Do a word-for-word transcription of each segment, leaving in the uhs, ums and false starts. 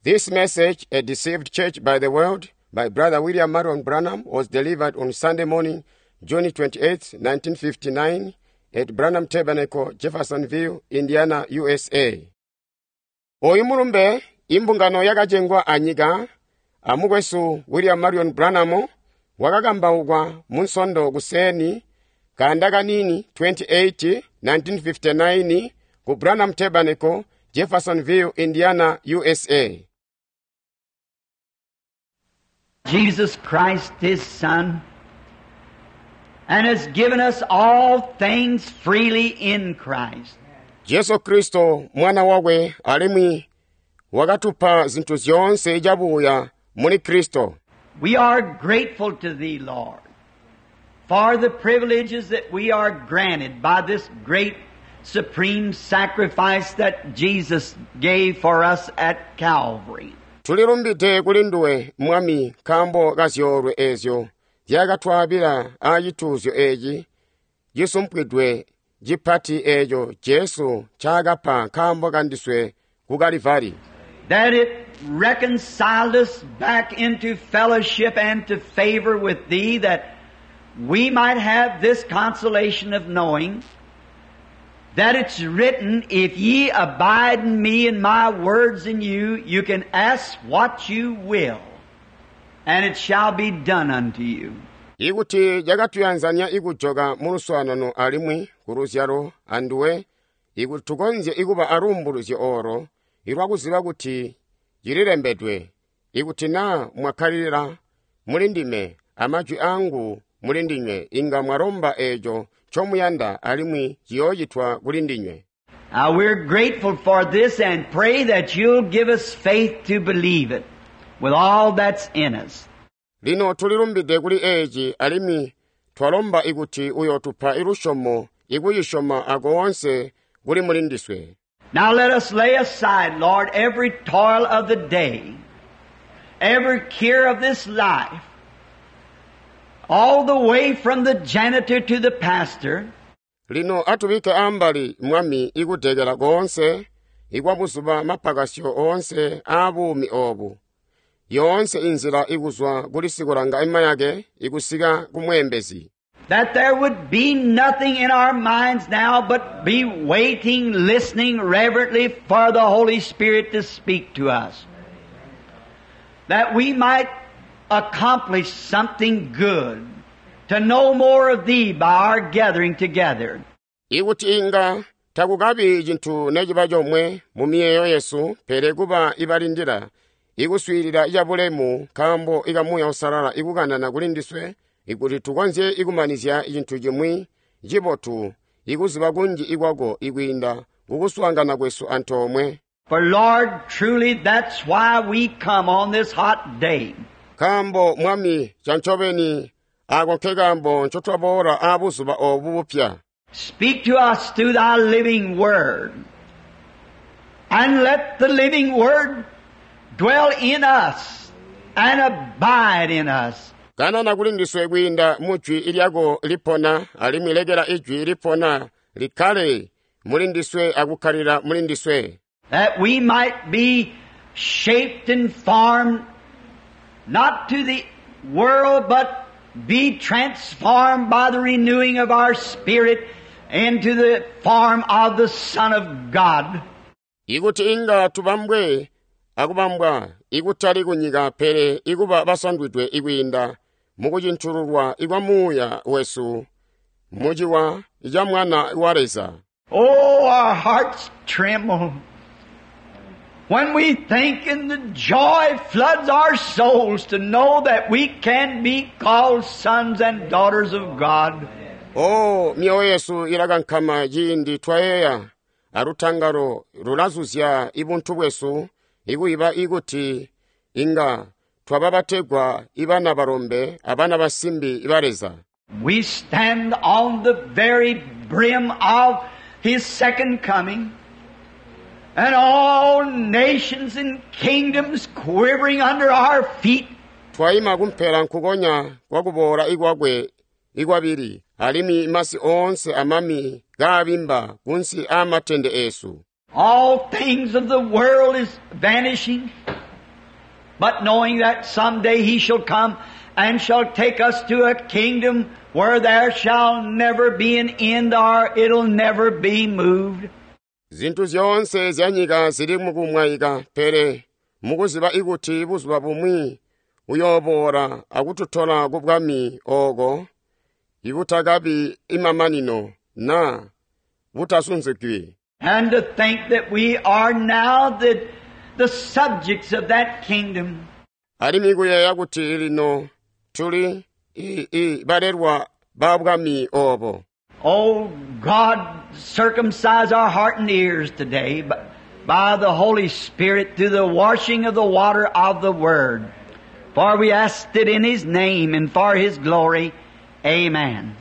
This message, A Deceived Church by the World, by Brother William Marion Branham, was delivered on Sunday morning, June twenty-eighth, nineteen fifty-nine, at Branham Tabernacle, Jeffersonville, Indiana, U S A. Oyu mulumbe, imbungano yakacengwa anyika, amukwesu William Marion Branham, wakakambaukwa munsondo kuseeni kanda kanini twenty-eight, nineteen fifty-nine ku Branham Tabernacle, Jeffersonville, Indiana, U S A. Jesus Christ, His Son, and has given us all things freely in Christ. Jesu Kristo mwana wakwe alimwi wakatupa zinthu zyoonse cabuya muli Kristo. We are grateful to Thee, Lord, for the privileges that we are granted by this great supreme sacrifice that Jesus gave for us at Calvary. Tulilumbide kuli nduwe mwami nkaambo ka zyoolwe eezyo zyakatwaabila aacituuzyo eeci cisumpwidwe cipati eeco Jesu ncaakapa nkaambo kandiswe ku Kalivari. That it reconciled us back into fellowship and to favor with Thee, that we might have this consolation of knowing that it's written, "If ye abide in me and my words in you, you can ask what you will, and it shall be done unto you." Ikuti cakatuyanzanya ikujoka mu luswaanano alimwi ku luzyalo anduwe ikuti tukonzye ikuba aluumbuluzyo oro ilwakuziba kuti cililembedwe ikuti naa mwakkalilila muli ndime amajwi angu muli ndinywe inga mwalomba eeco ncomuyanda alimwi ciyoocitwa kuli ndinywe. Now we're grateful for this and pray that you'll give us faith to believe it with all that's in us. Lino tulilumbide kuli eeci alimwi twalomba ikuti uyootupa ilusyomo ikuyisyoma akoonse kuli muli ndiswe. Now let us lay aside, Lord, every toil of the day, every care of this life, all the way from the janitor to the pastor, Lino atubikke ambali mwami ikudekela koonse ikwabuzuba mapakasyo oonse aabuumi oobu yoonse inzila ikuzwa kuli sikulanga imayake ikusika ku mweembezi that there would be nothing in our minds now but be waiting, listening reverently for the Holy Spirit to speak to us. That we might accomplish something good, to know more of Thee by our gathering together. Ikuti inga takukabi cintu neciba comwe mu miyeeyo yesu pele kuba ibalindila ikuswiilila cabulemu nkaambo ika Muuya Uusalala ikukanana kuli ndiswe ikuti tukonzye ikumanizya cintu cimwi cibotu ikuziba kunji ikwako ikwiinda kukuswaangana kwesu antoomwe. For Lord, truly that's why we come on this hot day. Nkaambo mwami cancobeni ako nkekaambo ncotwaboola aabuzuba oobu bupya. Speak to us through Thy living Word. And let the living Word dwell in us and abide in us. Kanana kuli ndiswe kwiinda mu jwi lyako lipona alimwi lekela ijwi lipona likkale muli ndiswe akukkalila muli ndiswe. That we might be shaped and formed not to the world, but be transformed by the renewing of our spirit into the form of the Son of God. Ikuti inga tubambwe akubambwa ikutali kunyika pele ikuba basandwidwe ikwiinda mukucintululwa ikwa muuya wesu muciwa ca mwana wa Leza. Oh, our hearts tremble when we think and the joy floods our souls to know that we can be called sons and daughters of God. O myoyo yesu ilakankama ciindi twayeeya alutangalo lulazuzya ibuntu bwesu ikuiba ikuti inga twaba bategwa ibana balombe abana basimbi ba Leza. We stand on the very brim of His second coming, and all nations and kingdoms quivering under our feet. Twayima kumphela nkukonya kwakuboola ikwakwe ikwabili alimwi masi oonse amami kaabimba kunsi aamatende eesu. All things of the world is vanishing. But knowing that someday He shall come and shall take us to a kingdom where there shall never be an end or it'll never be moved. Zinthu zyoonse zya nyika zili mukumwayika pele mukuziba ikuti buzuba bumwi uyooboola akututola ku bwami ooko ibutakabi imamanino na butasunzikwi. And to think that we are now the, the subjects of that kingdom. Alimwi kuyeeya kuti lino tuli i, i balelwa ba bwami obo. Oh God, circumcise our heart and ears today by the Holy Spirit through the washing of the water of the Word. For we asked it in His name and for His glory. Amen.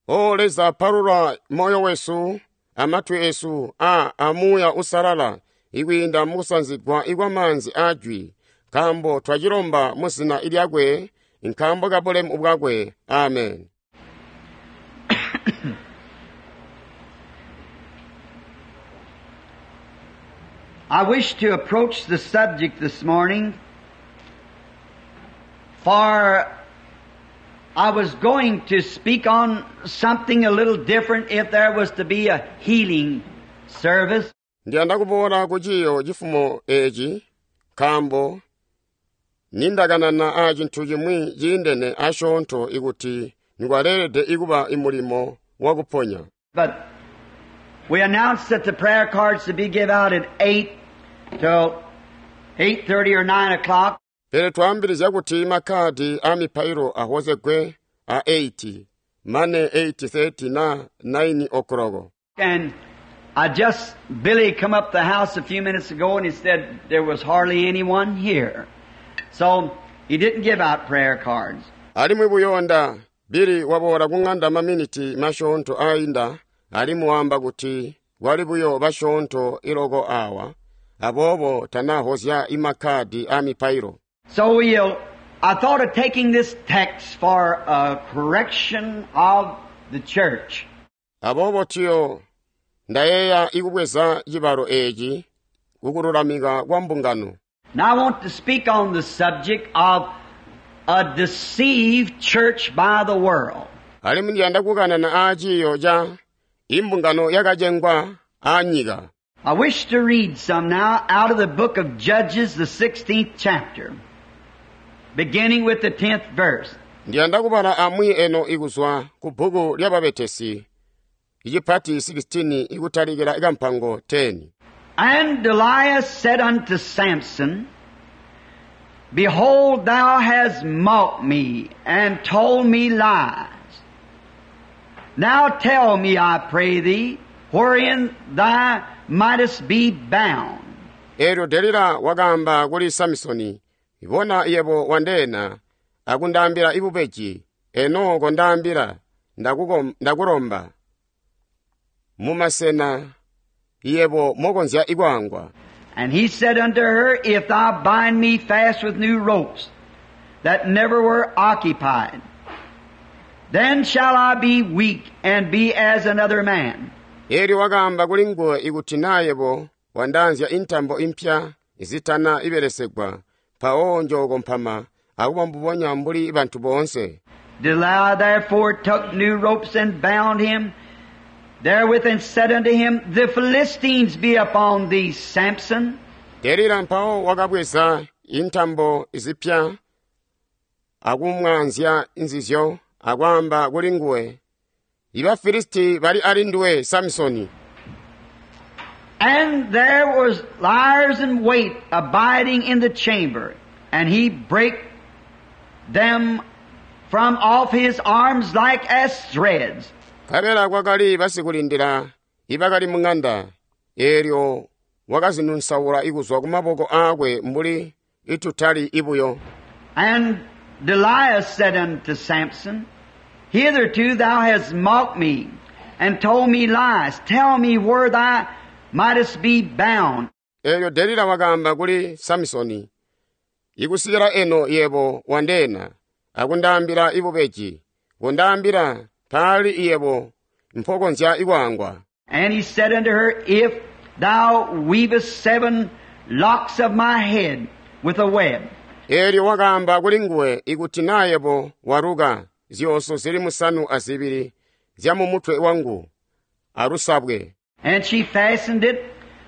O Leza palula moyo wesu amatwi esu a amuya usalala ikwiinda mukusanzigwa ikwa manzi ajwi nkambo twacilomba mu zina lyakwe nkambo ka bulemu bwakwe. Amen. I wish to approach the subject this morning, for I was going to speak on something a little different if there was to be a healing service. Ndiyanda kuboola ku ciyo cifumo eci nkambo nindakanana a cintu cimwi ciindene asyoonto ikuti nikwaleelede ikuba imulimo wakuponya. But we announced that the prayer cards to be given out at eight till eight thirty or nine o'clock. Pele twaambilizya kuti makhadi a mipailo ahozegwe a eight mane eight thirty na nine o'clock. And I just, Billy come up the house a few minutes ago and he said there was hardly anyone here. So he didn't give out prayer cards. Alimwi buyonda Billy waboola kung'anda maminiti masyoonto ainda alimwi waamba kuti kwali buyo basyoonto iloko awa aboobo tanahozya imakhadi a mipailo. So we'll, I thought of taking this text for a correction of the church. Aboobo tiyo ndayeeya ikubweza cibalo eci kukululamika kwa mbungano. Now I want to speak on the subject of a deceived church by the world. Alimwi ndiyanda kukanana a ciyo ca imbungano yakacengwa a nyika. I wish to read some now out of the book of Judges, the sixteenth chapter, beginning with the tenth verse. Ndiyanda kubala amwi eno ikuzwa ku bbuku lya Babetesi, icipati sixteen ikutalikira ikampango ten. And Delilah said unto Samson, Behold, thou hast mocked me and told me lies. Now tell me, I pray thee, wherein thou mightest be bound. Elyo Delila wakamba kuli Samsoni, Ibona yebo wandeena, akundambira ibubeji, eno kondambira, ndakulomba. Mumasena yebo mokonzya ikwangwa. And he said unto her, If thou bind me fast with new ropes that never were occupied, then shall I be weak and be as another man. Elyo wakamba kuli nguwe ikuti nayebo wandanzya intambo impya izitana ibelesegwa, mpawo njokompama akuba mbubonya mbuli bantu boonse. Delilah therefore took new ropes and bound him therewith and said unto him, The Philistines be upon thee, Samson. Delila mpawo wakabweza intambo izipya akumwanzya nzizyo akwamba kuli nguwe, Iba Filisti bali ali nduwe, Samsoni. And there was liars in wait abiding in the chamber, and he brake them from off his arms like as threads. Kabela kwakali basikulindira ibakali mung'anda, elyo wakazinunsaula ikuzwa kumaboko akwe mbuli itutali ibuyo. And Delilah said unto Samson, Hitherto thou hast mocked me, and told me lies. Tell me where thou mightest be bound. Elyo Delila wakamba kuli Samsoni, Ikusikira eno yebo wandeena, akundambira ibubeji, kundambira pali yebo mpokonzya ikwangwa. And he said unto her, If thou weavest seven locks of my head, with a web. Eelyo wakaamba kulinguwe ikuti naa yebo waluka zyooso zili musanu azibili zyamumutwe wangu alusabwe. And she fastened it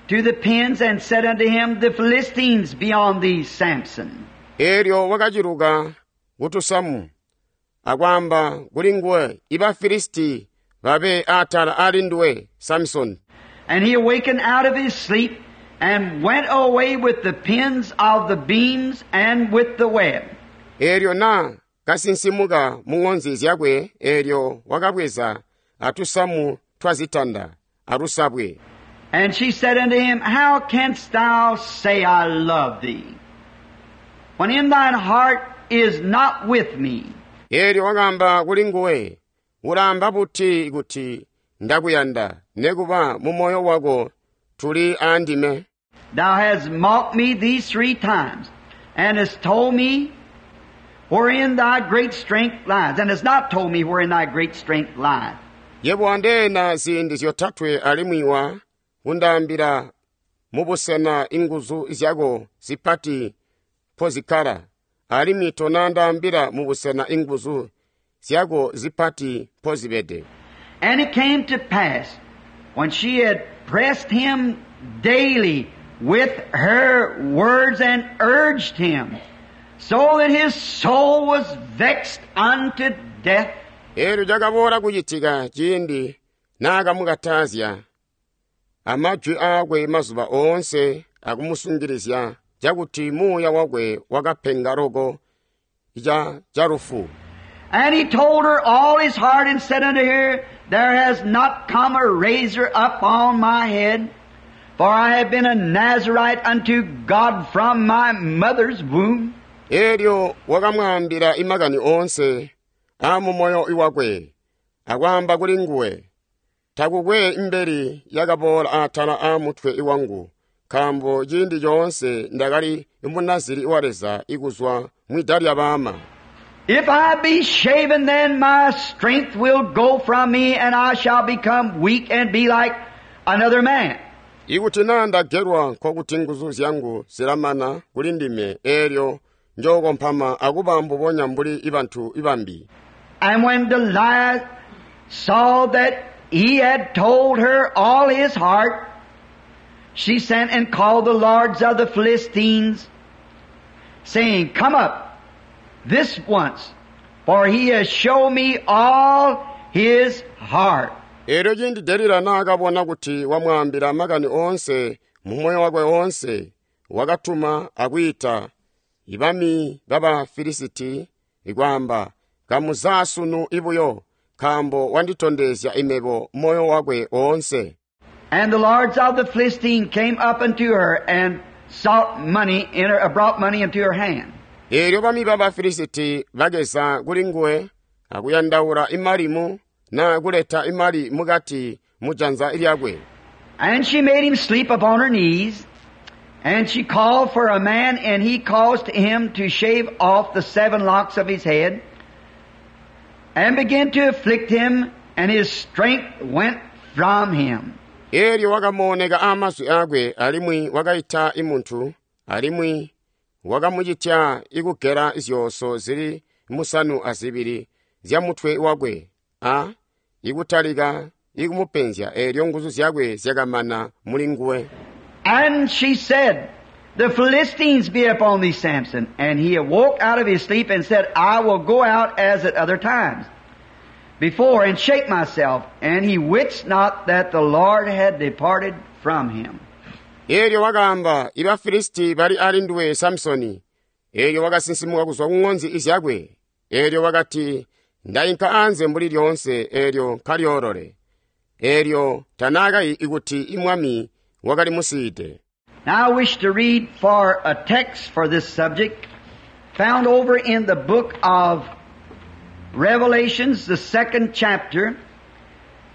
to the pins and said unto him, The Philistines be on thee, Samson. Eelyo wakaciluka kutusamu akwaamba kulinguwe iba Filisti babe atala alinduwe Samsoni. And he awakened out of his sleep and went away with the pins of the beams and with the web. Eelyo naa kasinsimuka mu ŋonzi zyakwe eelyo wakabweza atusamu twazitanda alusabwe. And she said unto him, How canst thou say I love thee, when in thine heart is not with me? Eelyo wakaamba kulinguwe, ulaamba buti kuti ndakuyanda nekuba mu moyo wako tuli aandime? Thou hast mocked me these three times, and hast told me wherein thy great strength lies, and hast not told me wherein thy great strength lies. Yebo wandeena ziindi zyotatwe alimwi wa kundaambila mubusena inguzu zyako zipati mpozikkala, alimwi tonaandaambila mubusena inguzu zyako zipati mpozibede. And it came to pass, when she had pressed him daily with her words and urged him, so that his soul was vexed unto death. Eelyo cakaboola kucitika ciindi naakamukatazya amajwi aakwe mazuba oonse akumusungilizya cakuti muuya wakwe wakapenga loko ca calufu. And he told her all his heart and said unto her, There has not come a razor up on my head, for I have been a Nazarite unto God from my mother's womb. Eelyo wakamwaambila imakani oonse aamumoyo wakwe akwaamba kuli nguwe, takukwe mbeli yakaboola atala aamutwe wangu, nkaambo ciindi coonse ndakali munaziri wa Leza ikuzwa mwida lya baama. If I be shaven, then my strength will go from me, and I shall become weak and be like another man. Ikuti naa ndagelwa nkokuti nguzu zyangu zilamana kuli ndime, eelyo njookompama akuba mbubonya mbuli ibantu ibambi. And when Delilah saw that he had told her all his heart, she sent and called the lords of the Philistines, saying, Come up this once, for he has shown me all his heart. Eelyo ciindi Delila naakabona kuti wamwaambila makani oonse mu moyo wakwe oonse, wakatuma akwiita ibami baba Filisiti ikwaamba, Kamuza sunu ibuyo, nkaambo wanditondezya imebo moyo wakwe oonse. And the lords of the Philistines came up unto her and sought money in her, brought money into her hand. Eelyo bami baba Filisiti bakeza kuli nguwe akuyandaula imalimu na kuleta imali mukati mujanza lyakwe. And she made him sleep upon her knees, and she called for a man, and he caused him to shave off the seven locks of his head, and began to afflict him, and his strength went from him. Eelyo wakamooneka aamazwi aakwe alimwi wakaita imuntu, alimwi wakamucitya ikugela zyooso zili musanu azibili zyamutwe wakwe, a ikutalika ikumupenzya, eelyo nguzu zyakwe zyakamana muli nguwe. And she said, The Philistines be upon thee, Samson. And he awoke out of his sleep and said, I will go out as at other times before and shake myself. And he wist not that the Lord had departed from him. Eelyo wakaamba, iba Filisti bali alinduwe Samsoni. Eelyo wakasinsimuka kuzwa ku ŋonzi zyakwe. Eelyo wakati, ndainka anze mbuli lyoonse, eelyo nkalyoolole. Eelyo tanaakayi ikuti imwami wakali musiide. Now I wish to read for a text for this subject found over in the book of Revelations, the second chapter,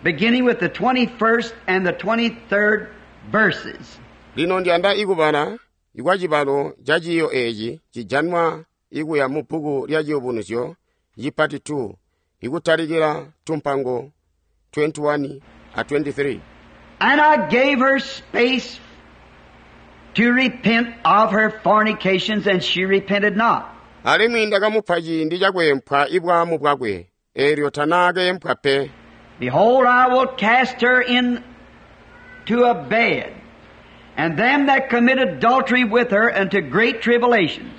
beginning with the twenty-first and the twenty-third verses. Lino ndiyanda ikubala ikwa cibalo ca ciiyo eeci cijanwa ikuya mu bbuku lya Ciyubunuzyo cipati two, ikutalikila tumpango twenty-one a twenty-three. And I gave her space to repent of her fornications, and she repented not. Alimwi ndakamupa ciindi cakweempwa ibwaamu bwakwe, eelyo tanaakeempwa pe. Behold, I will cast her into a bed, and them that commit adultery with her unto great tribulations,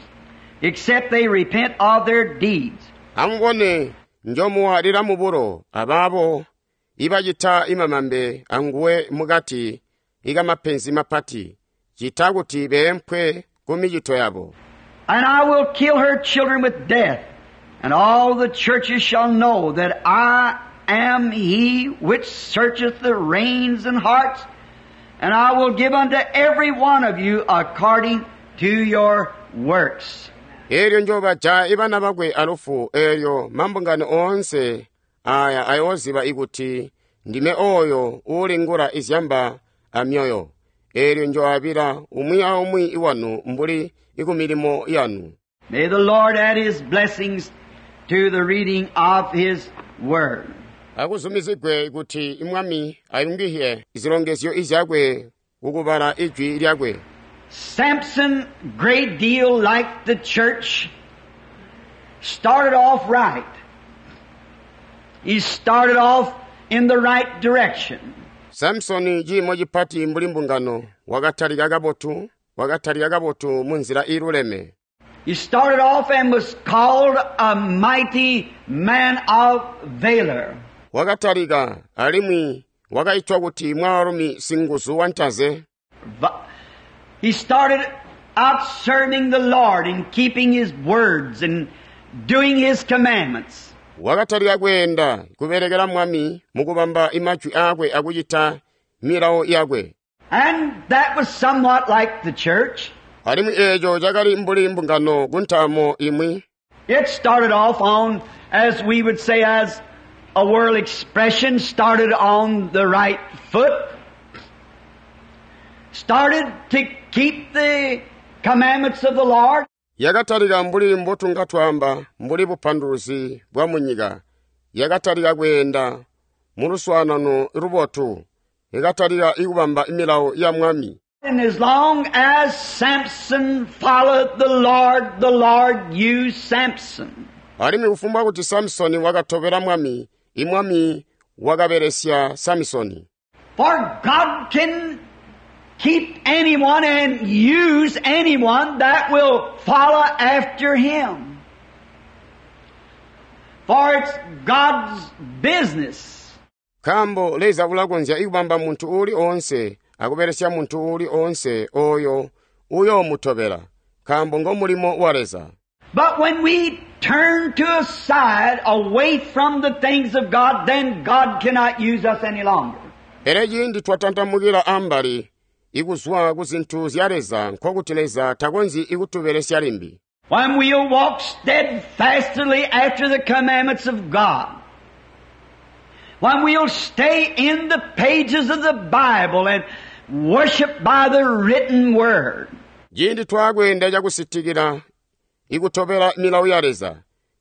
except they repent of their deeds. Amubone, njomuwaalila mubulo abaabo ibacita imamambe anguwe mukati ikamapenzi mapati, cita kuti beempwe ku micito yabo. And I will kill her children with death, and all the churches shall know that I am he which searcheth the reins and hearts, and I will give unto every one of you according to your works. Eelyo njoobaja ibana bakwe alufu, eelyo mambungano oonse aya ayooziba ikuti ndime oyo uulingula izyamba amyoyo. Eelyo njooabila umwi aumwi iwanu mbuli ikumilimo yanu. May the Lord add His blessings to the reading of His Word. Akuzumizigwe kuti imwami ayungihye izilongezyo izyakwe kukubala ijwi lyakwe. Samson, great deal like the church, started off right. He started off in the right direction. Samsoni ciimo cipati mbuli mbungano wakatalika kabotu, wakatalika kabotu munzila iiluleme. He started off and was called a mighty man of valor. Wakatalika alimwi wakaitwa kuti mwaalumi singuzu wantaze. Va- He started out serving the Lord and keeping His words and doing His commandments. Wakatalika kweenda kubelekela mwami mukubamba imajwi aakwe akucita milawo yakwe. And that was somewhat like the church. Alimwi eeco cakali mbuli mbungano kuntaamo imwi. It started off on, as we would say, as a world expression, started on the right foot. Started to keep the commandments of the Lord. Yakatalika mbuli mbotunga twaamba mbuli bupanduluzi bwa munyika. Yakatalika kweenda mu luswaanano lubotu. Yakatalika ikubamba milawo ya mwami. And as long as Samson followed the Lord, the Lord used Samson. Alimwi kufumbwa kuti Samsoni wakatobela mwami, imwami wakabelesya Samsoni. For God can keep anyone and use anyone that will follow after Him. For it's God's business. Nkaambo Leza ulakonzya ikubamba muntu uuli oonse akubelesya muntu uuli oonse oyo uyoomutobela, nkaambo ngomulimo wa Leza. But when we turn to a side away from the things of God, then God cannot use us any longer. Pele ciindi twatantamukila ambali ikuzwa ku zintu zya Leza, nkokuti Leza takonzyi ikutubelesya limbi. When we'll walk steadfastly after the commandments of God, when we'll stay in the pages of the Bible and worship by the written word. Ciindi twakweenda cakusitikila ikutobela milawo ya Leza,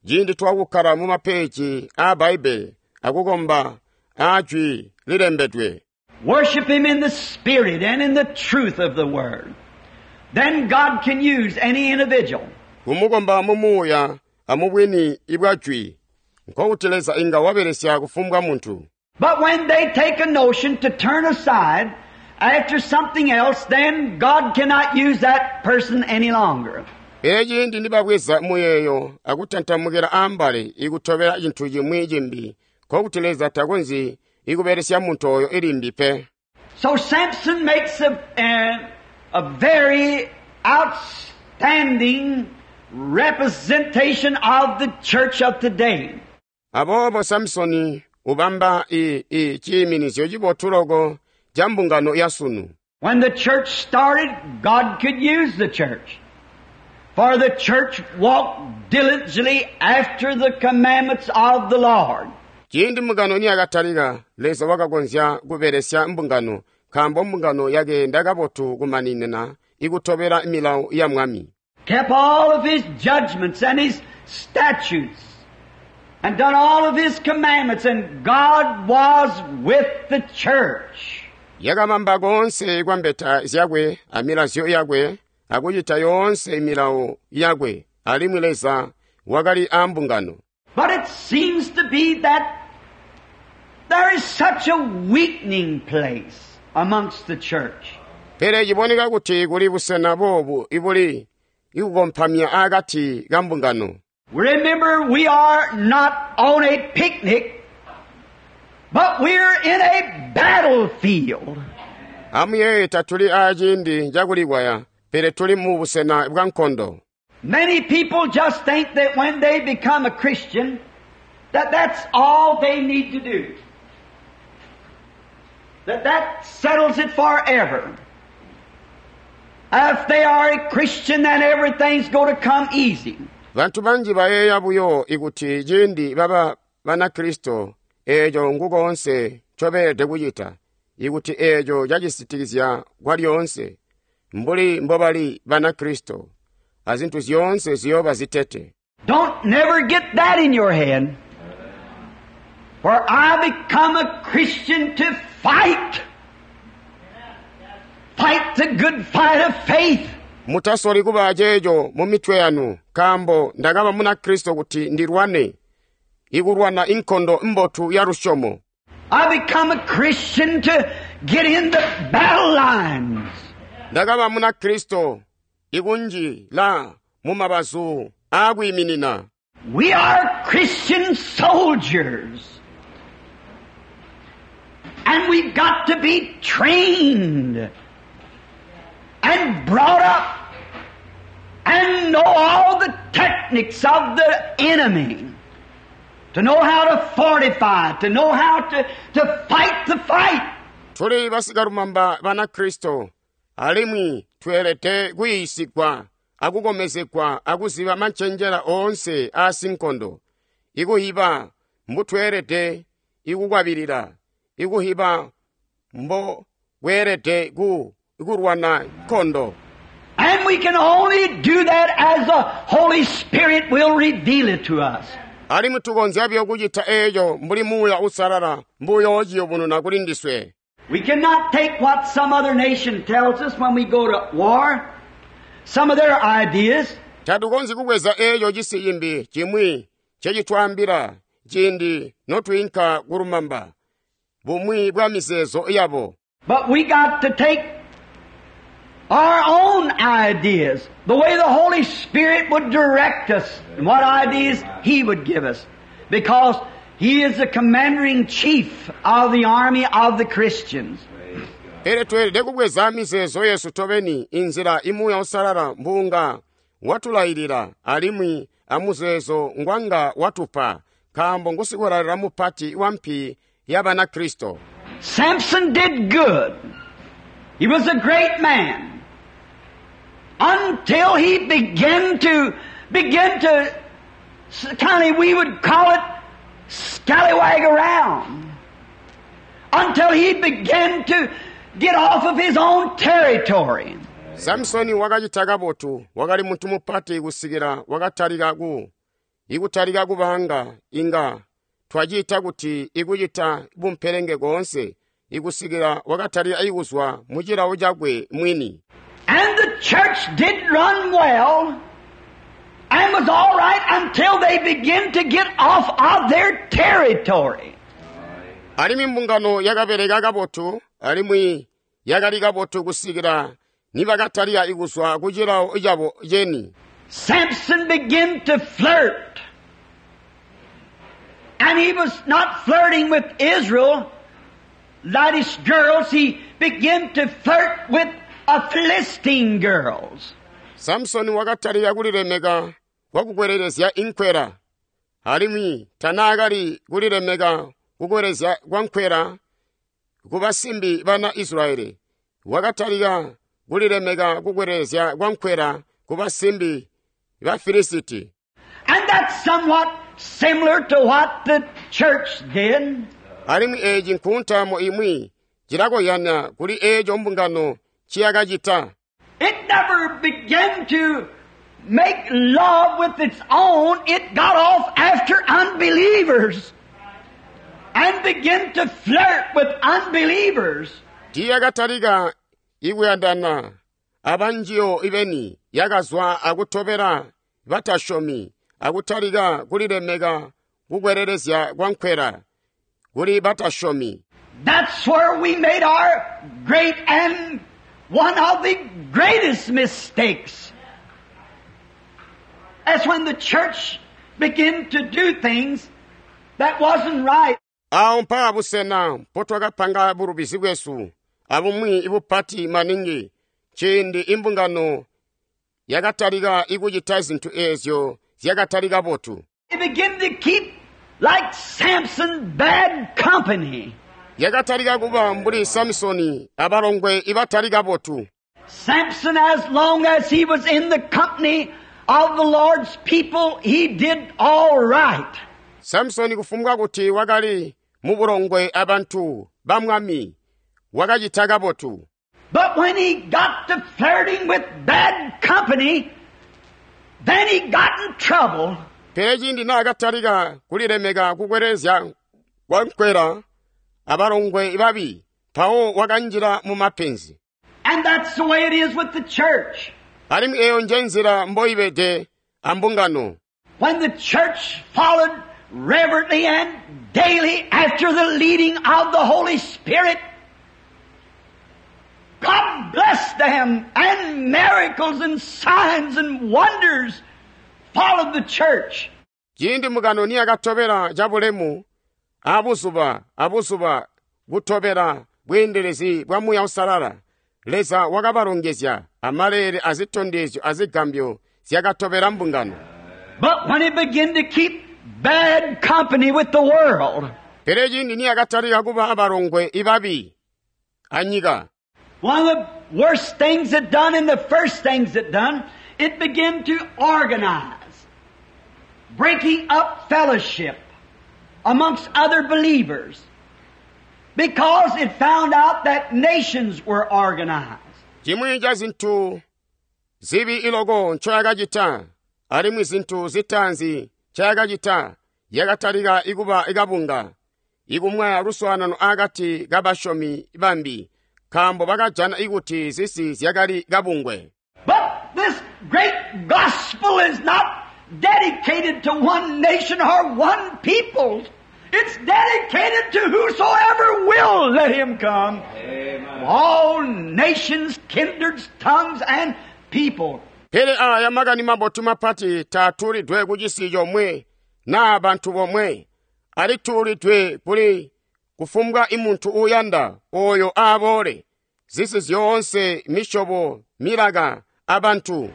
ciindi twakukkala mu mapeji aa Bbaibbele akukomba aajwi lilembedwe. Worship Him in the Spirit and in the truth of the Word. Then God can use any individual. Kumukomba mu muuya amubwini ibwa jwi, nkokuti Leza inga wabelesya kufumbwa muntu. But when they take a notion to turn aside after something else, then God cannot use that person any longer. Pele ciindi nibabweza muyeeyo akutantamukila ambali ikutobela cintu cimwi cimbi, nkokuti Leza takonzyi ikubelesya muntu oyo ilimbi pe. So Samson makes a, a, a very outstanding representation of the church of today. Aboobo Samsoni ubamba i, i ciiminizyo cibotu loko ca mbungano ya sunu. When the church started, God could use the church. For the church walked diligently after the commandments of the Lord. Ciindi mbungano niyakatalika, Leza wakakonzya kubelesya mbungano, nkaambo mbungano yakeenda kabotu kumaninina ikutobela milawo ya mwami. Kept all of His judgments and His statutes and done all of His commandments, and God was with the church. Yakabamba koonse kwa mbeta zyakwe amilazyo yakwe akucita yoonse milawo yakwe, alimwi Leza wakali ambungano. But it seems to be that there is such a weakening place amongst the church. Pele ciboneka kuti kuli busena boobu ibuli ikukompamya akati ka mbungano. Remember, we are not on a picnic, but we're in a battlefield. Amuyeeye tatuli aaciindi cakulikwaya, pele tuli mu busena bwa nkondo. Many people just think that when they become a Christian, that that's all they need to do. That that settles it forever. If they are a Christian, then everything's going to come easy. Bantu banji bayeeya buyo ikuti ciindi baba Banakristo eeco nkukoonse ncobeelede kucita, ikuti eeco cacisitikizya kwalyoonse, mbuli mbobali Banakristo, azintu zyoonse ziyooba zitete. Don't never get that in your head. For I become a Christian to fight. Fight the good fight of faith. Mutasoli kuba ceeco mu mitwe yanu, nkaambo ndakaba Munakristo kuti ndilwane, ikulwana inkondo mbotu ya lusyomo. I become a Christian to get in the battle lines. Ndakaba Munakristo ikunjila mu mabazu aakwiiminina. We are Christian soldiers. And we've got to be trained and brought up and know all the techniques of the enemy. To know how to fortify, to know how to, to fight the fight. Tuli basikalumamba Banakristo, alimwi tweelede kuyiisigwa akukomezegwa akuziba mancenjela oonse aasinkondo, ikuhiba mbutweelede ikukwabilila, ikuhiba mbo bweelede ku kulwana nkondo. And we can only do that as the Holy Spirit will reveal it to us. Alimwi tukonzya buyo kucita eeco mbuli Muuya Uusalala mbuyoociyubununa kuli ndiswe. We cannot take what some other nation tells us when we go to war, some of their ideas. Tatukonzyi kubweza eeco cisi cimbi cimwi ncecitwaambila ciindi notwiinka kulumamba, bumwi bwa mizeezo yabo. But we got to take our own ideas, the way the Holy Spirit would direct us and what ideas He would give us, because He is the commander-in-chief of the army of the Christians. Pele tweelede kubweza mizeezo yesu tobeni inzila imuuya Uusalala mbuunga watulayilila alimwi amuzeezo ngwanga watupa, nkaambo ngusikwelalela mupati wa mpi ya Banakristo. Samson did good. He was a great man. Until he began to, begin to, kind of, we would call it scallywag around. Until he began to get off of his own territory. Samsoni wakacita kabotu, wakali muntu mupati kusikila wakatalika ku, ikutalika kubanga inga twacita kuti ikucita bumpelenge koonse, ikusikila wakatalika ikuzwa mu cilawo cakwe mwini. And the church did run well and was all right until they began to get off of their territory. Alimwi mbungano yakabeleka kabotu, alimwi yakali kabotu kusikila nibakatalika ikuzwa ku cilawo cabo ceni. Samson began to flirt. And he was not flirting with Israel, laddish girls. He began to flirt with a Philistine girls. Samson wakatalika kulilemeka kwakukwelelezya inkwela, alimwi tanaakali kulilemeka kukwelezya kwa nkwela ku basimbi bana Israeli. Wakatalika kulilemeka kukwelezya kwa nkwela ku basimbi ba Filisiti. And that's somewhat similar to what the church did. Alimwi eeci nkuntamo imwi cilakoyana kuli eeco mbungano ciyakacita. It never began to make love with its own. It got off after unbelievers and began to flirt with unbelievers. Tiiyakatalika ikuyandana abanjiyo ibeni, yakazwa akutobela batasyomi akutalika kulilemeka kukwelelezya kwankwela kuli batasyomi. That's where we made our great and one of the greatest mistakes. That's when the church began to do things that wasn't right. Awo mpaa busena mpotwakapanga bulubizi bwesu abumwi ibupati maningi ciindi imbungano yakatalika ikucita zintu eezyo zyakatali kabotu. It began to keep, like Samson, bad company. Yakatalika kuba mbuli Samsoni abalongwe ibatali kabotu. Samson, as long as he was in the company of the Lord's people, he did all right. Samsoni kufumbwa kuti wakali mubulongwe abantu ba mwami wakacita kabotu. But when he got to flirting with bad company, then he got in trouble. Pele ciindi naakatalika kulilemeka kukwelezya kwankwela abalongwe babi, mpawo wakanjila mu mapenzi. And that's the way it is with the church. Alimwi eyo njenzila mboibede ambungano. When the church followed reverently and daily after the leading of the Holy Spirit, God blessed them, and miracles and signs and wonders followed the church. Ciindi mbungano niyakatobela cabulemu abuzuba abuzuba kutobela bweendelezi bwa Muuya Uusalala, Leza wakabalongezya amaleele azitondezyo azigambyo zyakatobela mbungano. But when it began to keep bad company with the world, Pele ciindi niyakatalika kuba abalongwe ibabi anyika, one of the worst things it done and the first things it done, it began to organize, breaking up fellowship amongst other believers, because it found out that nations were organized. Chimwi cha zinthu zibi iloko nchoyakachita, alimwi zinthu zitaanzi nchayakachita, yakatalika ikuba ikabunga, ikumwaya luswaanano akati kabasyomi bambi, nkaambo bakajana ikuti zisi zyakali kabungwe. But this great gospel is not dedicated to one nation or one people. It's dedicated to whosoever will let him come. Amen. All nations, kindreds, tongues, and people. Pele aya makani mabotu mapati taatulidwe ku cisi comwe naa bantu bomwe, alitulidwe kuli kufumbwa imuntu uyanda oyo aboole, zisi zyoonse, misyobo, milaka abantu.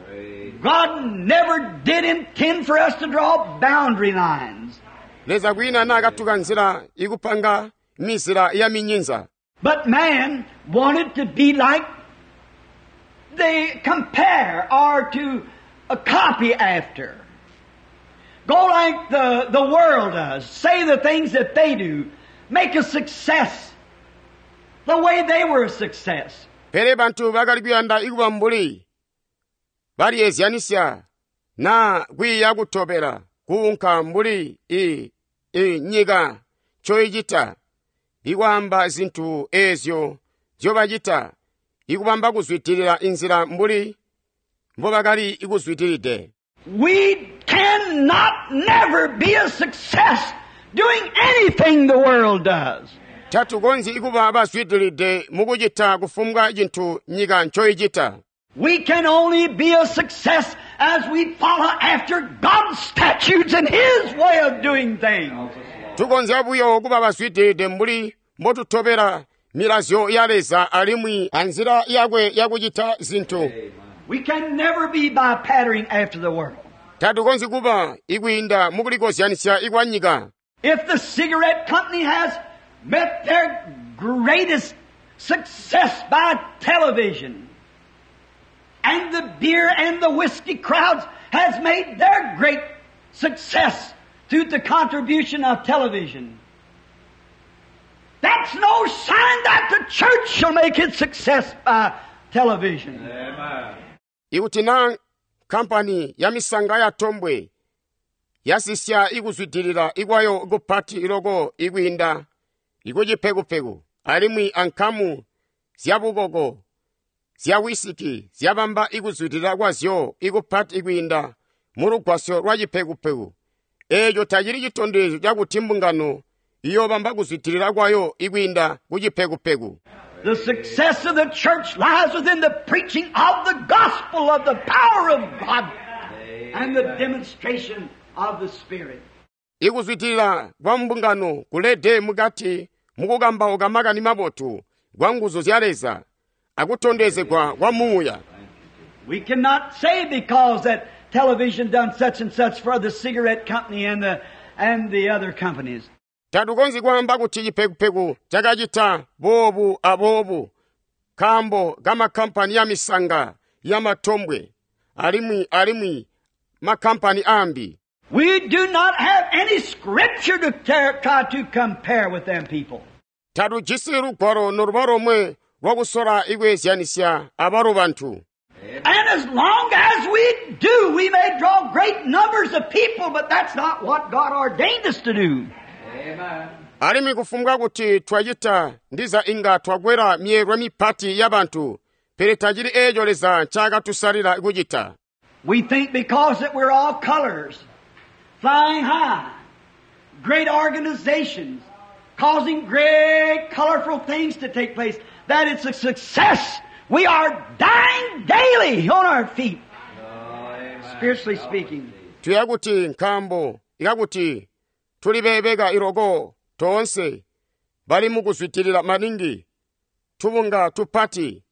God never did intend for us to draw boundary lines. Leza kwina naakatuka nzila ikupanga mizila ya minyinza. But man wanted to be like they compare or to copy after. Go like the, the world does. Say the things that they do. Make a success the way they were a success. Pele bantu bakali kuyanda ikuba mbuli baliyezyanisya na kwiiya kutobela kuunka mbuli i, i nyika ncoicita, ikwaamba zinthu eezyo nzyobacita, ikubamba kuzwidilila inzila mbuli mbobakali kuzwidilide. We cannot never be a success doing anything the world does. Tatukonzyi kuba bazwidilide mukucita kufumbwa cinthu nyika ncoicita. We can only be a success as we follow after God's statutes and His way of doing things. Tukonzya buyo kuba bazwidilide mbuli mbotutobela milazyo ya Leza alimwi anzila yakwe yakucita zinthu. We can never be by patterning after the world. Tatukonzyi kuba ikwiinda mukulikozyanisya ikwa nyika. If the cigarette company has met their greatest success by television, and the beer and the whiskey crowds has made their great success through the contribution of television, that's no sign that the church shall make its success by television. Amen. Ikuti na kampani ya misanga ya tombwe yasisya ikuzwidilila ikwayo kupati iloko ikwiinda ikucipekupeku alimwi ankamu zyabukoko zya wisiki zyabamba ikuzwidilila kwazyo ikupati kwiinda mulugwasyo lwa cipekupeku, eeco tacili citondezyo cakuti mbungano iyoobamba kuzwidilila kwayo ikwiinda ku cipekupeku. The success of the church lies within the preaching of the gospel of the power of God and the demonstration of the Spirit. Ikuzwidilila kwa mbungano kulede mukati mukukambauka makani mabotu kwa nguzu zya Leza akutondezegwa kwa Muuya. We cannot say because that television done such and such for the cigarette company and the, and the other companies. Tatukonzyi kwaamba kuti cipekupeku cakacita boobu aboobu nkaambo kamakkampani ya misanga ya matombwe alimwi alimwi makkampani ambi. We do not have any scripture to ter- try to compare with them people. Tatujisi lugwalo noluba lomwe lwakusola ikweezyanisya abalo bantu. And as long as we do, we may draw great numbers of people, but that's not what God ordained us to do. Alimwi kufumbwa kuti twacita ndiza inga twakwela myeelwe mipati ya bantu, pele tacili eeco Leza ncaakatusalila kucita. We think because that we're all colors, flying high, great organizations, causing great colorful things to take place, that it's a success. We are dying daily on our feet, spiritually speaking. Tuya kuti nkaambo ikakuti tulibebeka iloko toonse bali mukuzwidilila maningi tubunga tupati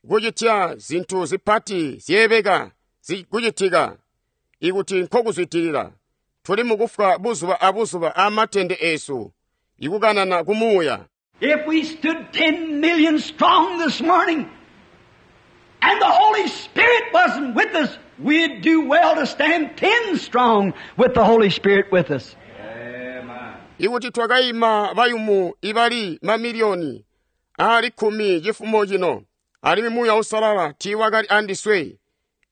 kucitya zintu zipati zyeebeka kucitika ikuti nkokuzwidilila tuli mukufwa buzuba abuzuba amatende eesu ikukanana kumuuya. If we stood ten million strong this morning and the Holy Spirit wasn't with us, we'd do well to stand ten strong with the Holy Spirit with us. Ikuti twakaima bayumu ibali mamiliyoni ali kkumi cifumo cino alimwi Muuya Uusalala tiiwakali andiswe,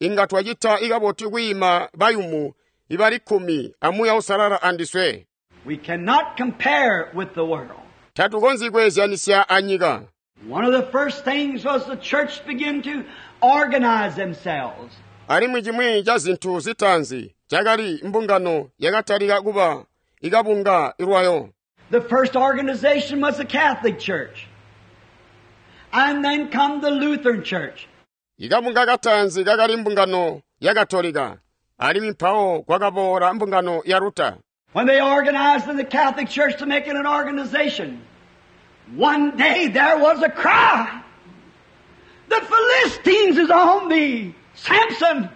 inga twacita ikabotu kwiima bayumu ibali kkumi a Muuya Uusalala andiswe. We cannot compare with the world. Tatukonzyi kweezyanisya anyika. One of the first things was the church began to organize themselves. Alimwi chimwi cha zinthu zitaanzi chakali mbungano yakatalika kuba ikabunga ilwayo. The first organization was the Catholic Church. And then come the Lutheran Church. Ikabunga kataanzi kakali mbungano ya Katolika. Alimwi mpawo kwakaboola mbungano ya Luther. When they organized in the Catholic Church to make it an organization, one day there was a cry. The Philistines is on thee, Samson.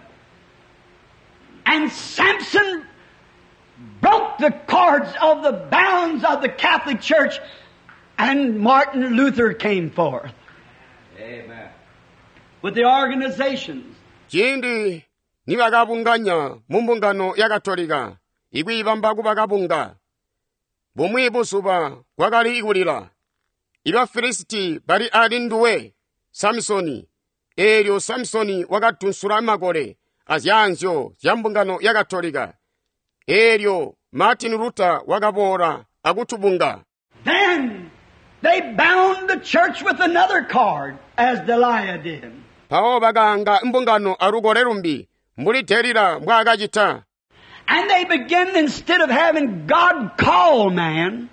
And Samson broke the cords of the bounds of the Catholic Church, and Martin Luther came forth. Amen. With the organizations. Ciindi nibakabunganya mu mbungano ya Katolika, ikwiibamba kuba kabunga. Bumwi buzuba kwakali ikulila. Ibafilisiti bali ali nduwe, Samsoni. Eelyo Samsoni wakatunsula makole azyaanzyo zya mbungano ya Katolika. Eelyo Martin Luther wakaboola akutubunga. Then they bound the church with another cord, as Delilah did. Mpawo bakaanga mbungano alukole lumbi, mbuli Delila mbwaakacita. And they began, instead of having God call man,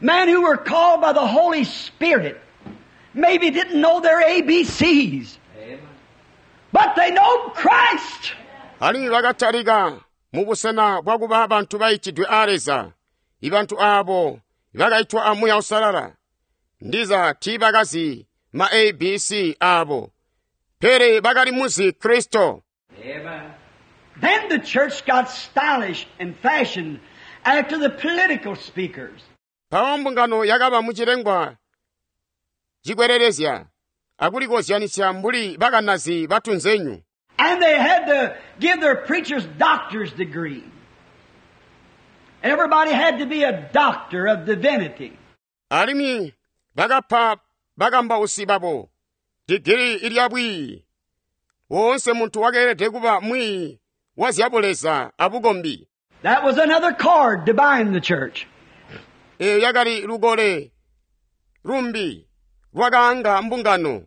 men who were called by the Holy Spirit, maybe didn't know their A B Cs, but they know Christ. Alimwi bakatalika mu busena bwakuba bantu baitidwe a Leza, ibantu abo bakaitwa a Muuya Uusalala. Ndiza tiibakazi ma A B C abo, pele bakali muzi Kristo. Amen. Then the church got stylish and fashioned after the political speakers. Mpawo mbungano yakaba mucilengwa cikwererezya akulikozyanisya mbuli bakanazi batunzenyu. And they had to give their preachers doctor's degree. Everybody had to be a doctor of divinity. Alimwi bakapa bakambausi babo digiri ilya bwiiyi. Woonse muntu wakeelede kuba mwiiyi wa zyabuleza abukombi. That was another cord to bind the church. Eyo yakali lukole lumbi lwakaanga mbungano.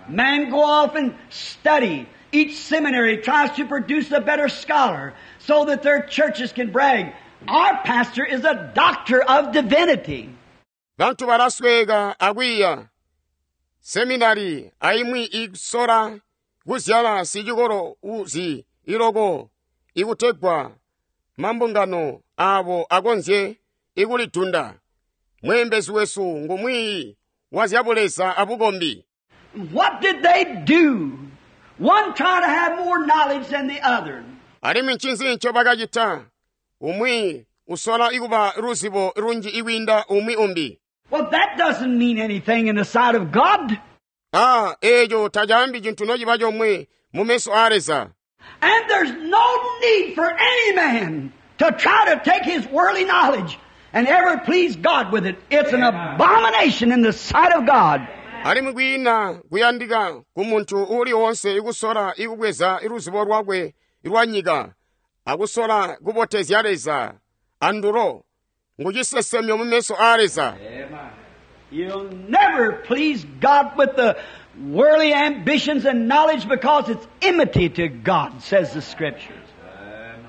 Men go off and study. Each seminary tries to produce a better scholar so that their churches can brag. Our pastor is a doctor of divinity. Bantu balasweka akwiiya seminari aimwi ikusola kuzyala sicikolo uzi iloko ikutegwa mambungano abo akonzye ikulidunda. Mweembezi wesu ngumwiiyi wa zyabuleza abukombi. What did they do? One tried to have more knowledge than the other. Alimwi ncinzi ncobakacita? Umwi usola ikuba luzibo lunji ikwiinda umwi umbi. Well, that doesn't mean anything in the sight of God. Ah, eeco tacaambi cintu nociba comwe mu meso a Leza. And there's no need for any man to try to take his worldly knowledge and ever please God with it. It's an abomination in the sight of God. Alimwi kwiina kuyandika ku muntu uuli wonse ikusola ikubweza luzibo lwakwe lwa nyika akusola kubotezya Leza andulo ngucisesemyo mu meso a Leza. Amen. You'll never please God with the worldly ambitions and knowledge because it's enmity to God, says the Scriptures. Amen.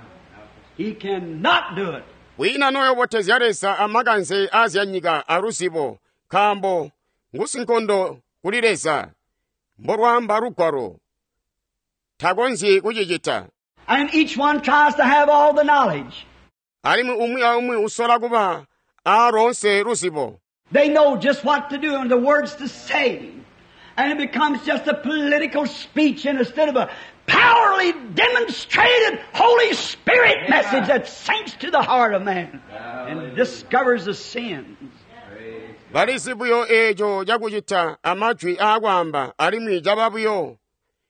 He cannot do it. Wina noyobotezya Leza amakanze azyanyika aluzibo nkaambo ngusinkondo kuli Leza mbolwaamba lugwalo takonzyi kucicita. And each one tries to have all the knowledge. Alimwi umwi aumwi usola kuba aalonse luzibo. They know just what to do and the words to say. And it becomes just a political speech instead of a powerfully demonstrated Holy Spirit message that sinks to the heart of man and discovers the sins. Praise Balizi buyo eeco cakucita amajwi aakwaamba alimwi caba buyo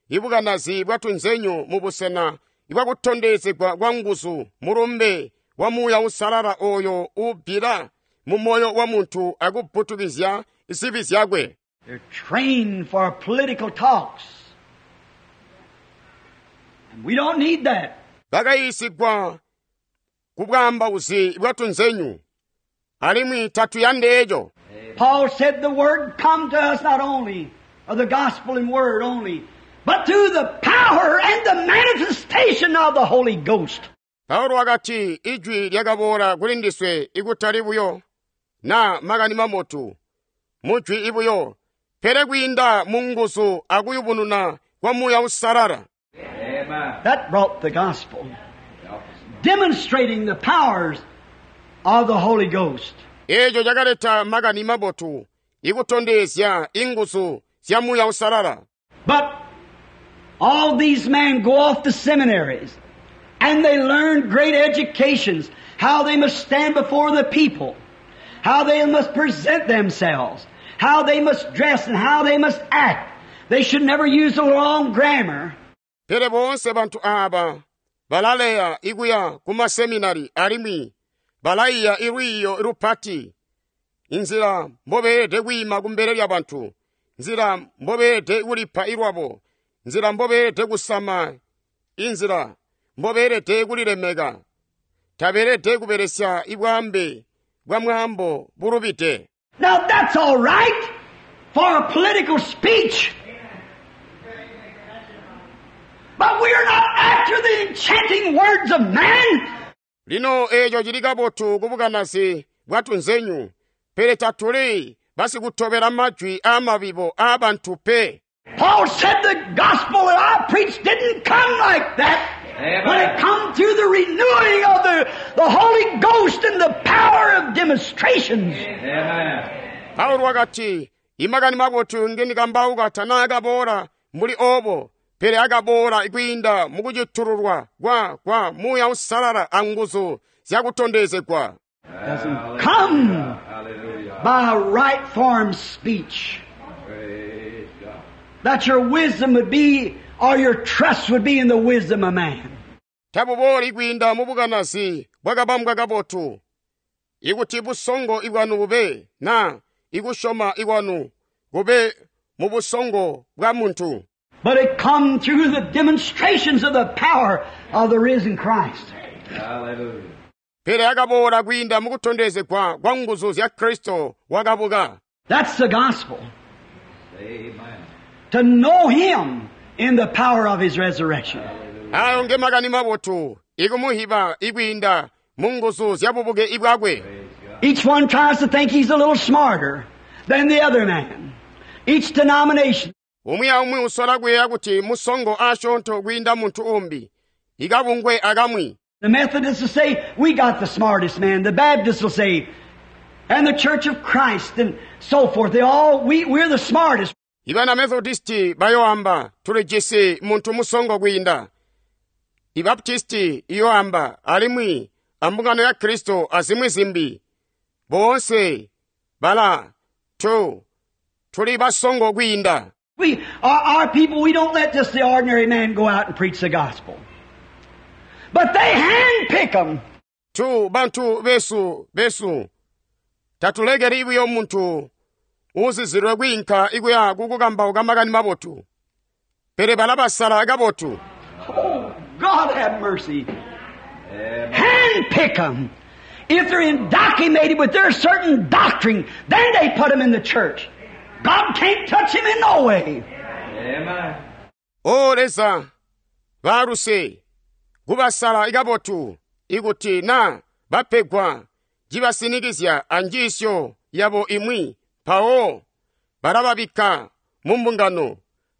ibukanazi bwatunzenyu mu busena ibwakutondezegwa kwa nguzu mulumbe wa muuya usalala oyo uubbila mu moyo wa muntu akubbutukizya zibi zyakwe. They're trained for political talks. And we don't need that. Bakayiisigwa ku bwaambauzi bwatunzenyu alimwi tatuyandi eeco. Paul said the word come to us not only, or the gospel in word only, but through the power and the manifestation of the Holy Ghost. Paulo wakati ijwi lyakaboola kuli ndiswe ikutali buyo na makani mabotu mujwi ibuyo pele kwiinda mu nguzu akuyubununa kwa muuya usalala. Amen. That brought the gospel, Help us. demonstrating the powers of the Holy Ghost. Eeco cakaleta makani mabotu ikutondezya inguzu zya muuya usalala. But all these men go off to seminaries and they learn great educations, how they must stand before the people, how they must present themselves, how they must dress and how they must act. They should never use the wrong grammar. Pele boonse bantu aaba balaleya ikuya ku maseminari alimwi balaiya ilwiiyo lupati inzila mbobeelede kwiima kumbele lya bantu, nzila mbobeelede kulipa ilwabo, nzila mbobeelede kusama, inzila mbobeelede kulilemeka. Tabeelede kubelesya ibwaambe bwa mwaambo bulubide. Now that's all right for a political speech. But we are not after the enchanting words of man. Lino eeco cili kabotu kubukanazi bwatunzenyu, pele tatuli basikutobela majwi aamabibo aabantu pe. Paul said the gospel that I preached didn't come like that. Amen. But it come through the renewing of the, the Holy Ghost and the power of demonstrations. Amen. Paulo wakati imakani mabotu ngendikambauka tanaakaboola mbuli oobo, pele akaboola kwiinda mukucitululwa kwa kwa muuya usalala anguzu zyakutondezegwa. Doesn't come Hallelujah. by right form speech. Praise God. That your wisdom would be, or your trust would be in the wisdom of man. Tabubooli kwiinda mu bukanazi bwakabambwa kabotu, ikuti busongo ibwanu bube na ikusyoma ikwanu kube mu busongo bwa muntu. But it come through the demonstrations of the power of the risen Christ. Hallelujah. Pele akaboola kwiinda mukutondezegwa kwa nguzu zya Kristo wakabuka. That's the gospel. Amen. To know Him in the power of His resurrection. Ayo nge makani mabotu ikumuhiba ikwiinda mu nguzu zya bubuke ibwakwe. Praise God. Each one tries to think he's a little smarter than the other man. Each denomination. Umwi aumwi usola kuyeeya kuti musongo asyoonto kwiinda munthu umbi ikabungwe akamwi. The Methodists will say, we got the smartest man. The Baptists will say, and the Church of Christ and so forth. They all, we, we're the smartest. Ibana Methodisti bayoamba tulijisi munthu musongo kwiinda. Ibaptisti iyoamba alimwi ambungano ya Kristo azimwi zimbi. Bonse bala tu tuli basongo kwiinda. We, our, our people, we don't let just the ordinary man go out and preach the gospel. But they handpick them. Tu bantu besu besu tatulekeli buyo munthu uzizilwe kwiinka ikuya kukukambauka makani mabotu. Pele balabasala kabotu. Oh, God have mercy. Amen. Handpick them. If they're indoctrinated with their certain doctrine, then they put them in the church. God can't touch him in no way. Amen. O Leza baluse kubasala ikabotu ikuti na bapegwa cibasinikizya anjiisyo yabo imwi mpawo balababikka mu mbungano.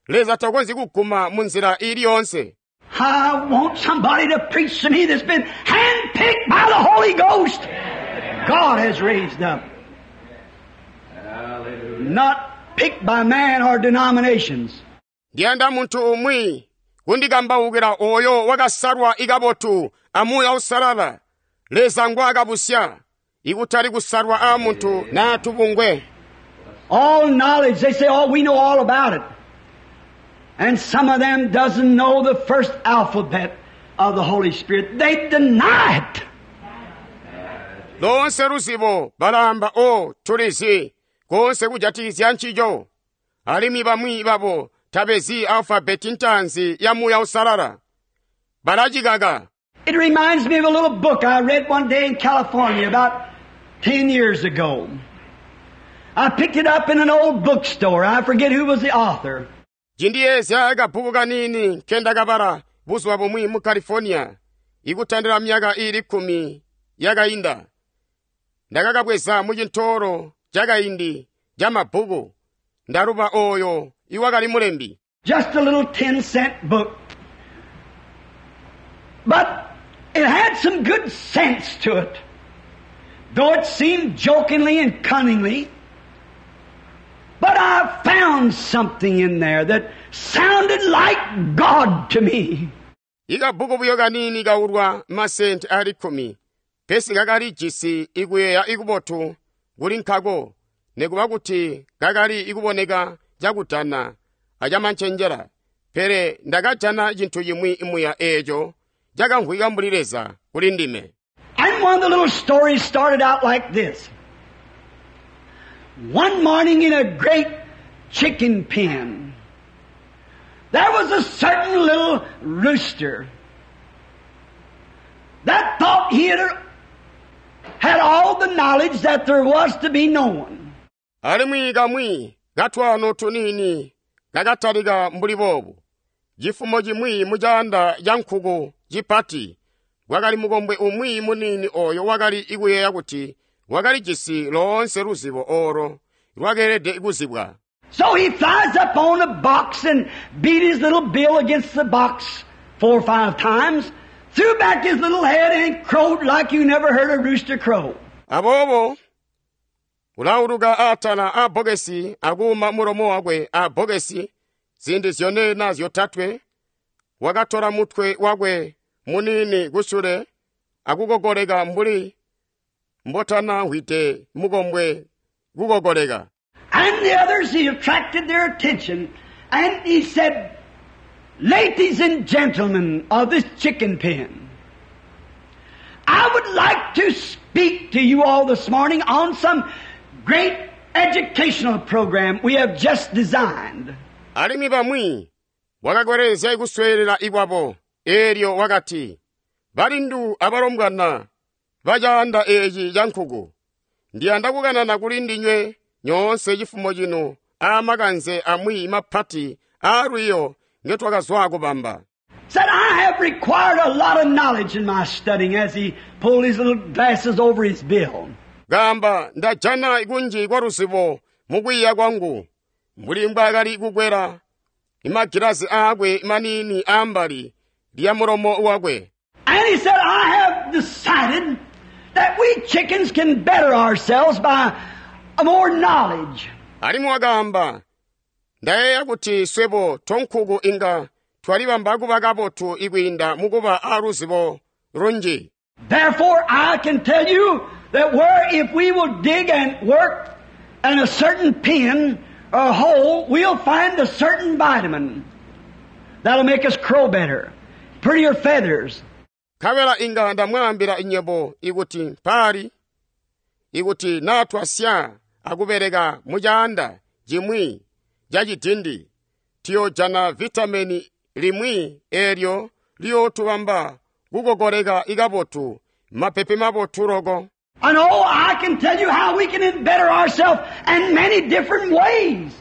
Leza takonzyi kuguma mu nzila ili yonse. I want somebody to preach to me that's been handpicked by the Holy Ghost. God has raised up. Hallelujah. Not picked by man or denominations. Ndiyanda munthu umwi kundikambaukira oyo wakasalwa ikabotu amuya usalala. Leza ngwaakabusya ikutali kusalwa a munthu na tubungwe. All knowledge, they say, oh, we know all about it. And some of them doesn't know the first alphabet of the Holy Spirit. They deny it. Lonse luzibo balamba o tulizi konse kujatikizya ncico. Alimwi bamwi babo tabezi alfabeti ntanzi ya muya usalala. Balacikaka. It reminds me of a little book I read one day in California about ten years ago. I picked it up in an old bookstore. I forget who was the author. Cindiyezya kabbuku kanini nkendakabala buzuba bumwi mu California ikutandila myaka ili kkumi yakayinda. Ndakakabweza mu cintoolo cakaindi ca mabbuku. Ndaluba oyo iwakali mulembi. Just a little ten cent book. But it had some good sense to it. Though it seemed jokingly and cunningly. But I found something in there that sounded like God to me. Ikabbuku buyo kanini kaulwa masenti ali kkumi. Pesi kakali jisi ikuyeeya ikubotu kuli nkako nekuba kuti kakali ikuboneka cakutana acamancenjela. Pele ndakajana cinthu chimwi muya eeco cakamvwika mbuli Leza kuli ndime. And one of the little stories started out like this. One morning in a great chicken pen, there was a certain little rooster that thought he had, had all the knowledge that there was to be known. Alimwi kamwi katwano tunini kakatalika mbuli boobu. Cifumo cimwi mu caanda ca nkuku cipati kwakali mukombwe umwi munini oyo wakali ikuyeeya kuti wakalijisi loonse luzibo olo lwakeelede kuzibwa. So he flies up on the box and beat his little bill against the box four or five times, threw back his little head and crowed like you never heard a rooster crow. Aboobo ulauluka atala a bokesi akuuma mulomo wakwe a bokesi zindi zyone na zyotatwe wakatola mutwe wakwe munini kusule akukogoleka mbuli mbotana hwite mukombwe kukogoleka. And the others, he attracted their attention, and he said, Ladies and gentlemen of this chicken pen, I would like to speak to you all this morning on some great educational program we have just designed. Alimwi bamwi wakakwerezya ikusweelela ikwabo eelyo wakati, balindu abalombwana bacaanda eeci ca nkuku, ndiyanda kukanana kuli ndinywe nyoonse cifumo cino aamakanze amwi mapati aalwiiyo ngetwakazwa kubamba. Said, I have required a lot of knowledge in my studying as he pulled his little glasses over his bill. Kaamba ndajana kunji kwa luzibo mukwiiya kwangu mbuli mbwaakali kukwela imagilazi aakwe maniini aambali lya mulomo wakwe. And he said, I have decided that we chickens can better ourselves by more knowledge. Alimwi wakaamba ndayeeya kuti swebo tonkuku inga twalibamba kuba kabotu ikwiinda mukuba aaluzibo lunji. Therefore, I can tell you that where if we will dig and work in a certain pen or hole, we'll find a certain vitamin that'll make us crow better, prettier feathers. Nkabela inga ndamwaambila inyebo ikuti mpali ikuti naa twasya akubeleka mucaanda cimwi ca cidindi tuyoojana vitameni limwi eelyo liyootubamba kukokoleka ikabotu mapepe mabotu loko. And oh, I can tell you how we can better ourselves in many different ways.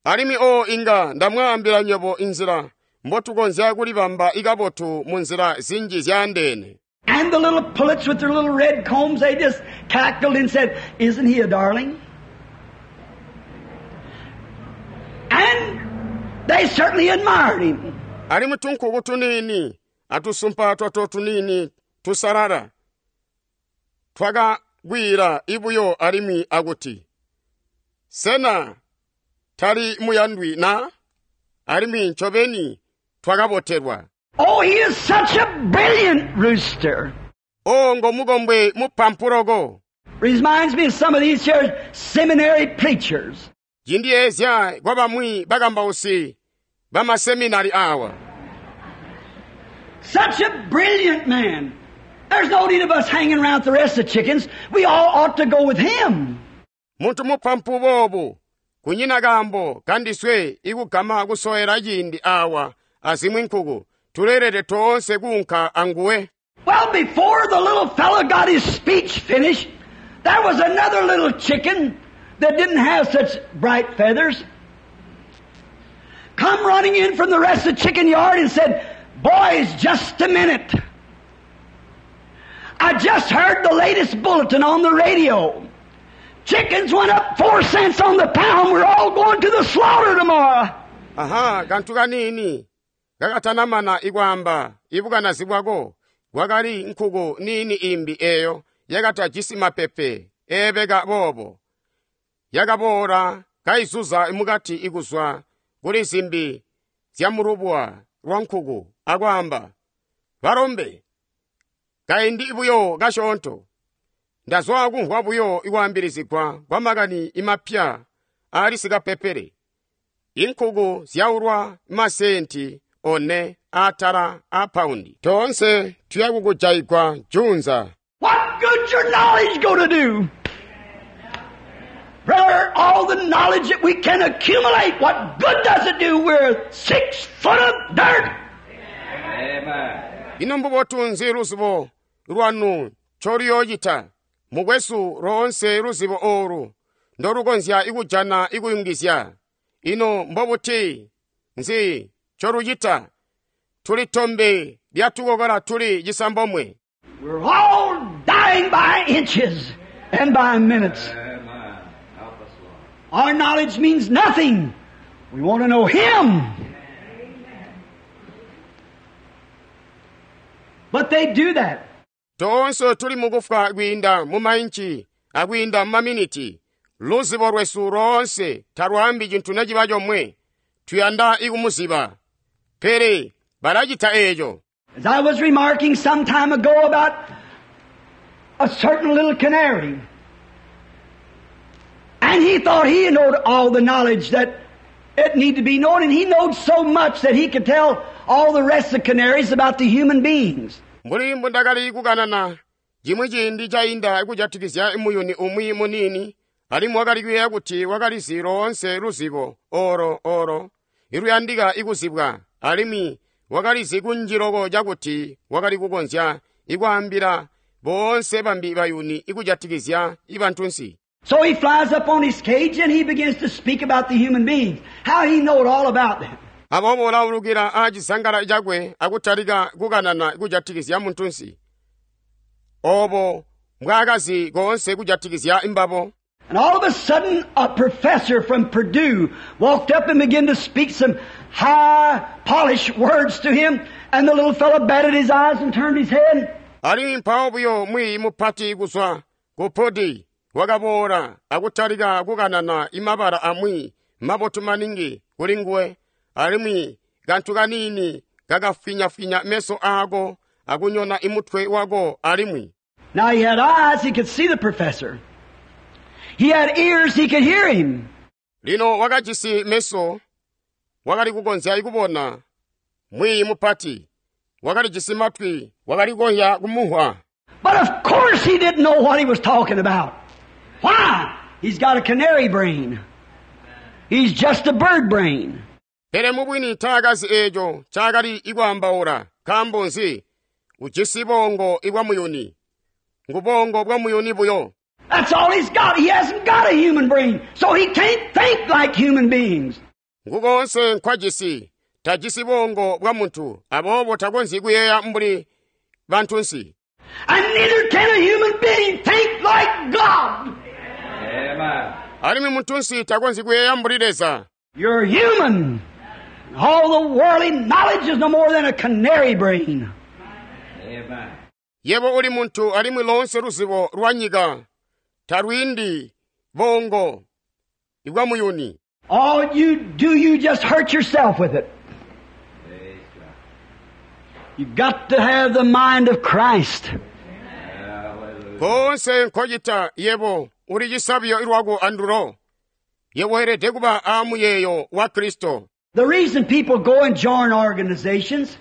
Alimwi o inga ndamwaambila nywebo inzila mbotukonzya kulibamba ikabotu mu nzila zinji zyaandeene. And the little pullets with their little red combs, they just cackled and said, Isn't he a darling? And they certainly admired him. Alimwi tunkuku tuniini atusumpa twato tuniini tusalala twakagwira ibuyo alimwi akuti, Sena tali muyandwi na? Alimwi ncobeni twakabotelwa. Oh, he is such a brilliant rooster. O ngomukombwe mupampuloko. Reminds me of some of these here seminary preachers. Cindiyeezya kwa bamwi bakambausi bamaseminari awa. Such a brilliant man. There's no need of us hanging around with the rest of the chickens. We all ought to go with him. Muntu mupampu boobu kunyina kaambo kandiswe ikugama kusowela ciindi awa azimwi nkuku tuleelede toonse kuunka anguwe. Well, before the little fellow got his speech finished, there was another little chicken that didn't have such bright feathers. Come running in from the rest of the chicken yard and said, Boys, just a minute. I just heard the latest bulletin on the radio. Chickens went up four cents on the pound. We're all going to the slaughter tomorrow. Aha, kantu kaniini kakatanamana ikwaamba ibukanazi bwako kwakali nkuku niini imbi eyo yakatajisi mapepe eebeka boobo yakaboola kaizuza mukati ikuzwa kuli zimbi zya mulubwa lwa nkuku akwaamba balombe kaindi buyo kasyoonto ndazwa kumvwa buyo ikwaambilizigwa kwa makani imapya aali sikapepele inkuku zyaulwa masenti one atala a paundi toonse tuya kukujayigwa junza. What good's your knowledge going to do? Brother, all the knowledge that we can accumulate, what good does it do? We're six foot of dirt. Amen. Ino mbubotu nzi luzibo lwanu ncoluyoocita? Mukwesu loonse luzibo olu ndolukonzya ikujana ikuyungizya. Ino mbobuti nzi ncolucita? Tuli tombe lyatukokola tuli cisambomwe. We're all dying by inches and by minutes. Amen. Help us, Lord. Our knowledge means nothing. We want to know Him. But they do that. Toonse tuli mukufwa kwiinda mu mainci akwiinda mu maminiti. Luzibo lwesu loonse talwaambi cintu neciba comwe. Tuyanda ikumuziba. Pele balacita eeco. As I was remarking some time ago about a certain little canary, and he thought he knowed all the knowledge that it needed to be known, and he knowed so much that he could tell all the rest of the canaries about the human beings. Mbuli mbundakali kukanana cimwi ciindi cainda kujatikizya muyuni umwi muniini alimwi wakali kuyeeya kuti wakalizi loonse luzibo olo olo iluyandika ikuzibwa alimwi wakalizi kunji loko cakuti wakali kukonzya ikwaambila boonse bambi bayuni ikujatikizya ibantunsi. So he flies up on his cage and he begins to speak about the human beings, how he knowed all about them. Aboobo ulaulukila aacizangala cakwe akutalika kukanana kujatikizya muntunsi obo mbwaakazi koonse kujatikizya imbabo. And all of a sudden, a professor from Purdue walked up and began to speak some high, polished words to him, and the little fellow batted his eyes and turned his head. Alimwi mpawo buyo mwiiyi mupati kuzwa ku Purdue wakaboola akutalika kukanana imabala amwi mabotu maningi kuli nguwe, alimwi kantu kaniini kakafwinyafwinya meso aako akunyona imutwe wako alimwi. Now he had eyes, he could see the professor. He had ears, he could hear him. Lino wakajisi meso, wakali kukonzya kubona mwiiyi mupati, wakalijisi matwi, wakali kukonzya kumuhwa. But of course he didn't know what he was talking about. Why? He's got a canary brain. He's just a bird brain. Pele mubwini taakazi eeco ncaakali ikwaambaula, nkaambo nzi? Ujisi bongo ibwa muyuni. Ngubongo bwa muyuni buyo. That's all he's got. He hasn't got a human brain, so he can't think like human beings. Ngukonse nkwajisi, tajisi bongo bwa muntu, aboobo takonzyi kuyeeya mbuli bantunsi. And neither can a human being think like God. Amen. Alimwi muntunsi takonzyi kuyeeya mbuli Leza. You're human. All the worldly knowledge is no more than a canary brain. Amen. Yebo uli muntu alimwi lonse luzibo lwa nyika talwiindi bongo ibwa muyuni. All you do, you just hurt yourself with it. Praise God. You've got to have the mind of Christ. Hallelujah. Konse nkocita yebo uli cisabyo ilwako andulo. Yebo weelede kuba aamuyeeyo wa Kristo. The reason people go and join organizations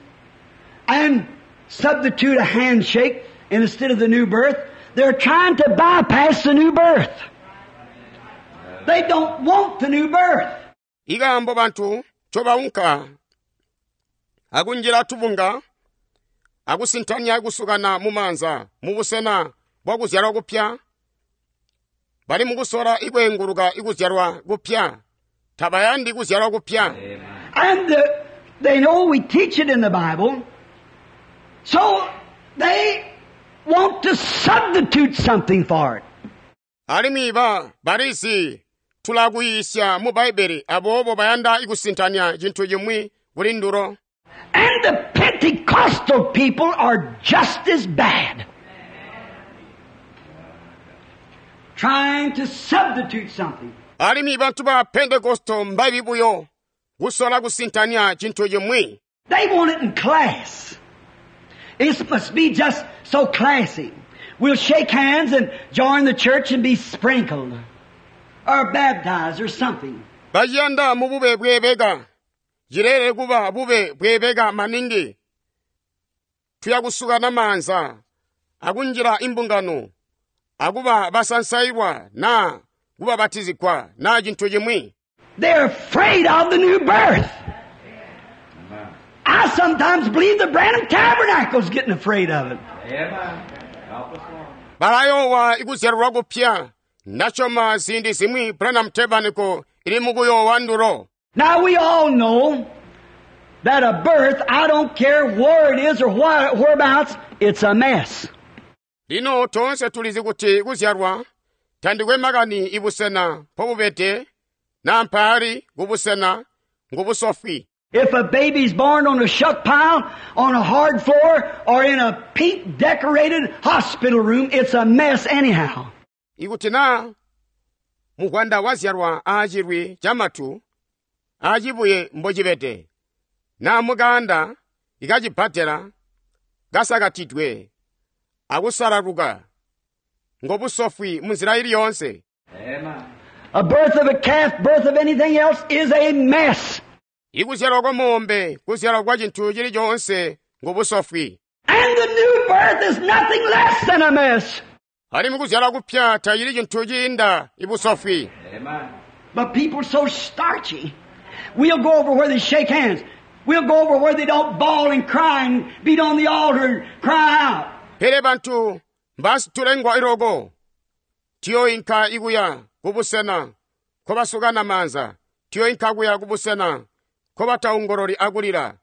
and substitute a handshake instead of the new birth, they're trying to bypass the new birth. They don't want the new birth. Ikaambo bantu ncobaunka akunjila tubunga akusintanya kusukana mumaanza mubusena bwa kuzyalwa kupya, bali mukusola ikweenguluka ikuzyalwa kupya, tabayandi kuzyalwa kupya. Amen. And the, they know we teach it in the Bible, so they want to substitute something for it. Alimwi ba balizi tulakuyiisya mu Bbaibele, aboobo bayanda ikusintanya cintu cimwi kuli ndulo. And the Pentecostal people are just as bad. Trying to substitute something. Alimwi bantu ba Pentekosto mbabi buyo kusola kusintanya cintu cimwi. They want it in class. It must be just so classy. We'll shake hands and join the church and be sprinkled or baptized or something. Bayanda mu bube bwebeka. Yilele kuba bube bwebeka maningi. Tuya kusuka namanza akunjila imbungano akuba basansailwa na kubabatizigwa na cintu cimwi. They're afraid of the new birth. Amen. I sometimes believe the Branham Tabernacle's getting afraid of it. Amen. Help us, Lord. Balayowa ikuzyalwa kupya. Ndasyoma ziindi zimwi Branham Tabernacle ili mukuyowa ndulo. Now we all know that a birth, I don't care where it is or why, whereabouts, it's a mess. Lino toonse tulizi kuti kuzyalwa tandikwe makani ibusena mpobubede na mpaali kubusena ngubusofwi. If a baby's born on a shuck pile, on a hard floor, or in a pink decorated hospital room, it's a mess anyhow. Ikuti na mugwanda wazyalwa aacilwi camatu aacibuye mbocibede na mukanda ikacibbadela kasakatidwe akusalaluka ngobusofwi munzila ili yoonse. Amen. A birth of a calf, birth of anything else is a mess. Ikuzyalwa kwa mombe, kuzyalwa kwa cintu cili coonse ngobusofwi. And the new birth is nothing less than a mess. Alimwi kuzyalwa kupya tacili cintu ciinda ibusofwi. Amen. But people are so starchy. We'll go over where they shake hands. We'll go over where they don't bawl and cry and beat on the altar and cry out. Pele bantu mbasitulengwa iloko. Tuyoinka ikuya kubusena nkobasukana maanza. Tuyoinka kuya kubusena nkobataongololi akulila,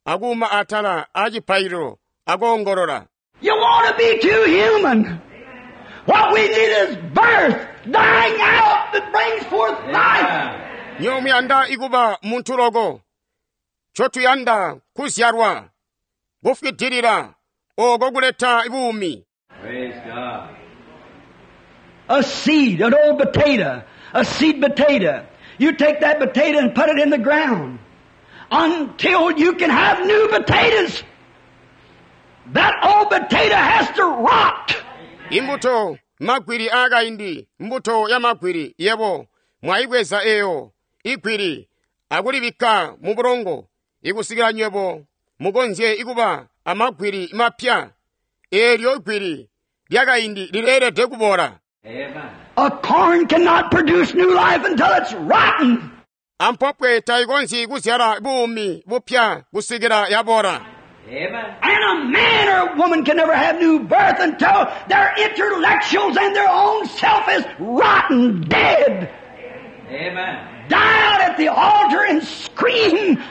akuuma atala aacipaililo akoongolola. You want to be too human. What we need is birth, dying out that brings forth life. Amen. Nywebo muyanda ikuba muntu loko. Ncotuyanda kuzyalwa, kufwidilila, oko kuleta buumi. Praise God. A seed, an old potato, a seed potato. You take that potato and put it in the ground until you can have new potatoes. That old potato has to rot. Imbuto magwiri aakaindi, mbuto ya magwiri yebo mwayibweza eyo igwiri akulibikka mu bulongo ikusikila nywebo mukonzye ikuba amagwiri mapya. Eelyo igwiri lyakaindi lileelede kubola. Amen. A corn cannot produce new life until it's rotten. Ampopwe tayikonzyi kuzyala buumi bupya kusikila yabola. Amen. And a man or a woman can never have new birth until their intellectuals and their own self is rotten, dead. Amen. Die out at the altar and scream.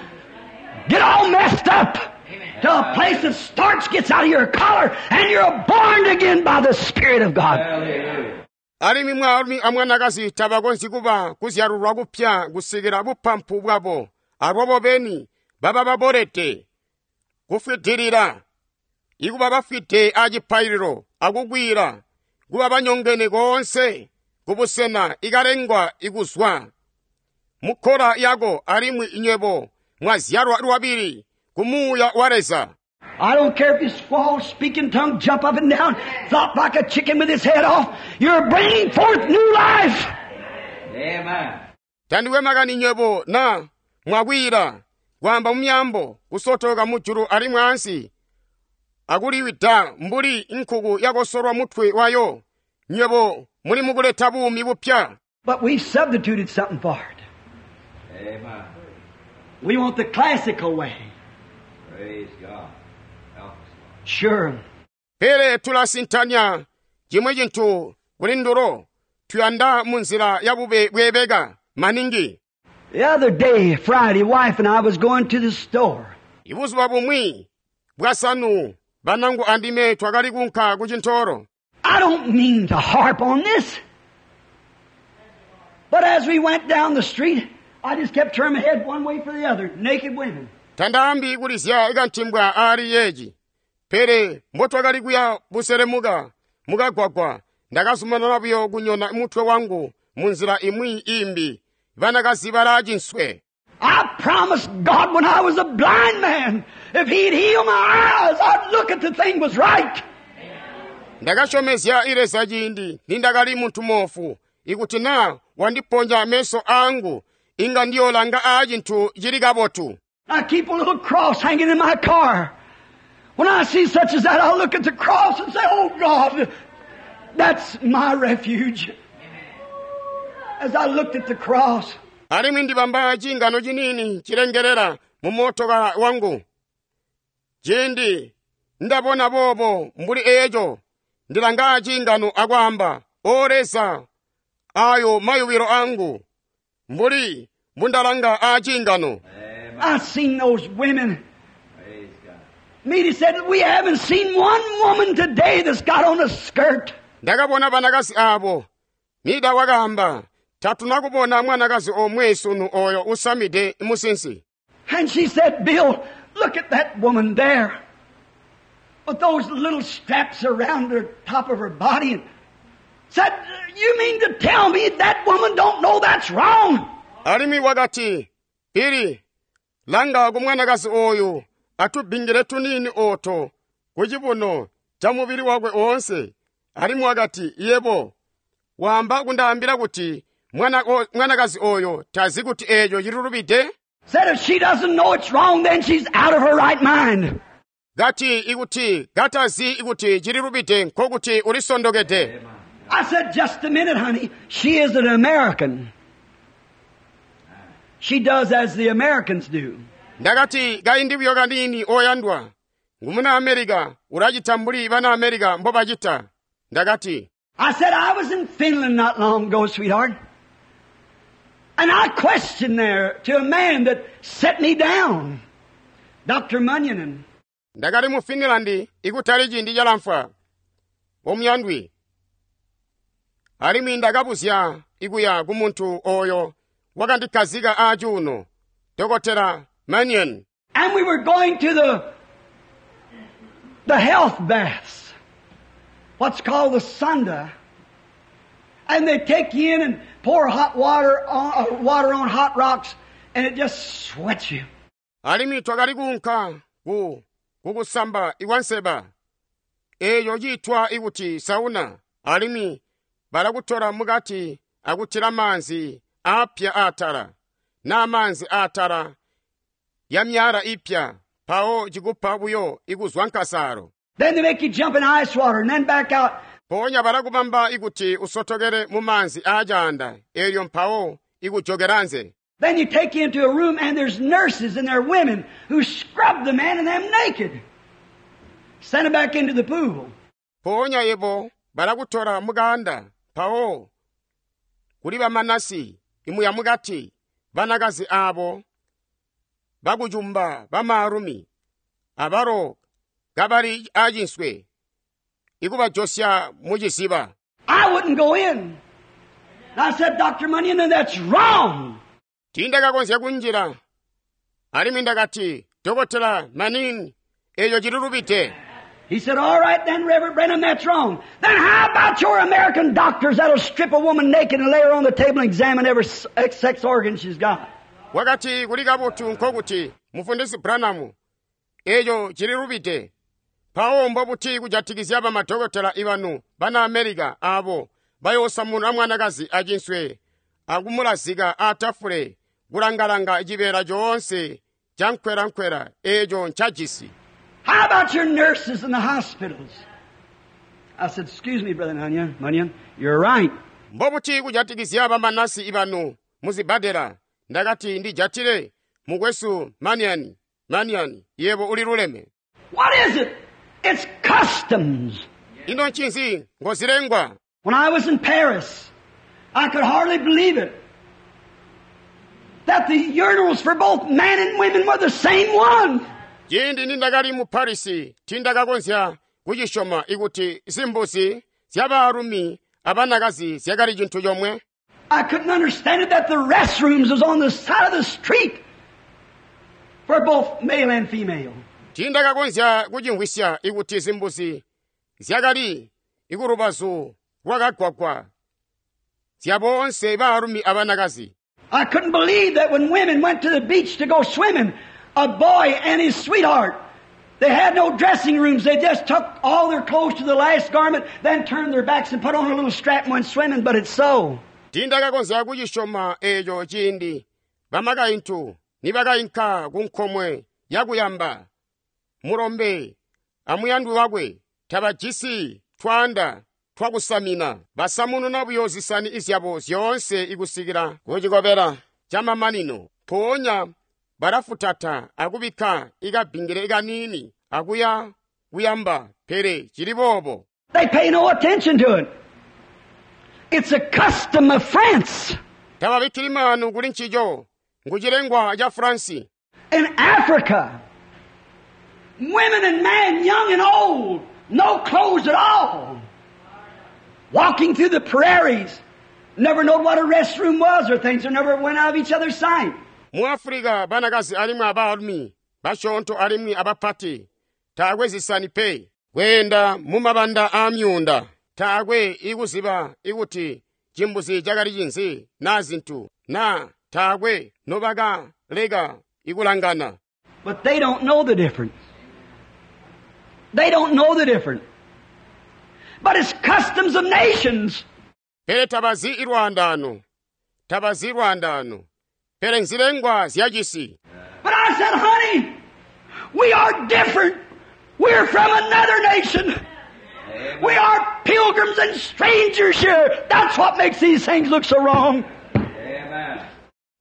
Get all messed up to a place that starch gets out of your collar and you're born again by the Spirit of God. Hallelujah. Alimwi mwaalumi amwanakazi tabakonzyi kuba kuzyalulwa kupya kusikila bupampu bwabo alwabo beni baba babolede kufwidilila ikuba bafwide acipaililo akukwiila kuba banyongene koonse kubusena ikalengwa ikuzwa mukkola yako alimwi nywebo mwazyalwa lwabili ku Muuya wa Leza. I don't care if you squall, speak in tongues, jump up and down, flop like a chicken with its head off. You're bringing forth new life. Amen. Tandikwe makani nywebo na mwakwiila kwaamba mumyaambo kusotoka mujulu alimwi ansi akuliwida mbuli nkuku yakosolwa mutwe wayo nywebo muli mukuleta buumi bupya. But we've substituted something for it. Amen. We want the classical way. Praise God. Help us, Lord. Sure. Pele tulasintanya chimwe chinthu kuli ndulo tuyanda munzira ya bube bwebeka maningi. The other day, Friday, wife and I was going to the store. Ibuzuba bumwi bwasanu banangu andime twakali kunka ku chintolo. I don't mean to harp on this. But as we went down the street, I just kept turning my head one way for the other. Naked women. Tandaambi kulizya ikantimbwa aali yeeci. Pele mbotwakali kuya buselemuka mukagwagwa ndakazumanana buyo kunyona mutwe wangu munzira imwi imbi banakazi balaa cinswe. I promised God when I was a blind man, if He'd heal my eyes, I'd look at the thing was right. Ndakasyomezya Leza ciindi nindakali muntu moofu ikuti naa wandiponya meso angu inga ndiyolanga aa cintu cili kabotu. I keep a little cross hanging in my car. When I see such as that, I'll look at the cross and say, Oh God, that's my refuge. As I looked at the cross, Alimwi ndibamba cingano ciniini cilengelela mu motoka wangu. Ciindi ndabona boobo mbuli eeco ndilanga cingano akwaamba, O Leza, ayo mayubilo angu mbuli mbundalanga aa cingano. Amen. I seen those women. Praise God. Meda said, we haven't seen one woman today that's got on a skirt. Ndakabona banakazi abo. Mida wakaamba, tatuna kubona mwanakazi omwe sunu oyo usamide musinsi. And she said, Bill, look at that woman there. With those little straps around her top of her body. And said, you mean to tell me that woman don't know that's wrong? Alimwi wakati, Bili, langa ku mwanakazi oyu atubingile tunini oto ku cibuno ca mubili wakwe onse. Alimwi wakati, yebo, wamba kundaambila kuti mwana o- mwanakazi oyo tazi kuti eeco cilulubide? Said if she doesn't know it's wrong, then she's out of her right mind. Kati ikuti katazi ikuti cililubide nkokuti ulisondokede. I said, just a minute, honey. She is an American. She does as the Americans do. Ndakati kaindi buyo kanini oyandwa ngumuna America ulacita mbuli bana America mbobacita. Ndakati, I said, I was in Finland not long ago, sweetheart. And I questioned there to a man that set me down, Doctor Munyon. Ndakali mu Finland ikutali ciindi calamfwa omuyandwi, alimwi ndakabuzya ikuya ku muntu oyo wakandikkazika aacuuno, Dokotela Mannion. And we were going to the, the health baths, what's called the sauna. And they take you in and pour hot water on, uh, water on hot rocks, and it just sweats you. Alimwi twakali kuunka ku kukusamba ikwanseba eeyo ciitwa ikuti sauna, alimwi balakutola mukati akutila maanzi aapya aatala naa maanzi aatala ya myala ipya, mpawo cikupa buyo ikuzwa nkasaalo. Then they make you jump in ice water and then back out. Mpoonya balakubamba ikuti usotokele mu maanzi aacaanda, eelyo mpawo ikujokera nze. Then you take you into a room and there's nurses and there are women who scrub the man and them naked. Send them back into the pool. Mpoonya yebo balakutola mukaanda, mpawo kuli bamanasi imuya mukati, banakazi aabo bakucumba bamaalumi abalo kabali aacinswe ikubajosya mu ciziba. I wouldn't go in. And I said, Doctor Munyon, that's wrong. Tiindakakonzya kunjila, alimwi ndakati, Dokotela Manning, eeyo cililubide. He said, all right then, Reverend Branham, that's wrong. Then how about your American doctors that'll strip a woman naked and lay her on the table and examine every s-, sex organ she's got? Wakati kuli kabotu nkokuti mufundisi Branham, eeyo cililubide. Mpawo mbobuti kujatikizya bamadokotela ibanu bana America aabo bayoosamuna mwanakazi acinswe akumulazika aatafule kulangalanga cibeela coonse ca nkwela-nkwela eeco ncajisi. How about your nurses in the hospitals? I said, excuse me, Brother Munyon, Munyon, you're right. Mbobuti kujatikizya bamanasi ibanu muzibadela? Ndakati ndijatile mukwesu Mannion, Mannion, yebo uliluleme. What is it? It's customs. Ino ncinzi ngozilengwa? When I was in Paris, I could hardly believe it, that the urinals for both men and women were the same one. Ciindi nindakali mu Paris, tindakakonzya kucisyoma ikuti zimbuzi zyabaalumi abanakazi zyakali cintu comwe. I couldn't understand it that the restrooms was on the side of the street for both male and female. Tindakakonzya kucimvwisya ikuti zimbuzi zyakali ikulubazu lwakagwagwa zya boonse baalumi abanakazi. I couldn't believe that when women went to the beach to go swimming, a boy and his sweetheart, they had no dressing rooms. They just took all their clothes to the last garment, then turned their backs and put on a little strap and went swimming, but it's so. Tindakakonzya kucisyoma eeco ciindi bamakaintu nibakainka ku nkomwe yakuyamba, mulombe amuyandwi wakwe tabajisi twaanda twakusamina, basamununa buyo zisani izyabo zyoonse ikusikila kucikobela camamanino. Mpoonya balafutata akubikka ikabbingile kaniini akuya kuyamba, pele cili boobo. They pay no attention to it. It's a custom of France. Tababikkili maanu kuli ncico, ngucilengwa ca Fransi. In Africa, women and men, young and old, no clothes at all, walking through the prairies, never know what a restroom was or things, or never went out of each other's sight. Mu Africa, banakazi alimwi abaalumi, basyoonto alimwi abapati, taakwe zisani pe, kweenda mu mabanda aamyuunda, taakwe ikuziba ikuti cimbuzi cakali cinzi naa zintu, naa taakwe nobakaleka ikulangana. But they don't know the difference. They don't know the difference. But it's customs of nations. Pele tabazi ilwaandano. Tabazi ilwaandano. Pele nzilengwa zyacisi. But I said, honey, we are different. We're from another nation. We are pilgrims and strangers here. That's what makes these things look so wrong. Amen.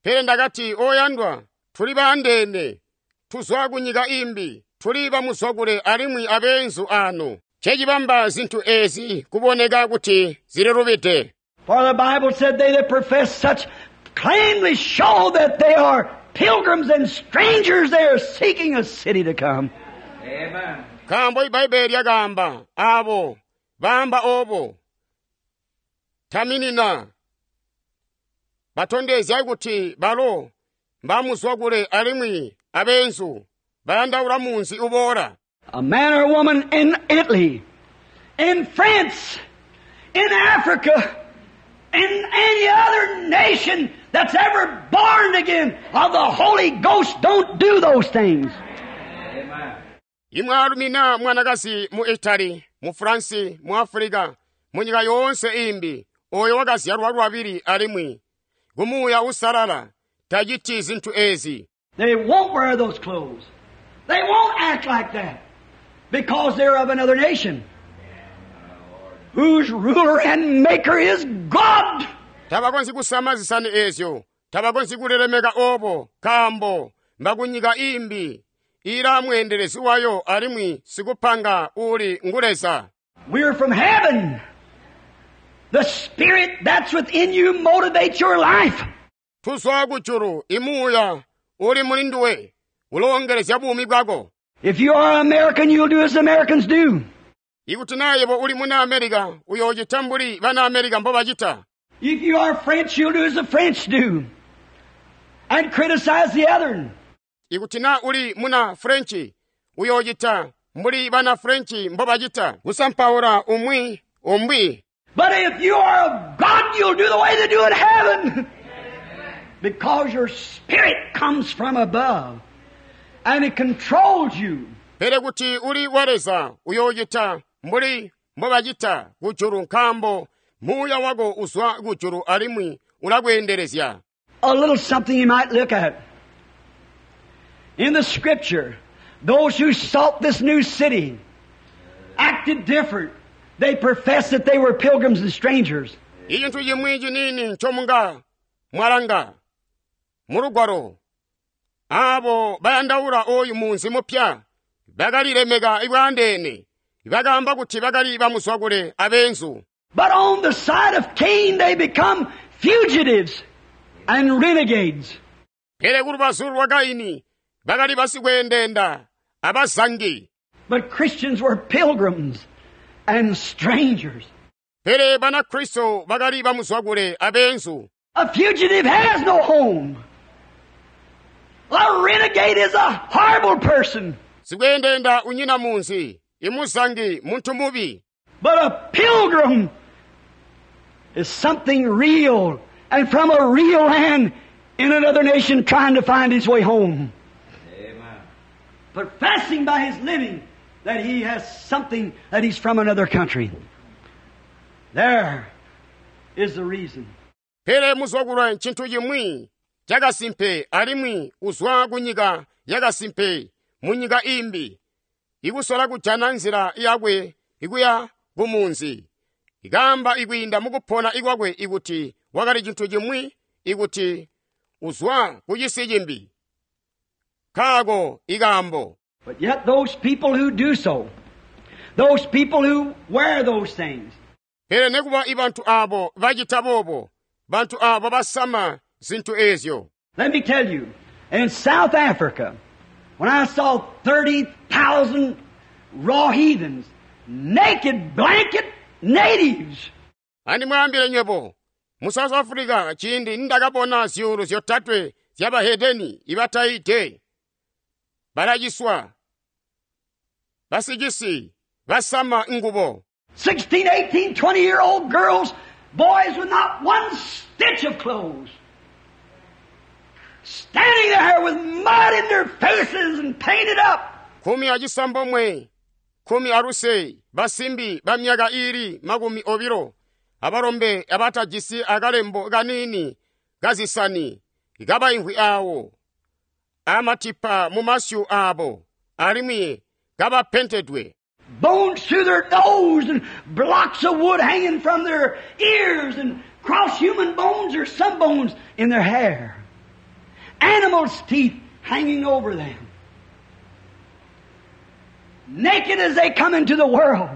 Pele ndakati oyandwa, tuli baandeene, tuzwa ku nyika imbi, tuli bamuzwakule alimwi abeenzu ano. Ncecibamba zintu ezi kuboneka kuti zililubide. For the Bible said they that profess such plainly show that they are pilgrims and strangers. They are seeking a city to come. Amen. Nkaambo iBbayibbele lyakaamba aabo baamba oobo taminina batondezya kuti balo mbamuzwakule alimwi abeenzu bayandaula munzi uboola. A man or woman in Italy, in France, in Africa, in any other nation that's ever born again of the Holy Ghost don't do those things. Amen. Imwaalumi naa mwanakazi mu Italy, mu France, mu Africa, mu nyika yoonse imbi, oyo wakazyalwa lwabili alimwi kumuuya usalala taciti zintu ezi. They won't wear those clothes. They won't act like that because they're of another nation whose ruler and maker is God. Tabakonzyi kusama zisani ezyo, tabakonzyi kulilemeka obo, nkaambo mbakunyika imbi ilaa mweendelezi wayo alimwi sikupanga uli ngu Leza. We're from heaven. The Spirit that's within you motivates your life. Tuzwa kujulu imuuya uli muli nduwe uloongelezya buumi bwako. If you are American, you'll do as Americans do. Ikuti naa yebo uli muna America, uyoocita mbuli bana America mbobacita. If you are French, you'll do as the French do and criticize the other. Ikuti naa uli muna French, uyoocita mbuli bana French mbobacita, kusampaula umwi umbi. But if you are of God, you'll do the way they do in heaven. Because your spirit comes from above and it controls you. Pele kuti uli wa Leza, uyoocita mbuli mbobacita kujulu nkaambo muuya wako uzwa kujulu alimwi ulakweendelezya. A little something you might look at. In the scripture, those who sought this new city acted different. They professed that they were pilgrims and strangers. Icintu cimwi ciniini ncomunga mwalanga mulugwalo aabo bayandaula oyu munzi mupya bakalilemeka bwandeene bakaamba kuti bakali bamuzwakule abeenzu. But on the side of Cain they become fugitives and renegades. Pele kulubazu lwa Kaini bakali basikweendenda abazangi. But Christians were pilgrims and strangers. Pele Banakristo bakali bamuzwakule abeenzu. A fugitive has no home. A renegade is a horrible person. Sikweendenda unyina munzi, imuzangi muntu mubi. But a pilgrim is something real and from a real land in another nation trying to find his way home. Amen. Professing by his living that he has something, that he's from another country. There is the reason. Pele muzwakule ncintu cimwi cakasimpe alimwi uzwa kunyika yakasimpe munyika imbi ikusola kujana nzila yakwe ikuya kumunzi ikamba ikwiinda mukupona ikwakwe ikuti wakali cintu cimwi ikuti uzwa kucisi cimbi kaako ikambo. But yet those people who do so, those people who wear those things, Pele nekuba ibantu abo bacita boobo, bantu abo basama zintu ezyo. Let me tell you, in South Africa, when I saw thirty thousand raw heathens, naked blanket natives, Andimwaambile nywebo, mu South Africa ciindi ndakabona zyuulu zyotatwe zyabahedeni ibataide, balaciswa, basicisi, basama ngubo. sixteen, eighteen, twenty year old girls, boys with not one stitch of clothes, standing there with mud in their faces and painted up. Kumi acisambomwe, kumi aluse, basimbi ba myaka iili makumi obilo, abalombe abatajisi akalembo kanini kazisani, kabaimvwi awo, amatipa mu masyu abo, alimwi kabapentedwe. Bones through their nose and blocks of wood hanging from their ears and cross human bones or some bones in their hair. Animals' teeth hanging over them. Naked as they come into the world.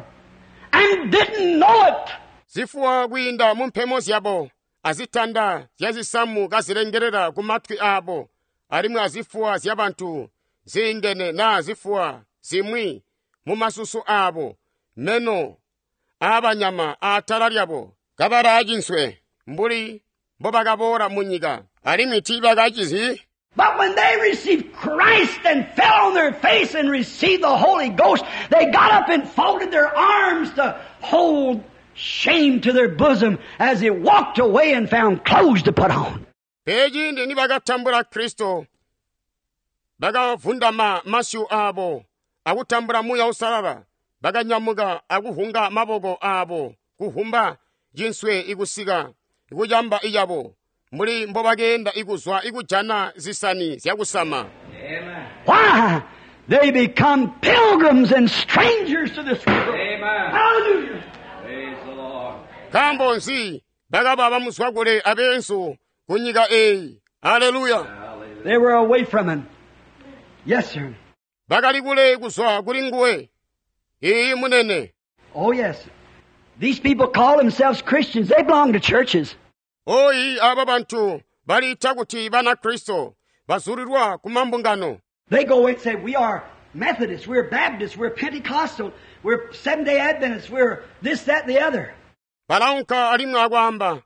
and didn't know it. Zifuwa kwiinda mu mpemo zyabo azitanda zyazisamu kazilengelela ku matwi aabo alimwi azifuwa zyabantu ziindene naa zifuwa zimwi mu masusu aabo meno aabanyama aatala lyabo kabalaacinswe mbuli mbobakaboola mu nyika alimwi tiibakacizi. But when they received Christ and fell on their face and received the Holy Ghost, they got up and folded their arms to hold shame to their bosom as they walked away and found clothes to put on. Pele ciindi nibakatambula Kristo, bakavundama masyu aabo akutambula Muuya Uusalala, bakanyamuka akuhunga maboko aabo kuhumba cinswe ikusika kucamba icabo mbuli mbobakeenda ikuzwa ikujana zisani zyakusama. Amen. Why? They become pilgrims and strangers to this world. Amen. Hallelujah. Praise the Lord. Nkaambo nzi bakaba bamuzwa kule abeenzu ku nyika eeyi? Haleluya! Hallelujah. They were away from him. Yes, sir. Bakali kule kuzwa kuli nguwe. Iyi munene. Oh, yes. These people call themselves Christians. They belong to churches. Oyi aba bantu baliita kuti bana Kristo bazulirwa ku mambungano. They go and say, we are Methodists, we're Baptists, we're Pentecostal, we're Seventh-day Adventists, we're this, that, and the other. Balaunka alimwi akwaamba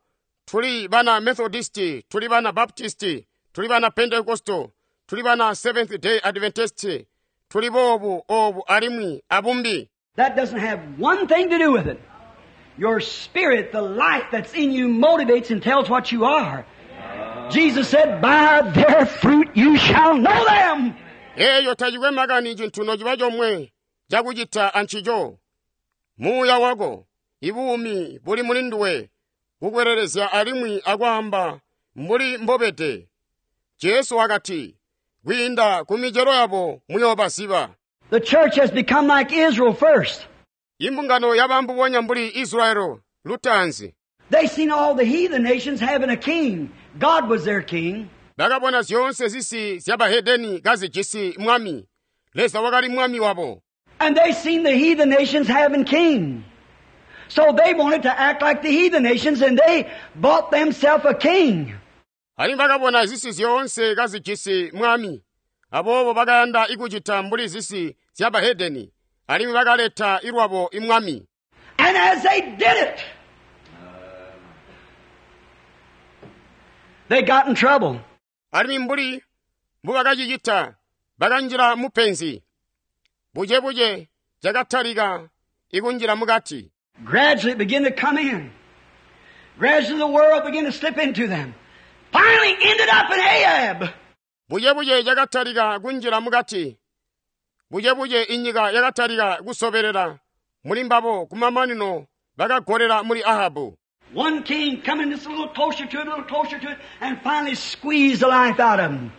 tuli bana Methodisti, tuli bana Baptisti, tuli bana Pentecostal, tuli bana Seventh Day Adventist, tuli boobu obu alimwi abumbi. That doesn't have one thing to do with it. Your spirit, the life that's in you, motivates and tells what you are. Jesus said, by their fruit you shall know them. Eyo tacikwe makani cintu nociba comwe cakucita ancico. Muuya wako, ibuumi buli muli nduwe, kukwelelezya alimwi akwaamba mbuli mbobede. Jesu wakati, kwiinda ku micelo yabo muyoobaziba. The church has become like Israel first. Imbungano yaba mbubonya mbuli Israeli lutaanzi. They seen all the heathen nations having a king. God was their king. Bakabona zyoonse zisi zyabahedeni kazijisi mwami. Leza wakali mwami wabo. And they seen the heathen nations having king. So they wanted to act like the heathen nations, and they bought themselves a king. Alimwi bakabona zisi zyoonse kazijisi mwami. Aboobo bakayanda ikucita mbuli zisi zyabahedeni. Alimwi bakaleta ilwabo imwami. And as they did it, they got in trouble. Alimwi mbuli mbubakacicita bakanjila mupenzi. Buchebuche cakatalika ikunjila mukati. Gradually it began to come in. Gradually the world began to slip into them. Finally ended up in Ahab. Buchebuche cakatalika kunjila mukati. Buchebuche inyika yakatalika kusobelela muli mbabo kumamanino bakagolera muli Ahabu. One king coming just a little closer to it, a little closer to it, and finally squeezed the life out of them.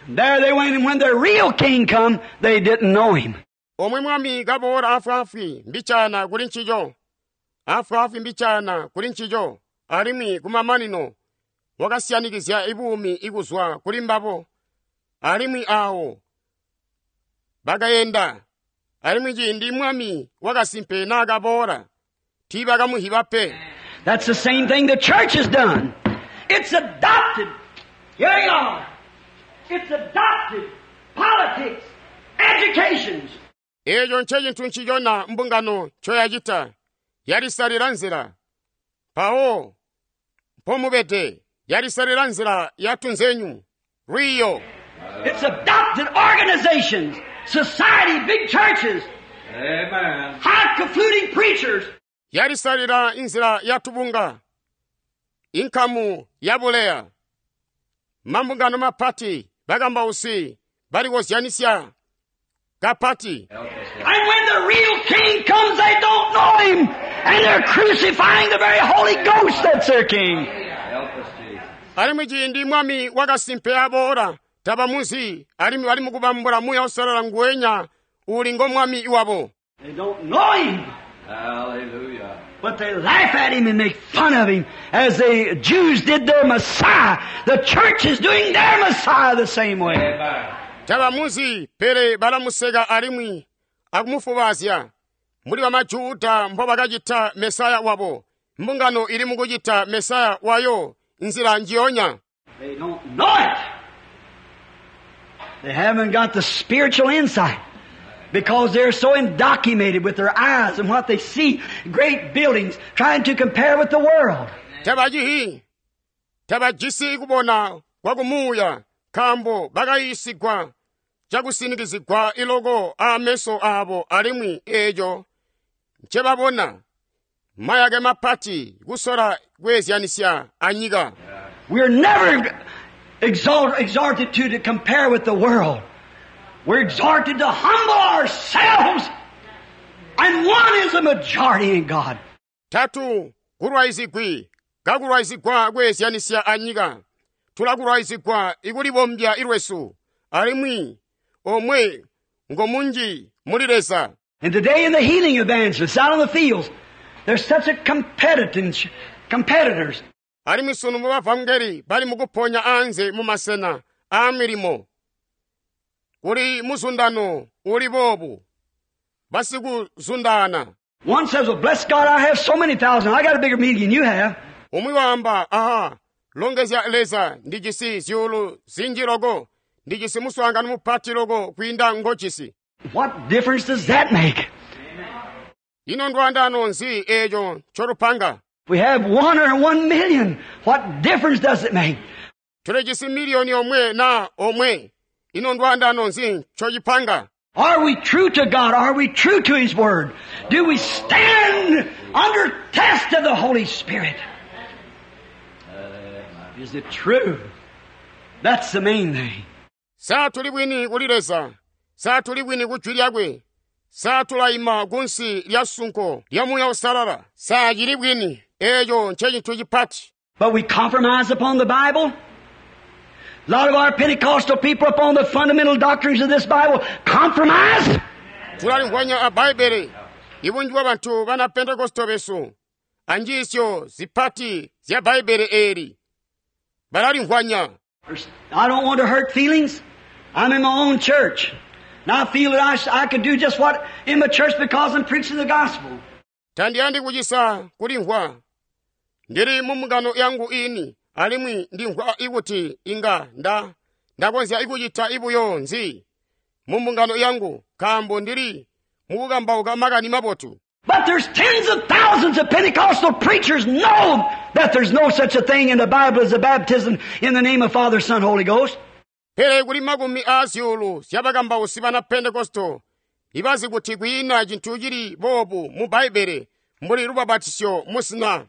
And there they went, and when the real king come, they didn't know him. Omwe mwami kaboola afwaafwi mbichana kuli ncico. Afwaafwi mbichana kuli ncico, alimwi kumamanino wakasyanikizya ibuumi ikuzwa kuli mbabo. Alimwi awo bakayenda, alimwi ciindi mwami wakasimpe naakaboola, tiibakamuhiba pe. That's the same thing the church has done. It's adopted. Here you are. It's adopted politics, educations. Eeco ncecintu ncicona mbungano ncoyacita, yalisalila nzila. Mpawo mpomubede, yalisalila nzila yatunzenyu, lwiiyo. It's adopted organizations, society, big churches, Amen. high-falutin preachers. Yalisalila inzila yatubunga, inkamu yabuleya, mambungano mapati, bakambausi, balikozyanisya kapati. Help us, Lord. And when the real king comes, they don't know him. And they're crucifying the very Holy Ghost that's their king. Help us, Jesus. Alimwi ciindi mwami wakasimpe aboola, tabamuzi, alimwi bali mukubambula Muuya Uusalala nguwenya uli ngo mwami wabo. They don't know him. Hallelujah. But they laugh at him and make fun of him as the Jews did their Messiah. The church is doing their Messiah the same way. Amen. Tabamuzi, pele balamuseka alimwi akumufubazya. Mbuli bamaJuda mbobakacita Mesaya wabo, mbungano ili mukucita Mesaya wayo nzila njiyonya. They don't know it. They haven't got the spiritual insight because they're so indoctrinated with their eyes and what they see, great buildings, trying to compare with the world. Tabajihi, tabajisi kubona kwakumuuya nkaambo bakayiisigwa cakusinikizigwa iloko aameso aabo alimwi eeco ncebabona mayake mapati kusola kweezyanisya anyika. We're never exalt, exhorted to, to compare with the world. We're exhorted to humble ourselves. And one is the majority in God. Tatu kulwaizigwi kakulwaizigwa kweezyanisya anyika. Tulakulwaizigwa ikulibombya ilwesu alimwi omwe ngomunji muli Leza. And today in the healing evangelists out on the fields, there's such a competitance, competitors. Alimwi sunu mu bavangeli bali mukuponya anze mu masena a milimo. Kuli muzundano uli boobu, basikuzundana. One says, well, bless God, I have so many thousand. I got a bigger meeting than you have. Umwi waamba, aha, longezya Leza, ndijisi zyuulu zinji loko, ndijisi muswaangano mupati loko kwiinda ngojisi. What difference does that make? Ino ndwandano nzi eeco ncolupanga? We have one or one million. What difference does it make? Tulijisi miliyoni omwe na omwe. Ino ndwandano nzi ncocipanga? Are we true to God? Are we true to His Word? Do we stand under test of the Holy Spirit? Is it true? That's the main thing. Sa tuli bwini kuli Leza, sa tuli bwini ku jwi lyakwe, sa tulayima kunsi lya sunko lya Muuya Uusalala, sa cili bwini, eeco ncecintu cipati. But we compromise upon the Bible. A lot of our Pentecostal people upon the fundamental doctrines of this Bible compromise. Tulalimvwanya a Bbaibele, ibunji bwa bantu bana Pentekosto besu, anjiisyo zipati zya Bbaibele eeli, balalimvwanya. I don't want to hurt feelings. I'm in my own church. And I feel that I, sh-, I can do just what in my church because I'm preaching the gospel. Tandiyandi kucisa kulimvwa. Ndili mu mbungano yangu ini, alimwi ndimvwa ikuti inga nda, ndakonzya ikucita ibuyo nzi mu mbungano yangu, nkaambo ndili mukukambauka makani mabotu. But there's tens of thousands of Pentecostal preachers know that there's no such a thing in the Bible as a baptism in the name of Father, Son, Holy Ghost. Pele kuli makumi a zyuulu zya bakambausi bana Pentekosto ibazi kuti kwiina cintu cili boobu mu Bbaibele mbuli lubabatisyo musina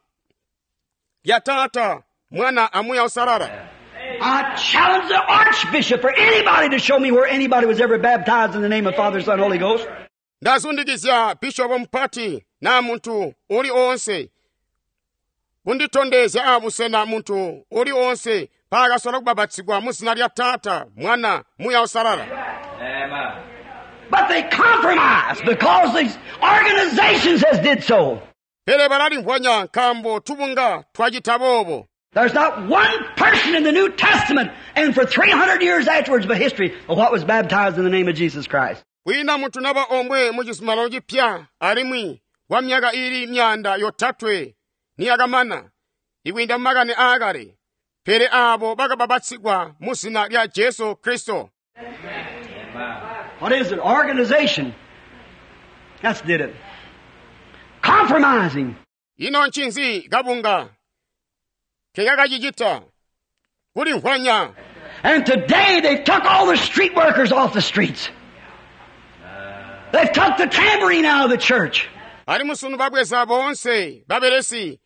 lya Taata, Mwana a Muuya Uusalala. I challenge the archbishop or anybody to show me where anybody was ever baptized in the name of Father, Son, Holy Ghost. Ndazundikizya bishopo mpati na muntu uli onse kunditondezya abusena muntu uli onse paakasola kubabatizigwa mu zina lya Taata, Mwana, Muuya Uusalala. Amen. But they compromise because these organizations has did so. Pele balalimvwanya nkaambo tubunga twacita boobo. There's not one person in the New Testament and for three hundred years afterwards by history of what was baptized in the name of Jesus Christ. Kwiina muntu naba omwe mu cizuminano cipya alimwi kwa myaka ili myanda yotatwe niyakamana ikwiinda mu makani aakale, pele aabo bakababatizigwa mu zina lya Jesu Kristo. What is it? Organization. That's did it. Compromising. Ino ncinzi kabunga kekakacicita kulimvwanya. And today they've took all the street workers off the streets. They've took the tambourine out of the church. Alimwi sunu babweza boonse babelesi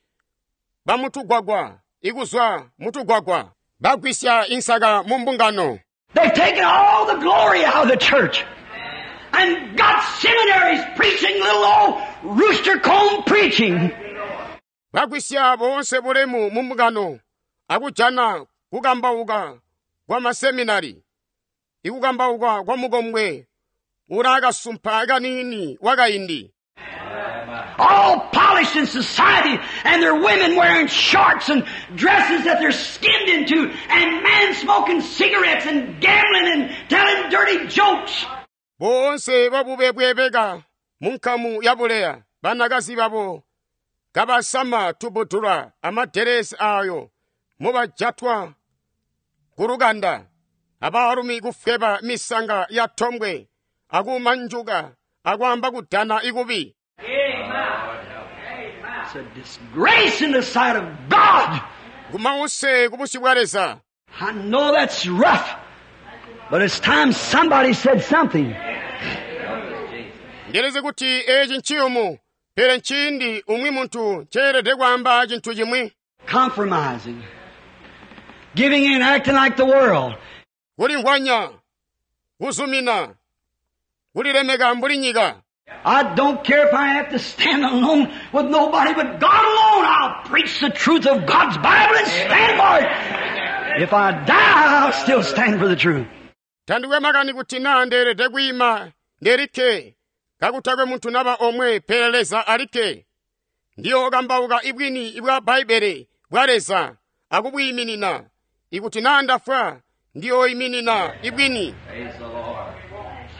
bamutugwagwa ikuzwa mutugwagwa bagwisya insaka mu mbungano. They've taken all the glory out of the church. And got seminaries preaching little old rooster comb preaching. Bagwisya boonse bulemu mu mbungano akujana kukambauka kwa maseminari ikukambauka kwa mukombwe ulakasumpa kanini wakaindi. All polished in society, and their women wearing shorts and dresses that they're skinned into, and men smoking cigarettes and gambling and telling dirty jokes. Boonse babube bwebeka Munkamu ya buleya, banakazi babo kabasama tubudula amaderesi ayo mubajatwa ku lukanda, abaalumi kufweba misanga ya tombwe akumanjuka akwaamba kudana ikubi. It's a disgrace in the sight of God. Kumause kubusyu bwa Leza. I know that's rough, but it's time somebody said something. Ndilizi kuti eci nciyumu, pele nciindi umwi muntu nceelede kwaamba cintu cimwi. Compromising. Giving in, acting like the world. Kulimvwanya, kuzumina, kulilemeka mbuli nyika. I don't care if I have to stand alone with nobody but God alone. I'll preach the truth of God's Bible and stand for it. If I die, I'll still stand for the truth. Tandikwe makani kuti naa ndeelede kwiima ndelikke kakutakwe muntu naba omwe pele Leza alikke. Ndiyookambauka ibwini bwa Bbaibbele bwa Leza akubwiiminina. Ikuti naa ndafwa, ndiyooiminina ibwini. Praise the Lord.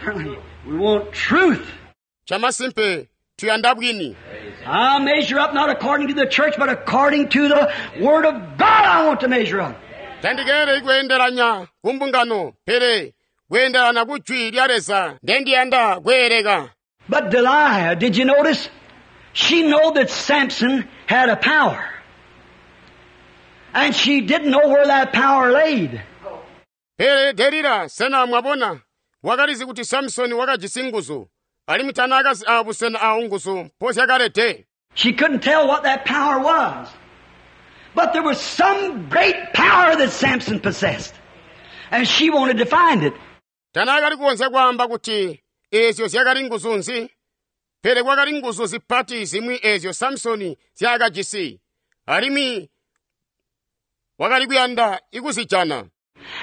Certainly, we want truth. Chamasimpe tuyanda bwini. I'll measure up not according to the church, but according to the Word of God I want to measure up. Tandikeeleli kweendelanya kumbungano, pele kweendelana ku jwi lya Leza ndendiyanda kweeleka. But Delilah, did you notice? She knew that Samson had a power. And she didn't know where that power laid. Pele Delila, sena mwabona, wakalizi kuti Samsoni wakajisi nguzu, alimwi tanaakazi aabusena aawo nguzu mpozyakalede. She couldn't tell what that power was. But there was some great power that Samson possessed. And she wanted to find it. Tanaakali kukonzya kwaamba kuti eezyo zyakali nguzu nzi, pele kwakali nguzu zipati zimwi eezyo Samsoni zyaakajisi, alimwi wakali kuyanda ikuzijana.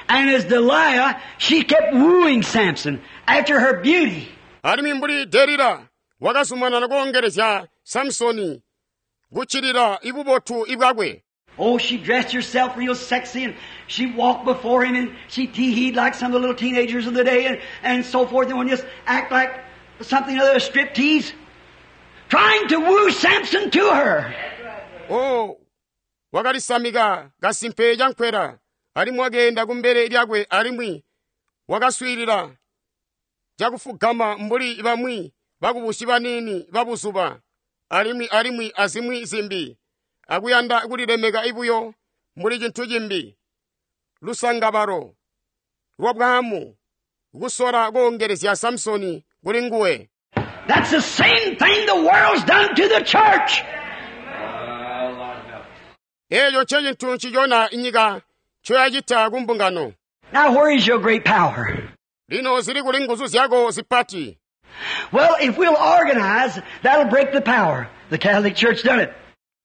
And as Delilah, she kept wooing Samson after her beauty. Alimwi mbuli Delila wakazumanana koongelezya Samsoni kuccilila ibubotu ibwakwe. Oh, she dressed herself real sexy and she walked before him and she tee-heed like some of the little teenagers of the day and, and so forth and would just act like something other striptease. Trying to woo Samson to her. Oh, wakalisamika kasimpe cankwela, alimwi wakeenda kumbele lyakwe alimwi wakaswiilila cakufugama mbuli bamwi bakubusi baniini babuzuba, alimwi alimwi azimwi zimbi, akuyanda kulilemeka ibuyo mbuli cintu cimbi, lusangabalo lwa bwaamu, kusola koongelezya Samsoni kuli nguwe. That's the same thing the world's done to the church. Oh, Lord help us. Eeco ncecintu ncicona inyika ncoyacita ku mbungano. Now where is your great power? Lino zili kuli nguzu zyako zipati. Well, if we'll organize, that'll break the power. The Catholic Church done it.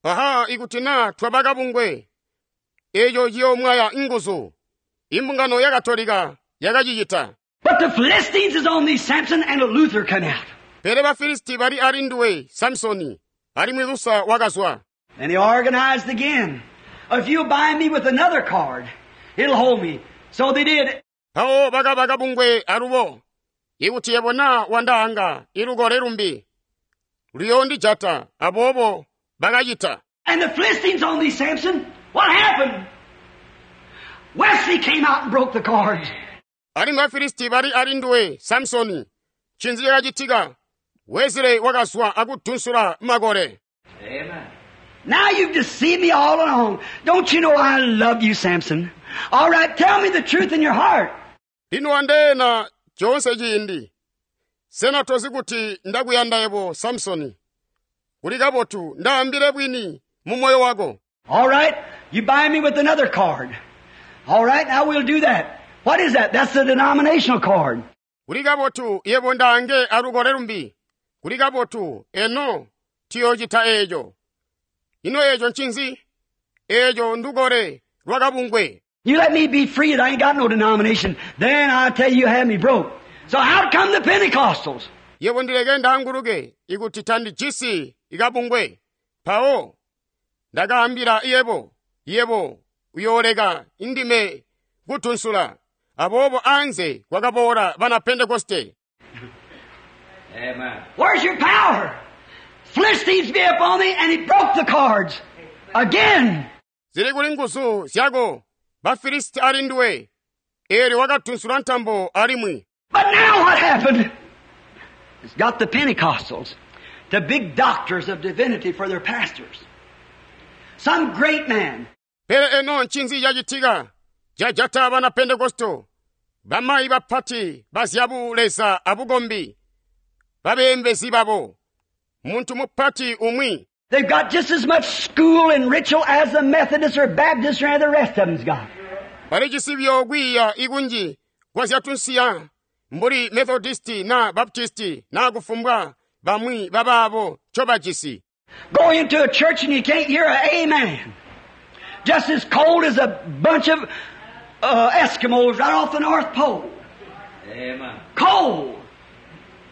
Aha, ikuti naa twaba kabungwe, eeco ciyoomwaya nguzu. Imbungano ya Katolika yakacicita. But the Philistines is on thee, Samson, and a Luther come out. Pele Bafilisti bali ali nduwe, Samsoni, alimwi Lusa wakazwa. And he organized again. If you bind me with another cord, it'll hold me. So they did. Mpawo bakaba kabungwe alubo. Ikuti yebo naa wandaanga ilukole lumbi, luyoondijata, aboobo bakacita. And the Philistines on thee, Samson. What happened? Wesley came out and broke the cords. Alimwi Bafilisti bali ali nduwe, Samsoni, ncinzi cakacitika? Wesley wakazwa akudunsula makole. Amen. Now you've deceived me all along. Don't you know I love you, Samson? All right, tell me the truth in your heart. Lino wandeena chonse ciindi. Sena tozi kuti ndakuyanda yebo, Samsoni? Kuli kabotu ndaambile bwini mu moyo wako. All right, you bind me with another cord. All right, now we'll do that. What is that? That's the denominational cord. Kuli kabotu yebo ndaange alukole lumbi. Kuli kabotu eno tiyochita eeco. Ino eeco ncinzi? Eeco ndukole lwakabungwe. You let me be free and I ain't got no denomination. Then I tell you, you had me broke. So out come the Pentecostals. Yebo ndileke ndaanguluke ikuti tandijisi ikabungwe. Mpawo ndakaambila yebo, yebo uyooleka indime kutunsula. Aboobo anze kwakaboola bana Pentekoste. Amen. Where's your power? Philistines be upon thee, and he broke the cords. Again. Zili kuli nguzu zyako Bafilisti ali ndiwe. Eelyo wakatunsula ntambo alimwi. But now what happened? It's got the Pentecostals, the big doctors of divinity for their pastors. Some great man. Pele eno ncinzi cacitika cajata bana Pentekosto, bamayi bapati bazyabu Leza abukombi, babeembezi babo, muntu mupati umwi. They've got just as much school and ritual as the Methodists or Baptists or any of the rest of them's got. Bali cisibyo kwiiya ikunji kwa zyatunsiya mbuli Methodisti na Baptisti na kufumbwa bamwi babaabo ncobajisi. Go into a church and you can't hear an amen. Just as cold as a bunch of uh, Eskimos right off the North Pole. Amen. Cold.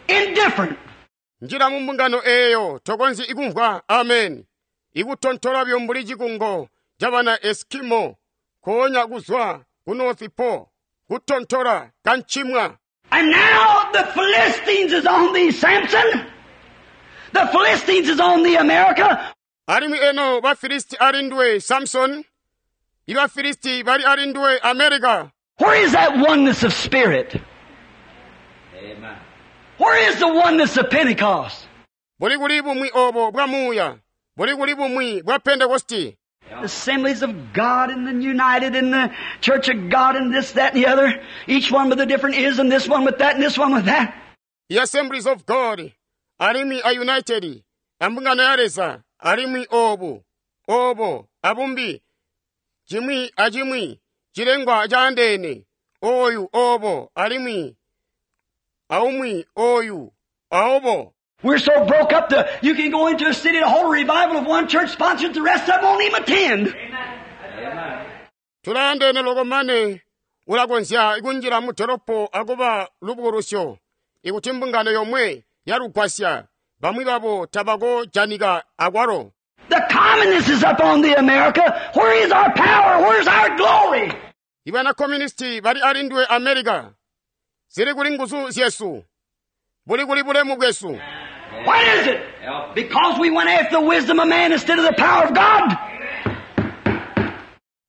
Indifferent. Njira mu mbungano eeyo tokonzyi ikumvwa amen. Ikutontola byo mbuli cikungo ca bana Eskimo koonya kuzwa ku North Pole kutontola kancimwa. And now the Philistines is on thee, Samson. The Philistines is on thee, America. Alimwi eno Bafilisti ali ndiwe Samson. Ibafilisti bali ali ndiwe America. Where is that oneness of spirit? Amen. Where is the oneness of Pentecost? Buli kuli bumwi obo bwa muuya. Buli kuli bumwi bwa Pentekosti. Assemblies of God and the United and the Church of God and this, that, and the other. Each one with a different ism, this one with that and this one with that. The Assemblies of God alimwi a United ambungano ya Leza alimwi obu obo abumbi cimwi acimwi cilengwa caandeene oyu obo alimwi aumwi oyu aobo. We're so broke up that you can go into a city to hold a revival of one church sponsored, the rest of them won't even attend. Amen. Tulaandeene loko mane ulakonzya kunjila mu dolopo akuba lubukulusyo ikuti mbungano yomwe yalugwasya bamwi babo tabakojanika akwalo. The communists is up on the America. Where is our power? Where's our glory? Ibana communisti bali ali ndiwe America. Zili kuli nguzu zyesu. Buli kuli bulemu bwesu. What is it? Help. Because we went after the wisdom of man instead of the power of God.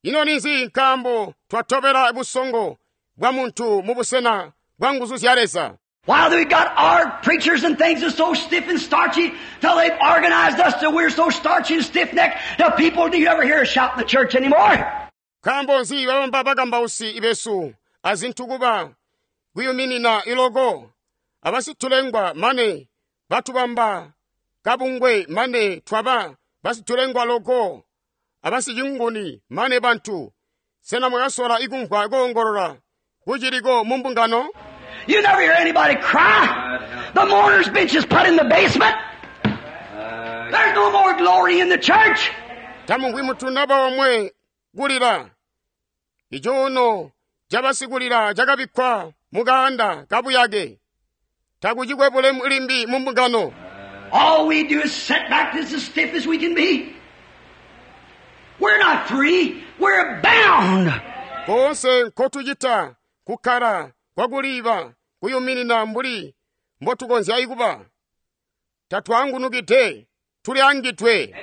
Ino ninzi nkambo twatobela busongo bwa muntu mu busena bwa nguzu zya Leza. While we got our preachers and things are so stiff and starchy till they've organized us till we're so starchy and stiff-necked the people do you ever hear a shout in the church anymore? Nkambo nzi babamba bakambausi ibesu azintu kuba kuyuminina iloko abasitulengwa mane batubamba kabungwe mane twaba basitulengwa loko abasicinguni mane bantu sena mwakasola ikumvwa koongolola kuciliko mu mbungano. You never hear anybody cry. The mourner's bench is put in the basement. Uh, There's no more glory in the church. Tamumvwi mutu naba omwe kulira icuuno cabasikulira cakabikkwa mu kaanda kabuyake takucikwe bulemu limbi mu mbungano. All we do is sit back this as stiff as we can be. We're not free. We're bound. Koonse nkotucita kukkala kwakuliba kuyuminina mbuli mbotukonzya ikuba tatwaangunukide tuli angidwe.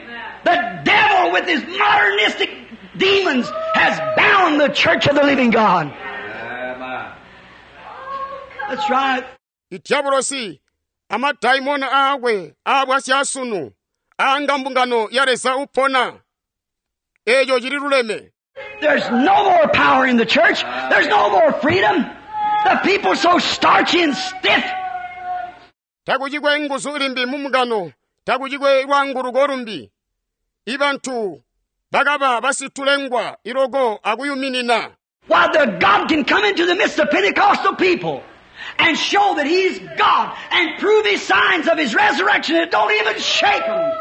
The devil with his modernistic demons has bound the church of the living God. Amen. That's right. Idiabolosi amadaimona aakwe aabwasyasunu aanga mbungano ya Leza upona eeco cili luleme. There's no more power in the church. There's no more freedom. The people so starchy and stiff. Takucikwe nguzu limbi mu mbungano, takucikwe lwaanguluko lumbi. Ibantu bakaba basitulengwa iloko akuyuminina. While the God can come into the midst of Pentecostal people and show that He's God and prove His signs of His resurrection that don't even shake them.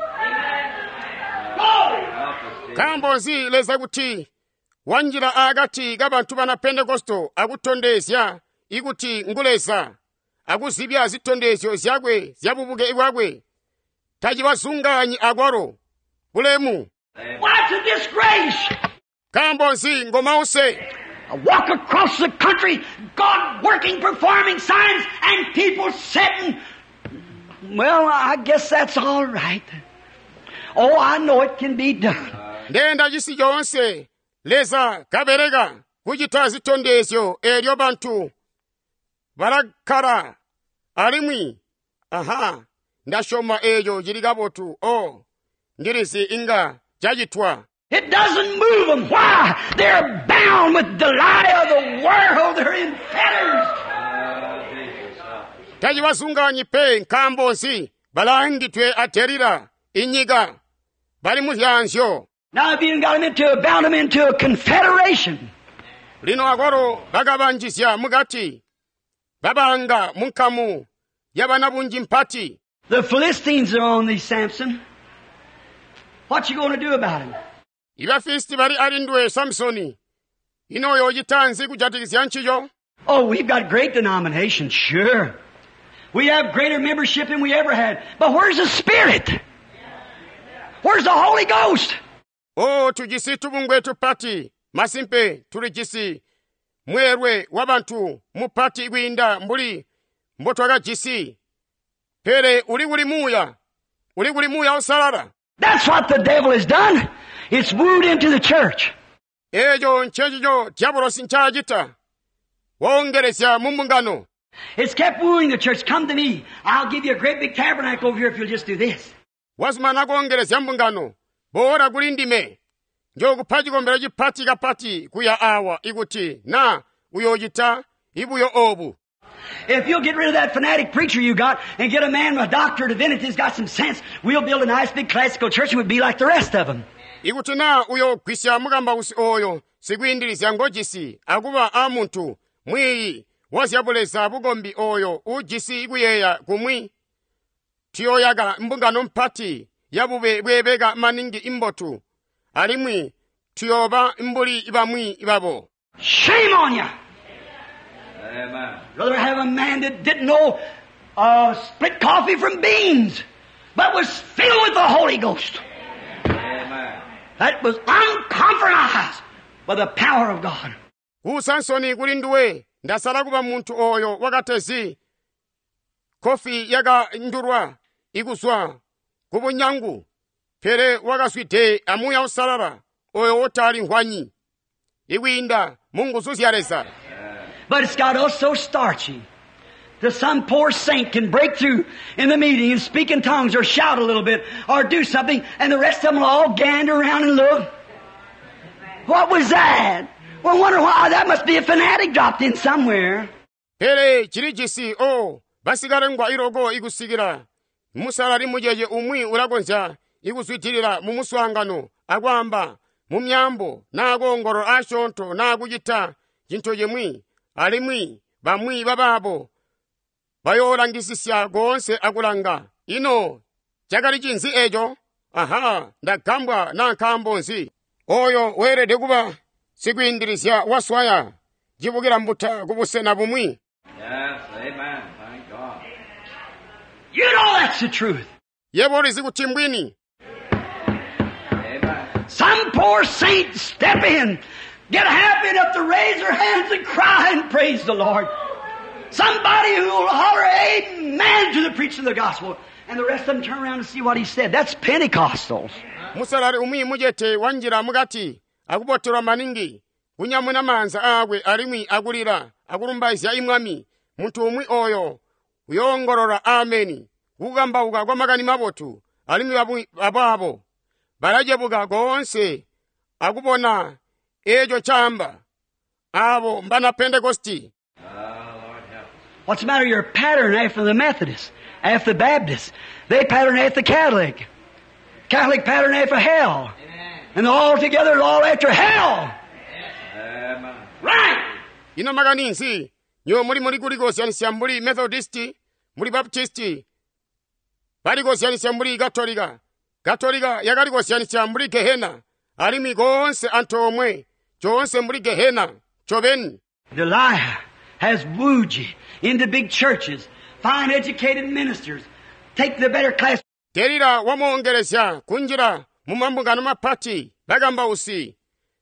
Glory! Help us, Jesus. Nkaambo nzi Leza kuti wanjila akati kabantu bana Pentekosto akutondezya ikuti ngu Leza akuzibya zitondezyo zyakwe zyabubuke bwakwe tacibazunganyi akwalo bulemu. Why, it's a disgrace! Nkaambo nzi ngomause. I walk across the country, God working, performing signs, and people sitting Well, I guess that's all right. Oh, I know it can be done. Ndeenda cisi coonse Leza kabeleka kucita zitondezyo eelyo bantu balakkala alimwi aha ndasyoma eeco cili kabotu o ndilizi inga cacitwa. It doesn't move them. Why? They're bound with the lie of the world. They're in fetters. Tacibazunganyi pe nkaambo nzi balaangidwe a Delila inyika bali mu zyaanzyo. Now, if you got them into, bound them into a confederation. Lino akwalo bakabanjizya mukati babanga mu nkamu yabanabunji mpati. The Philistines are on thee, Samson. What you gonna do about him? Ibafilisti bali alindwe Samsoni. Ino uyoocita nzi kujatikizya ncico? Oh, we've got great denominations, sure. We have greater membership than we ever had. But where's the Spirit? Where's the Holy Ghost? Oh, tujisi tubungwe tupati. Masimpe tulijisi mweelwe wabantu mupati kwiinda mbuli mbotwakajisi. Pele uli kuli muuya? Uli kuli muuya usalala? That's what the devil has done. It's wooed into the church. Eeco ncecico diabolosi ncaacita. Woongelezya mu mbungano. It's kept wooing the church. Come to me. I'll give you a great big tabernacle over here if you'll just do this. Wazumana koongelezya mbungano. Boola kuli ndime. Njookupa cikombelo cipati kapati kuya awa ikuti na uyoocita ibuyo obu. If you'll get rid of that fanatic preacher you got and get a man with a doctorate of divinity who's got some sense, we'll build a nice big classical church and we'll be like the rest of them. Ikuti na uyoogwisya mukambausi oyo sikwiindilizya ngojisi akuba a muntu mwiiyi wa zyabuleza bukombi oyo uujisi kuyeeya kumwi, tuyooyaka mbungano mpati yabube bweebeka maningi imbotu alimwi tuyooba mbuli bamwi babo. Shame on you! Amen. Rather have a man that didn't know, uh, split coffee from beans, but was filled with the Holy Ghost. Amen. That was uncompromised by the power of God. Ku Samsoni kuli nduwe ndasala kuba muntu oyo wakatezi kofi yakandulwa ikuzwa ku bunyangu pele wakazwide amuuya usalala oyo wotali nkhwanyi ikwiinda mu nguzu zya Leza. But it's got us so starchy that some poor saint can break through in the meeting and speak in tongues or shout a little bit or do something, and the rest of them will all gander around and look. What was that? Well, wonder why. That must be a fanatic dropped in somewhere. Pele chilijisi o basikalengwa iloko ikusikila musalali mucece umwi ulakonzya ikuzwidilila mu muswaangano akwaamba mu myambo naa koongolola asyoonto naa kucita cintu cimwi alimwi bamwi babaabo bayoolangisisya koonse akulanga. Ino cakali cinzi eco? Aha, ndagambwa naa nkaambo nzi? Oyo weelede kuba sikwiindilizya waswaya cibukila mbuta kubusena bumwi. Yes, amen. Thank God. You know that's the truth. Yebo ulizi kuti mbwini. Amen. Some poor saint step in, get happy enough to raise their hands and cry and praise the Lord. Somebody who will holler amen to the preaching of the gospel. And the rest of them turn around and see what he said. That's Pentecostals. Musalali umwi mucete wanjila mukati akubotelwa maningi kunyamuna maanza aakwe alimwi akulila akulumbaizya imwami. Muntu umwi oyo uyoongolola ameni kukambauka kwa makani mabotu alimwi babu-, babaabo balacebuka koonse akubona eeco caamba. Aabo mbana Pentekosti. Ah, Lord help us. What's the matter? You're pattern after the Methodists, after the Baptists. They pattern after the Catholic. Catholic pattern after hell. And they're all together, all after hell. Amen. Right! Ino makani nzi nyo muli muli kulikozyanisya mbuli Methodisti, mbuli Baptisti, balikozyanisya mbuli Katolika. Katolika yakalikozyanisya mbuli Gehena, alimwi koonse antoomwe, coonse mbuli Gehena, ncobeni. Delilah has wooed you into big churches, fine educated ministers, take the better class. Delila wamoongelezya kunjila mu mambungano mapati, bakambausi,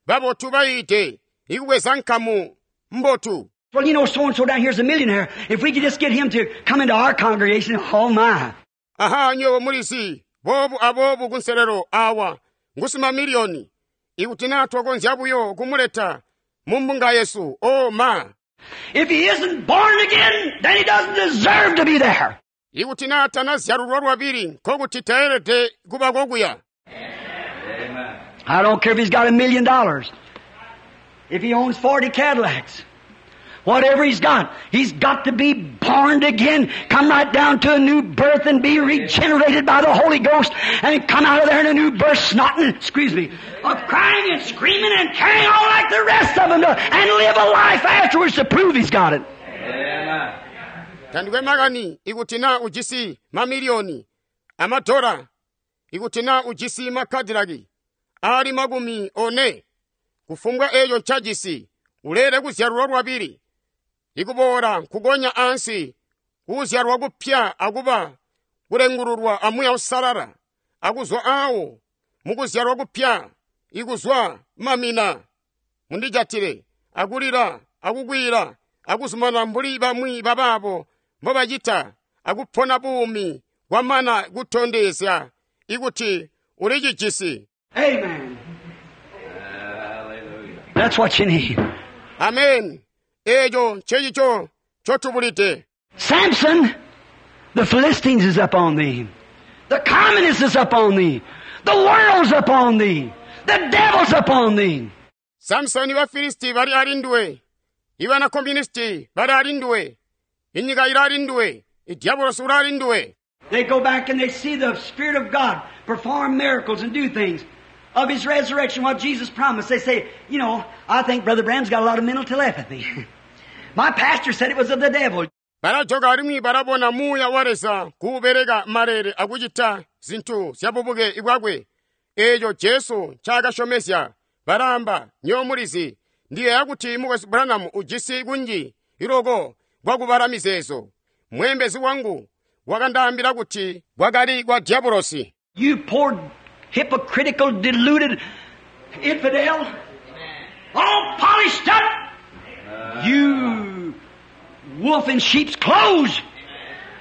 babotu bayiide, ikubweza nkamu mbotu. Well, you know, so-and-so down here's a millionaire. If we could just get him to come into our congregation, oh my. Aha, nywebo mulizi, boobu aboobu kunselelo awa, ngusi mamiliyoni. Ikuti naa twakonzya buyo kumuleta mu mbunga yesu, oh ma. If he isn't born again, then he doesn't deserve to be there. Ikuti naa tanazyalulwa lwabili, nkokuti taelede kuba kokuya. Amen. I don't care if he's got a million dollars. If he owns forty Cadillacs. Whatever he's got, he's got to be born again, come right down to a new birth and be regenerated by the Holy Ghost and come out of there in a new birth snotting, excuse me, of crying and screaming and carrying on like the rest of them do, and live a life afterwards to prove he's got it. Amen. Tandikwe makani ikuti naa ujisi mamiliyoni amadola, ikuti naa ujisi makadilaki ali makumi one, kufumbwa eeco ncajisi, uleele kuzyalulwa lwabili, ikuboola nkukonya ansi, kuzyalwa kupya akuba kulengululwa a Muuya Uusalala, akuzwa awo mukuzyalwa kupya, ikuzwa mamina, mundijatile, akulila, akukwila, akuzumana mbuli bamwi babaabo mbobacita, akupona buumi kwamana kutondezya ikuti ulicijisi. Amen. Hallelujah. That's what you need. Amen. Eeco ncecico ncotubulide. Samson, the Philistines is up on thee. The communists is up on thee. The world's up on thee. The devil's up on thee. Samsoni ba Filisti bali alinduwe. Ibana komunisti bali alinduwe. Inyika ila alinduwe. Idiabolosi ula alinduwe. They go back and they see the Spirit of God perform miracles and do things of His resurrection, what Jesus promised. They say, you know, I think Brother Branham's got a lot of mental telepathy. My pastor said it was of the devil. Balajoka alimwi balabona Muuya wa Leza kuubeleka malele akucita zintu zyabubuke bwakwe. Eeco Jesu ncaakasyomezya. Balaamba, nywebo mulizi, ndiyeeya kuti Mukwesu Branham ujisi kunji iloko kwakubala mizeezo. Mweembezi wangu wakandaambila kuti kwakali kwa diabolosi. You poor hypocritical, deluded infidel. All polished up. You wolf in sheep's clothes.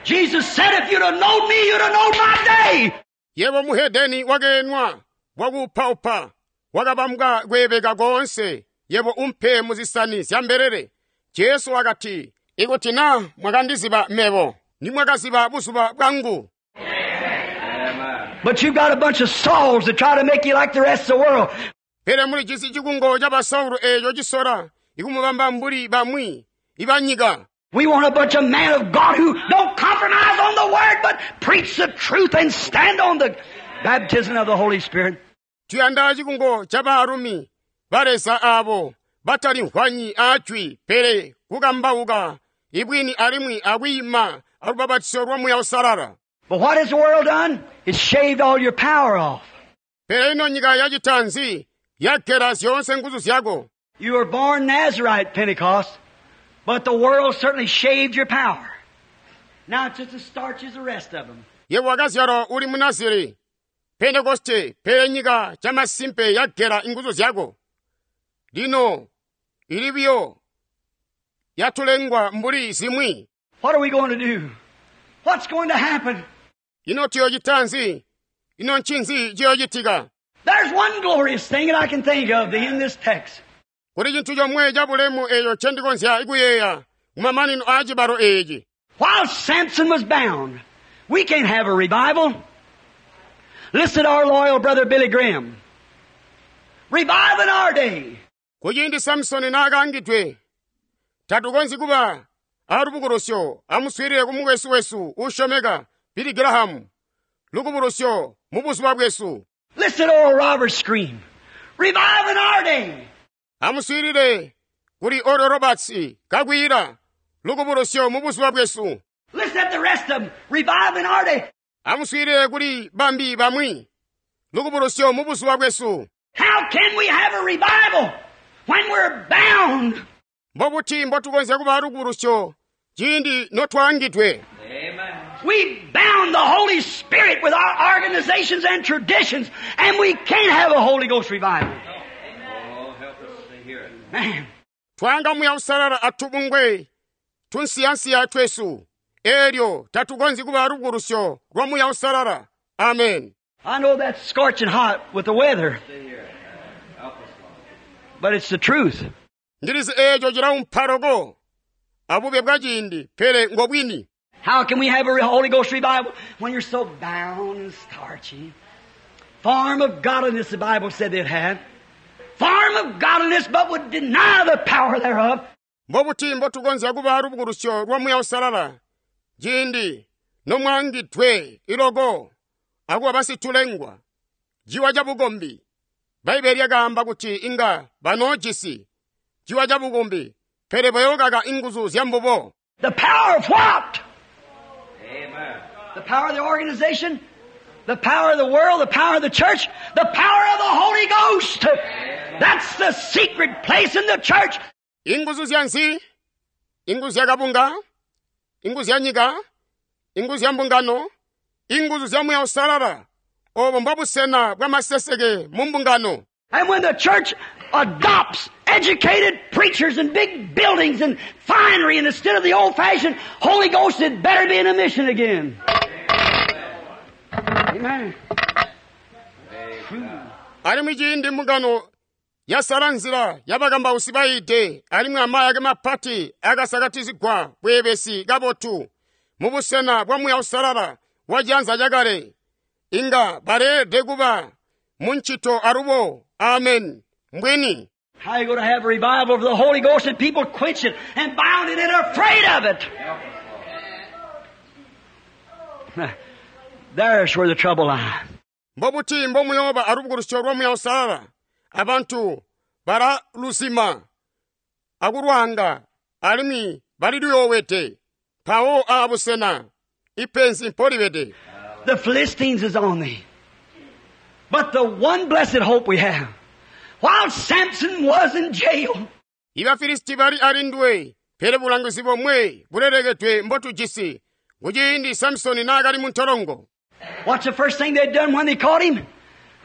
Jesus said, if you'd have known me, you'd have known my day. Yebo muhedeni wakeenwa, wakuupaupa, wakabambwa kweebeka koonse, yebo umpe muzisani zya mbelele. Jesu wakati, ikuti naa mwakandiziba mebo, nimwakaziba buzuba bwangu. Amen. But you've got a bunch of Sauls that try to make you like the rest of the world. Pele mulijisi cikungo ca Basaulo eeco cisola, ikumubamba mbuli bamwi ibanyika. We want a bunch of men of God who don't compromise on the Word, but preach the truth and stand on the baptism of the Holy Spirit. Tuyanda cikungo ca baalumi ba Leza aabo batalimvwanyi aajwi, pele kukambauka ibwini alimwi akwiima alubapatizo lwa Muuya Uusalala. But what has the world done? It's shaved all your power off. Pele ino nyika yacita nzi? Yagela zyoonse nguzu zyako. You were born Nazarite, Pentecost, but the world certainly shaved your power. Now it's just as starch as the rest of them. Yebo wakazyalwa uli Munaziri, Pentekoste, pele nyika camasimpe yagela inguzu zyako. Lino ili buyo yatulengwa mbuli zimwi. What are we going to do? What's going to happen? Ino tuyocita nzi? Ino ncinzi ciyocitika? There's one glorious thing that I can think of in this text. Kuli cintu comwe cabulemu eeco ncendikonzya kuyeeya kumamanino aa cibalo eeci. While Samson was bound, we can't have a revival. Listen to our loyal brother Billy Graham. Revive in our day. Kuciindi Samsoni naakaangidwe, tatukonzyi kuba alubukulusyo amuswiilile ku mukwesu wesu uusyomeka Billy Graham, lubukulusyo mu buzuba bwesu. Listen to Oral Roberts scream. Revive in our day. Amuswiilile kuli Oral Roberts kakwiila lubukulusyo mu buzuba bwesu. Listen to the rest of them. Revive in our day. Amuswiilile kuli bambi bamwi lubukulusyo mu buzuba bwesu. How can we have a revival when we're bound? Mbobuti mbotukonzya kuba lubukulusyo ciindi notwaangidwe? Amen. We bound the Holy Spirit with our organizations and traditions, and we can't have a Holy Ghost revival. Oh, help us to hear it. Man. Twanga Muuya Uusalala atubungwe tunsiyansiya twesu, Eelyo tatukonzyi kuba alubukulusyo lwa Muuya Uusalala. Amen. I know that's scorching hot with the weather. Stay here. Help us, Lord. But it's the truth. Ndilizi eeco cilaumpa loko abube bwa ciindi, pele ngobwini. How can we have a Holy Ghost revival when you're so bound and starchy? Form of godliness, the Bible said they'd have. Form of godliness, but would deny the power thereof. Mbobuti mbotukonzya kuba alubukulusyo lwa Muuya Uusalala ciindi nomwaangidwe iloko akuba basitulengwa ciwa cabukombi. Bbaibele lyakaamba kuti inga banoojisi ciwa cabukombi, pele bayookaka inguzu zya mbubo. The power of what? Amen. The power of the organization, the power of the world, the power of the church, the power of the Holy Ghost. That's the secret place in the church. Inguzu zya nzi? Inguzu zya kabunga? Inguzu zya nyika? Inguzu zya mbungano? Inguzu zya Muuya Uusalala. Obo mbobusena bwa maseseke mu mbungano. And when the church adopts educated preachers and big buildings and finery, and instead of the old-fashioned Holy Ghost, it better be in a mission again. Amen. Alimwi ciindi mbungano yasala nzila yabakambausi bayiide alimwi amayake mapati akasakatizigwa bweebesi kabotu mubusena bwa Muuya Uusalala wa cianza cakale, inga baleelede kuba muncito alubo. Amen. Mbwini. How you gonna have a revival of the Holy Ghost and people quench it and bound it and afraid of it? There's where the trouble lies. Mbobuti mbomuyooba alubukulusyo lwa Muuya Uusalala abantu balaluzima akulwanga alimwi baliliyoowede mpawo aabusena ipenzi mpolibede. The Philistines is on thee. But the one blessed hope we have, while Samson was in jail, Ibafilisti bali alindwe, pele bulangizi bomwe bulelekedwe mbotujisi kuciindi Samsoni naakali mu ntolongo. What's the first thing they'd done when they caught him?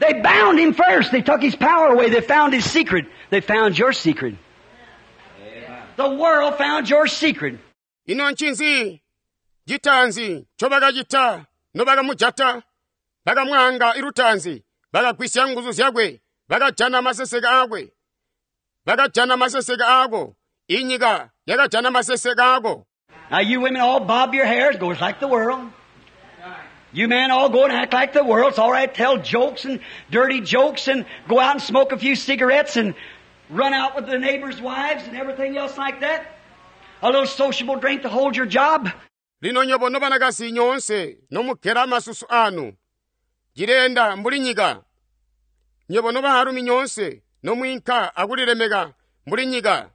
They bound him first. They took his power away. They found his secret. They found your secret. Amen. The world found your secret. Ino ncinzi citaanzi ncobakacita nobakamujata? Bakamwaanga ilutaanzi, bakagwisya nguzu zyakwe, bakajana maseseke aakwe. Bakajana maseseke aako. Inyika yakajana maseseke aako. Now you women all bob your hairs, goes like the world. You men all go and act like the world. It's all right, tell jokes and dirty jokes and go out and smoke a few cigarettes and run out with the neighbors' wives and everything else like that. A little sociable drink to hold your job. Lino nyobo nobanakazi nyoonse nomugela masusu anu, cileenda mbuli nyika. Nyobo nobaalumi nyoonse nomwiinka akulilemeka mbuli nyika.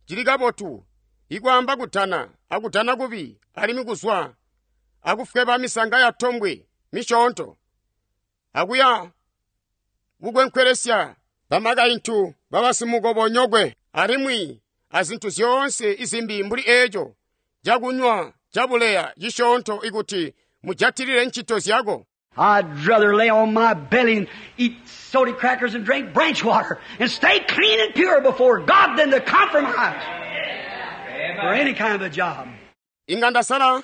Cili kabotu ikwaamba kudana akudana kubi alimwi kuzwa akufweba misanga ya tombwe misyoonto akuya kukwenkweresya bamakaintu babasimukobonyokwe alimwi azintu zyoonse izimbi mbuli eeco cakunywa cabuleya cisyoonto ikuti mujatilile ncito zyako. I'd rather lay on my belly and eat soda crackers and drink branch water and stay clean and pure before God than to compromise for any kind of a job. Inga ndasala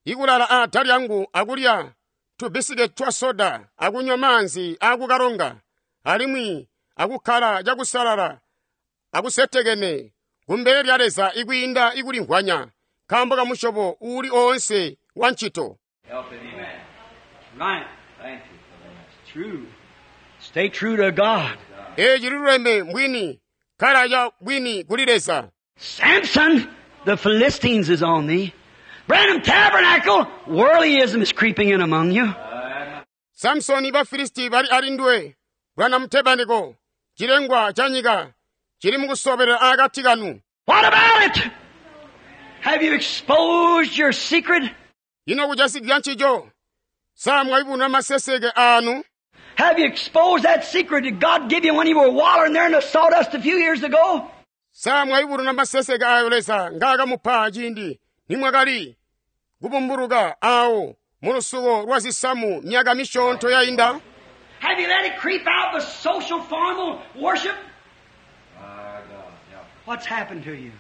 ikulala aada lyangu akulya tubisiketi twa soda akunywa maanzi akukalonga alimwi akukkala cakusalala akusetekene kumbele lya Leza ikwiinda ikulimvwanya nkaambo ka musyobo uuli oonse wa ncito. Help him, amen. Right. Thank you for that. True. Stay true to God. Eeci liluleme mbwini, kkala ca bwini kuli Leza. Samson, the Philistines is on thee. Branham Tabernacle, worldlyism is creeping in among you. Samsoni ba Filisti bali alindwe, Branham Tabernacle, cilengwa ca nyika, cili mukusobelela akati kanu. What about it? Have you exposed your secret? Ino kujasikizya ncico, sa mwayubununa maseseke anu? Have you exposed that secret that God gave you when you were wallowing there in the sawdust a few years ago? Sa mwayubununa maseseke ayo Leza ngaakamupa ciindi nimwakali kubumbuluka awo mu lusuko lwa zisamu myaka misyoonto yainda? Have you let it creep out with social formal worship? My God, yeah. What's happened to you?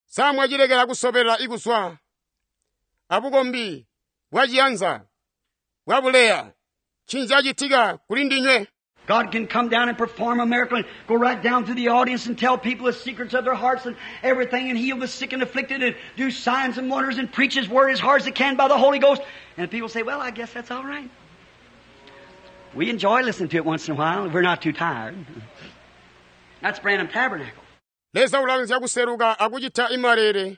Sa mwacilekela kusobelela ikuzwa abukombi bwaciyanza bwabuleya ncinzi cacitika kuli ndinywe God can come down and perform a miracle and go right down through the audience and tell people the secrets of their hearts and everything and heal the sick and afflicted and do signs and wonders and preach His Word as hard as He can by the Holy Ghost. And people say, well, I guess that's all right. We enjoy listening to it once in a while if we're not too tired. That's Branham Tabernacle. Leza ulakonzya kuseluka akucita imalele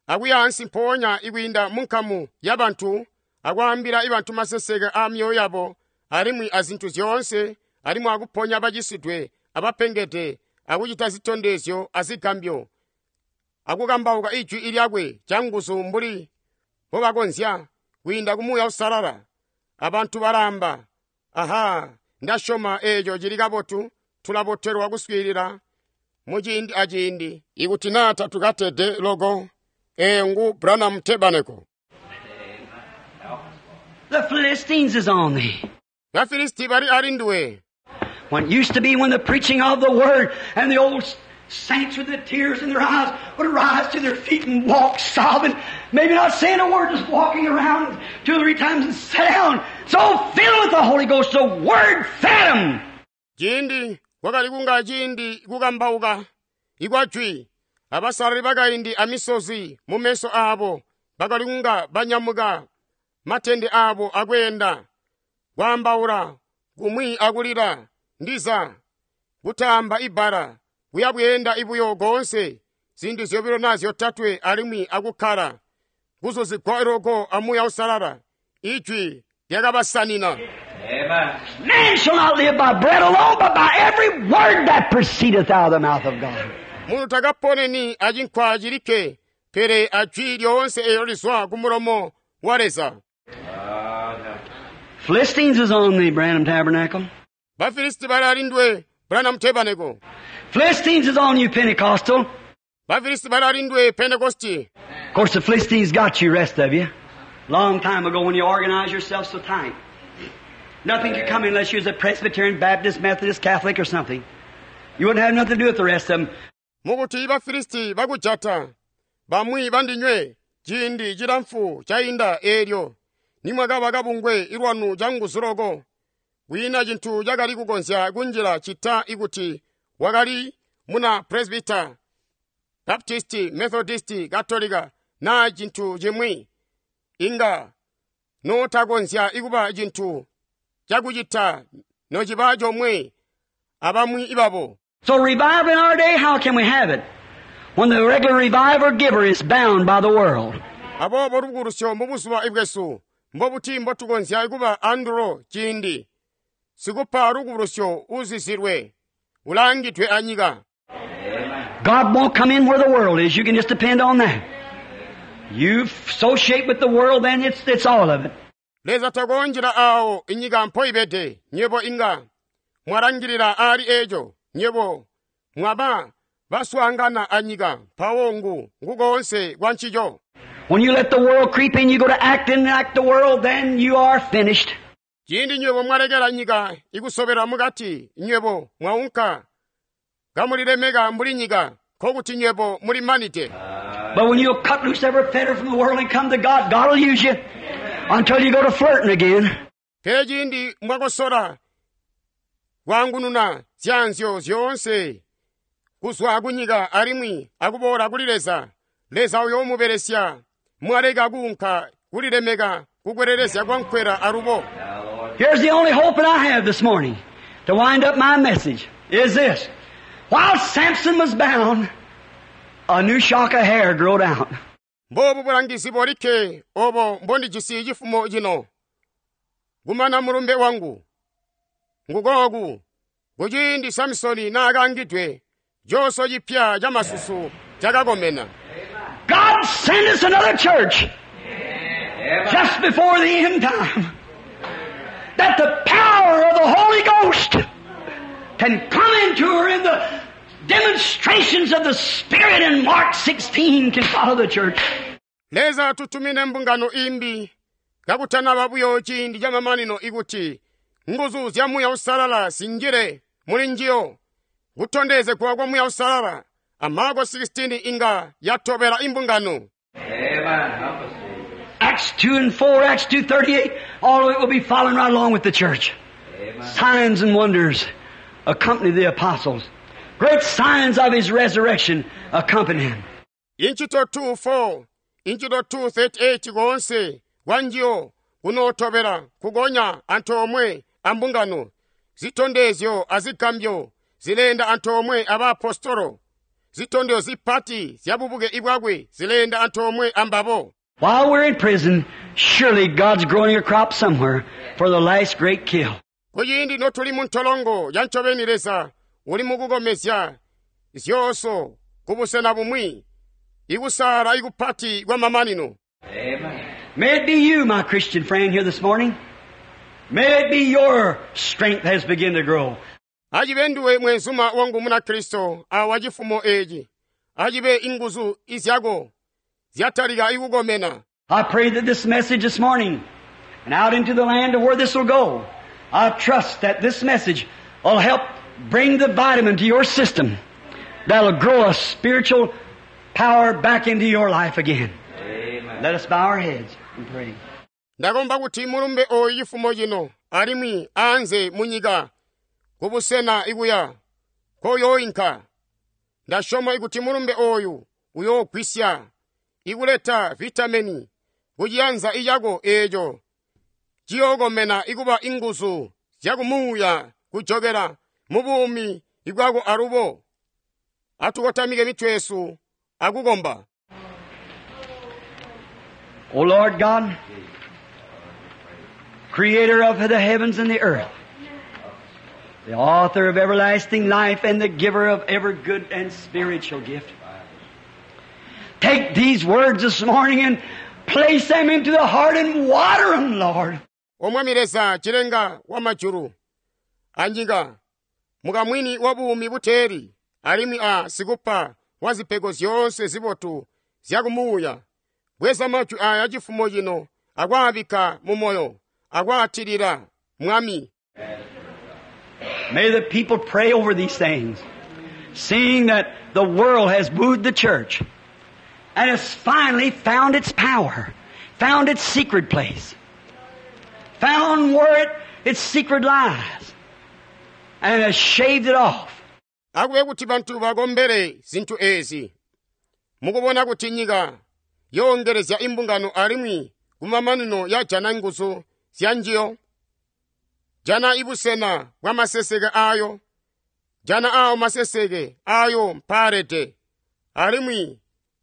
akuya ansi mpoonya ikwiinda mu nkamu ya bantu akwaambila ibantu maseseke a myoyo yabo alimwi azintu zyoonse alimwi akuponya bacisidwe abapengede akucita zitondezyo azigambyo akukambauka ijwi ilyakwe canguzu mbuli mbobakonzya kwiinda ku Muuya Uusalala abantu balamba aha ndasyoma eeco cili kabotu tulabotelwa kuswiilila muciindi aciindi ikuti naa tatukatede loko eeyo ngu Branham Tabernacle. The Philistines is on thee. Bafilisti bali ali nduwe. When it used to be when the preaching of the Word and the old saints with the tears in their eyes would rise to their feet and walk sobbing, maybe not saying a word, just walking around two or three times and sit down. So filled with the Holy Ghost, the Word fed them. Ciindi kwakali kunga ciindi kukambauka ikwajwi abasalali bakaindi amisozi mu meso aabo bakali kunga banyamuka matende aabo akweenda kwaambaula kumwi akulila ndiza kutaamba ibbala kuya bweenda ibuyo koonse zinthu zyobilo na zyotatwe alimwi akukkala kuzuzigwa loko a Muuya Uusalala ijwi lyakabasanina. Amen. Man shall not live by bread alone, but by every word that proceedeth out of the mouth of God. Munthu takaponeni achinkwa chilikke pele ajwi lyoonse eyo lizwa ku mulomo wa Leza. God help us. Philistines is on thee, Branham Tabernacle. Bafilisti bali ali ndwe Branham Tabernacle. Philistines is on you, Pentecostal. Bafilisti bali ali ndwe Pentecosti. Of course, the Philistines got you, rest of you. Long time ago when you organized yourself so tight. Nothing could come in unless you was a Presbyterian, Baptist, Methodist, Catholic, or something. You wouldn't have nothing to do with the rest of them. Mukuti Bafilisti bakujata bamwi bandinywe ciindi cilamfu cainda eelyo nimwakaba kabungwe ilwanu canguzu loko kwiina cintu cakali kukonzya kunjila cita ikuti wakali muna Presbyter, Baptist, Methodist, Katolika naa cintu cimwi inga notakonzya ikuba cintu cakucita nociba comwe abamwi ibabo. So revival in our day, how can we have it? When the regular reviver giver is bound by the world. Aboobo lubukulusyo mu buzuba ibwesu mbobuti mbotukonzya kuba andulo ciindi sikupa lubukulusyo uzizilwe ulangidwe anyika. God won't come in where the world is. You can just depend on that. You associate with the world, then it's, it's all of it. Leza takonjela awo inyika mpoibede nyebo inga mwalangilila ali eco nyebo mwaba baswaangana anyika mpawo ngu ngukonse kwa ncico. When you let the world creep in, you go to acting like the world, then you are finished. Ciindi nywebo mwalekela nyika ikusobela mukati nywebo mwaunka kamulilemeka mbuli nyika nkokuti nywebo muli manite. But when you cut loose every fetter from the world and come to God, God will use you until you go to flirting again. Pele ciindi mwakosola kwangununa zyanzyo zyoonse kuzwa kunyika alimwi akuboola kuli Leza, Leza uyoomubelesya mwaleka kuunka kulilemeka kukwelelezya kwa nkwela alubo. Here's the only hope that I have this morning to wind up my message is this. While Samson was bound, a new shock of hair growed out. Mbobu bulangizi bolikke obo mbondijisi cifumo cino kumana mulumbe wangu ngukooku kuciindi Samsoni naakangidwe coso cipya ca masusu cakakomena. God send us another church just before the end time that the power of the Holy Ghost can come into her in the demonstrations of the Spirit in Mark sixteen can follow the church. Leza tutumine mbungano imbi kakutanaba buyo ciindi ca mamanino ikuti nguzu zya Muuya Uusalala zinjile muli njiyo kutondezegwa kwa Muuya Uusalala a Marko sixteen inga yatobela imbungano. Amen. Help us, Jesus. Acts two and four, Acts two thirty-eight, all of it will be following right along with the church. Amen. Signs and wonders accompany the apostles. Great signs of His resurrection accompany Him. Inchito two four, Inchito two thirty-eight koonse kwanjiyo kunootobela kugonya antoomwe ambungano zitondezyo azigambyo zileenda antoomwe abaapostolo zitondezyo zipati zyabubuke ibwakwe zileenda antoomwe ambabo. While we're in prison, surely God's growing a crop somewhere for the last great kill. Kuciindi notuli mu ntolongo ya ncobeni Leza uli mukukomezya zyooso kubusena bumwi ikusaala ikupati kwa mamanino. Amen. May it be you, my Christian friend, here this morning. May it be your strength has begun to grow. Acibe nduwe mwenzuma wangu muna Kristo awa cifumo eci. Acibe inguzu izyako zyatalika ikukomena. I pray that this message this morning and out into the land of where this will go, I trust that this message will help bring the vitamin to your system that'll grow a spiritual power back into your life again. Amen. Let us bow our heads and pray. Ndakomba kuti mulumbe oyu cifumo cino alimwi aanze munyika kubusena ikuya koyoinka. Ndasyoma ikuti mulumbe oyu uyoogwisya ikuleta vitamini kuciyanza icako eeco ciyookomena ikuba inguzu zyakumuuya kujokela mu buumi ibwako alubo. Atukotamike mitwe yesu akukomba. O Lord God, creator of the heavens and the earth, the author of everlasting life and the giver of every good and spiritual gift, take these words this morning and place them into the heart and water them, Lord. O Mwami Leza cilenga wa majulu anyika mukamwini wa buumi buteeli alimwi a sikupa wa zipego zyoonse zibotu zyakumuuya, bweza majwi aya cifumo cino akwaabikka mu moyo akwaatilira Mwami. May the people pray over these things, seeing that the world has wooed the church and has finally found its power, found its secret place, found where it, its secret lies, and has shaved it off. Akube kuti bantu bakombere zinthu ezi, mukubona kuti nyika yoongerezya imbungano alimwi kumamanino yajana nguzu zya njiyo, jana ibusena bwa maseseke ayo, jana awo maseseke ayo mpaalede, alimwi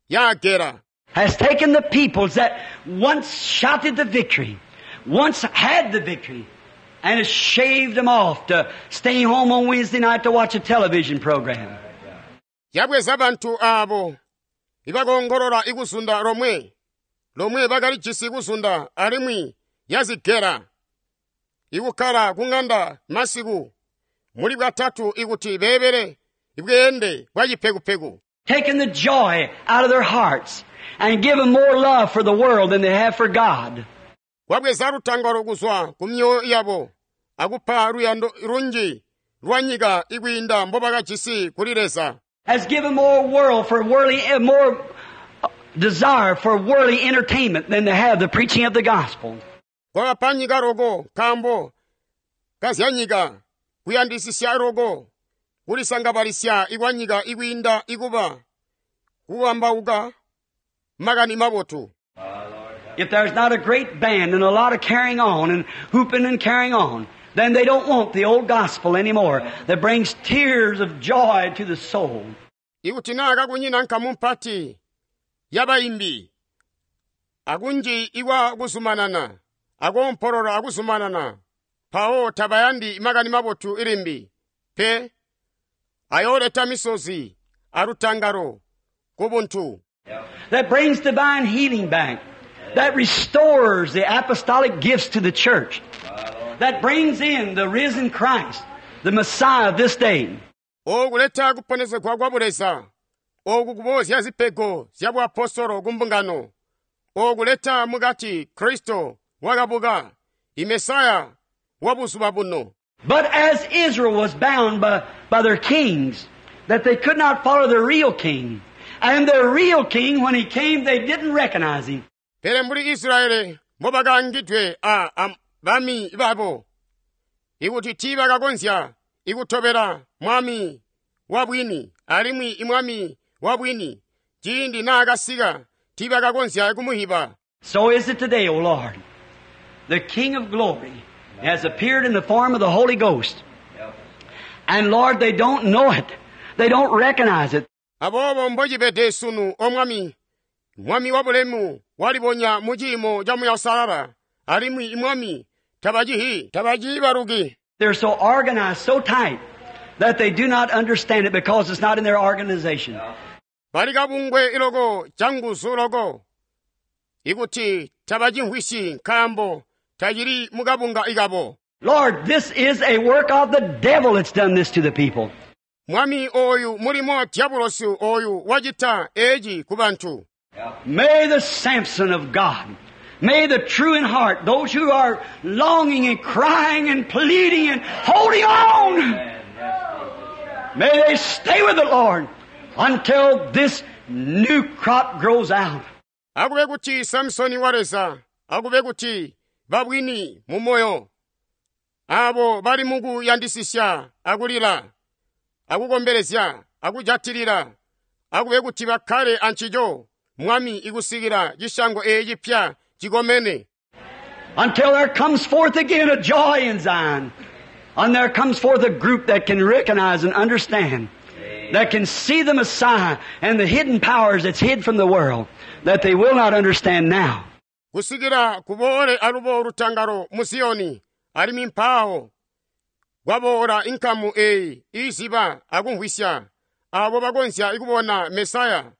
yagera. Has taken the peoples that once shouted the victory, once had the victory, and has shaved them off to stay home on Wednesday night to watch a television program. Yabweza bantu abo ibakongolola ikuzunda lomwe, lomwe bakalijisi ikuzunda alimwi yazigera. Ikukhala kung'anda masiku muli bwatatu ikuti beebele ibweende bwa cipekupeku. Taking the joy out of their hearts and give them more love for the world than they have for God. Wabweza lutangalo kuzwa ku myoyo yabo akupa luyando lunji lwa nyika ikwiinda mbobakajisi kuli Leza. Has given more world for worldly, eh, more desire for worldly entertainment than they have the preaching of the gospel. Kwabapa nyika loko nkaambo kazyanyika kuyandisisya loko kulisangabalisya ikwa nyika ikwiinda ikuba kukambauka makani mabotu. If there's not a great band and a lot of carrying on and hooping and carrying on, then they don't want the old gospel anymore that brings tears of joy to the soul. Ikuti naa kakunyina nkamu mpati yabaimbi akunji ikwa kuzumanana akompolola akuzumanana mpawo tabayandi makani mabotu ilimbi pe ayooleta misozi alutangalo kubuntu. That brings divine healing back. That restores the apostolic gifts to the church. That brings in the risen Christ, the Messiah of this day. Okuleta kuponezegwa kwa buleza, oku kubozya zipego zya buapostolo ku mbungano, okuleta mukati Kristo wakabuka, imesaya wa buzuba buno. But as Israel was bound by, by their kings, that they could not follow the real king. And the real king, when he came, they didn't recognize him. Pele mbuli Israyeli mbobakaangidwe a, a bami babo, ikuti tiibakakonzya ikutobela mwami wa bwini, alimwi imwami wa bwini ciindi naakasika tiibakakonzya kumuhiba. So is it today, O Lord. The King of Glory has appeared in the form of the Holy Ghost. And Lord, they don't know it. They don't recognize it. Aboobo mbocibede sunu, o Mwami, Mwami wa bulemu walibonya mu ciimo ca Muuya Uusalala, alimwi imwami tabacihi, tabaciibaluki. They're so organized, so tight, that they do not understand it because it's not in their organization. Bali kabungwe iloko canguzu loko, ikuti tabacimvwisyi nkaambo tacili mukabunga ikabo. Lord, this is a work of the devil that's done this to the people. Mwami oyu mulimo wa diabolosi oyu wacita eci ku bantu. May the Samson of God, may the true in heart, those who are longing and crying and pleading and holding on, may they stay with the Lord until this new crop grows out. Akube kuti Samsoni wa Leza, akube kuti babwini mu moyo, abo bali mukuyandisisya akulila, akukombelezya, akujatilila, akube kuti bakkale ancico, Mwami ikusikila cishango eci cipya cikomene. Until there comes forth again a joy in Zion. And there comes forth a group that can recognize and understand, that can see the Messiah and the hidden powers that's hid from the world, that they will not understand now. Kusikila kuboole alubo lutangalo mu Ziyoni, alimwi mpawo kwaboola inkamu eyi iziba akumvwisya, abo bakonzya kubona Mesaya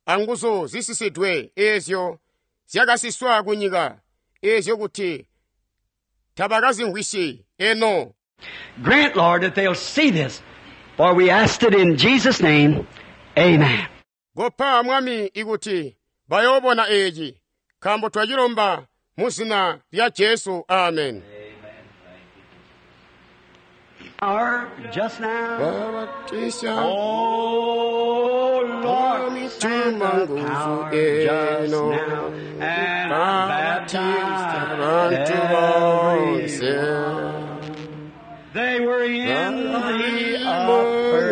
anguzu zisisidwe ezyo zyakasiswa kunyika, ezyo kuti tabakazimvwisyi eno. Grant, Lord, that they'll see this, for we asked it in Jesus' name. Amen. Kopa Mwami ikuti bayoobona eci, nkaambo twacilomba mu zina lya Jesu. Amen. Our just now. Babatisha Oh Lord, send the power just now and Babatista baptize bantu bonse. everyone. They were in the upper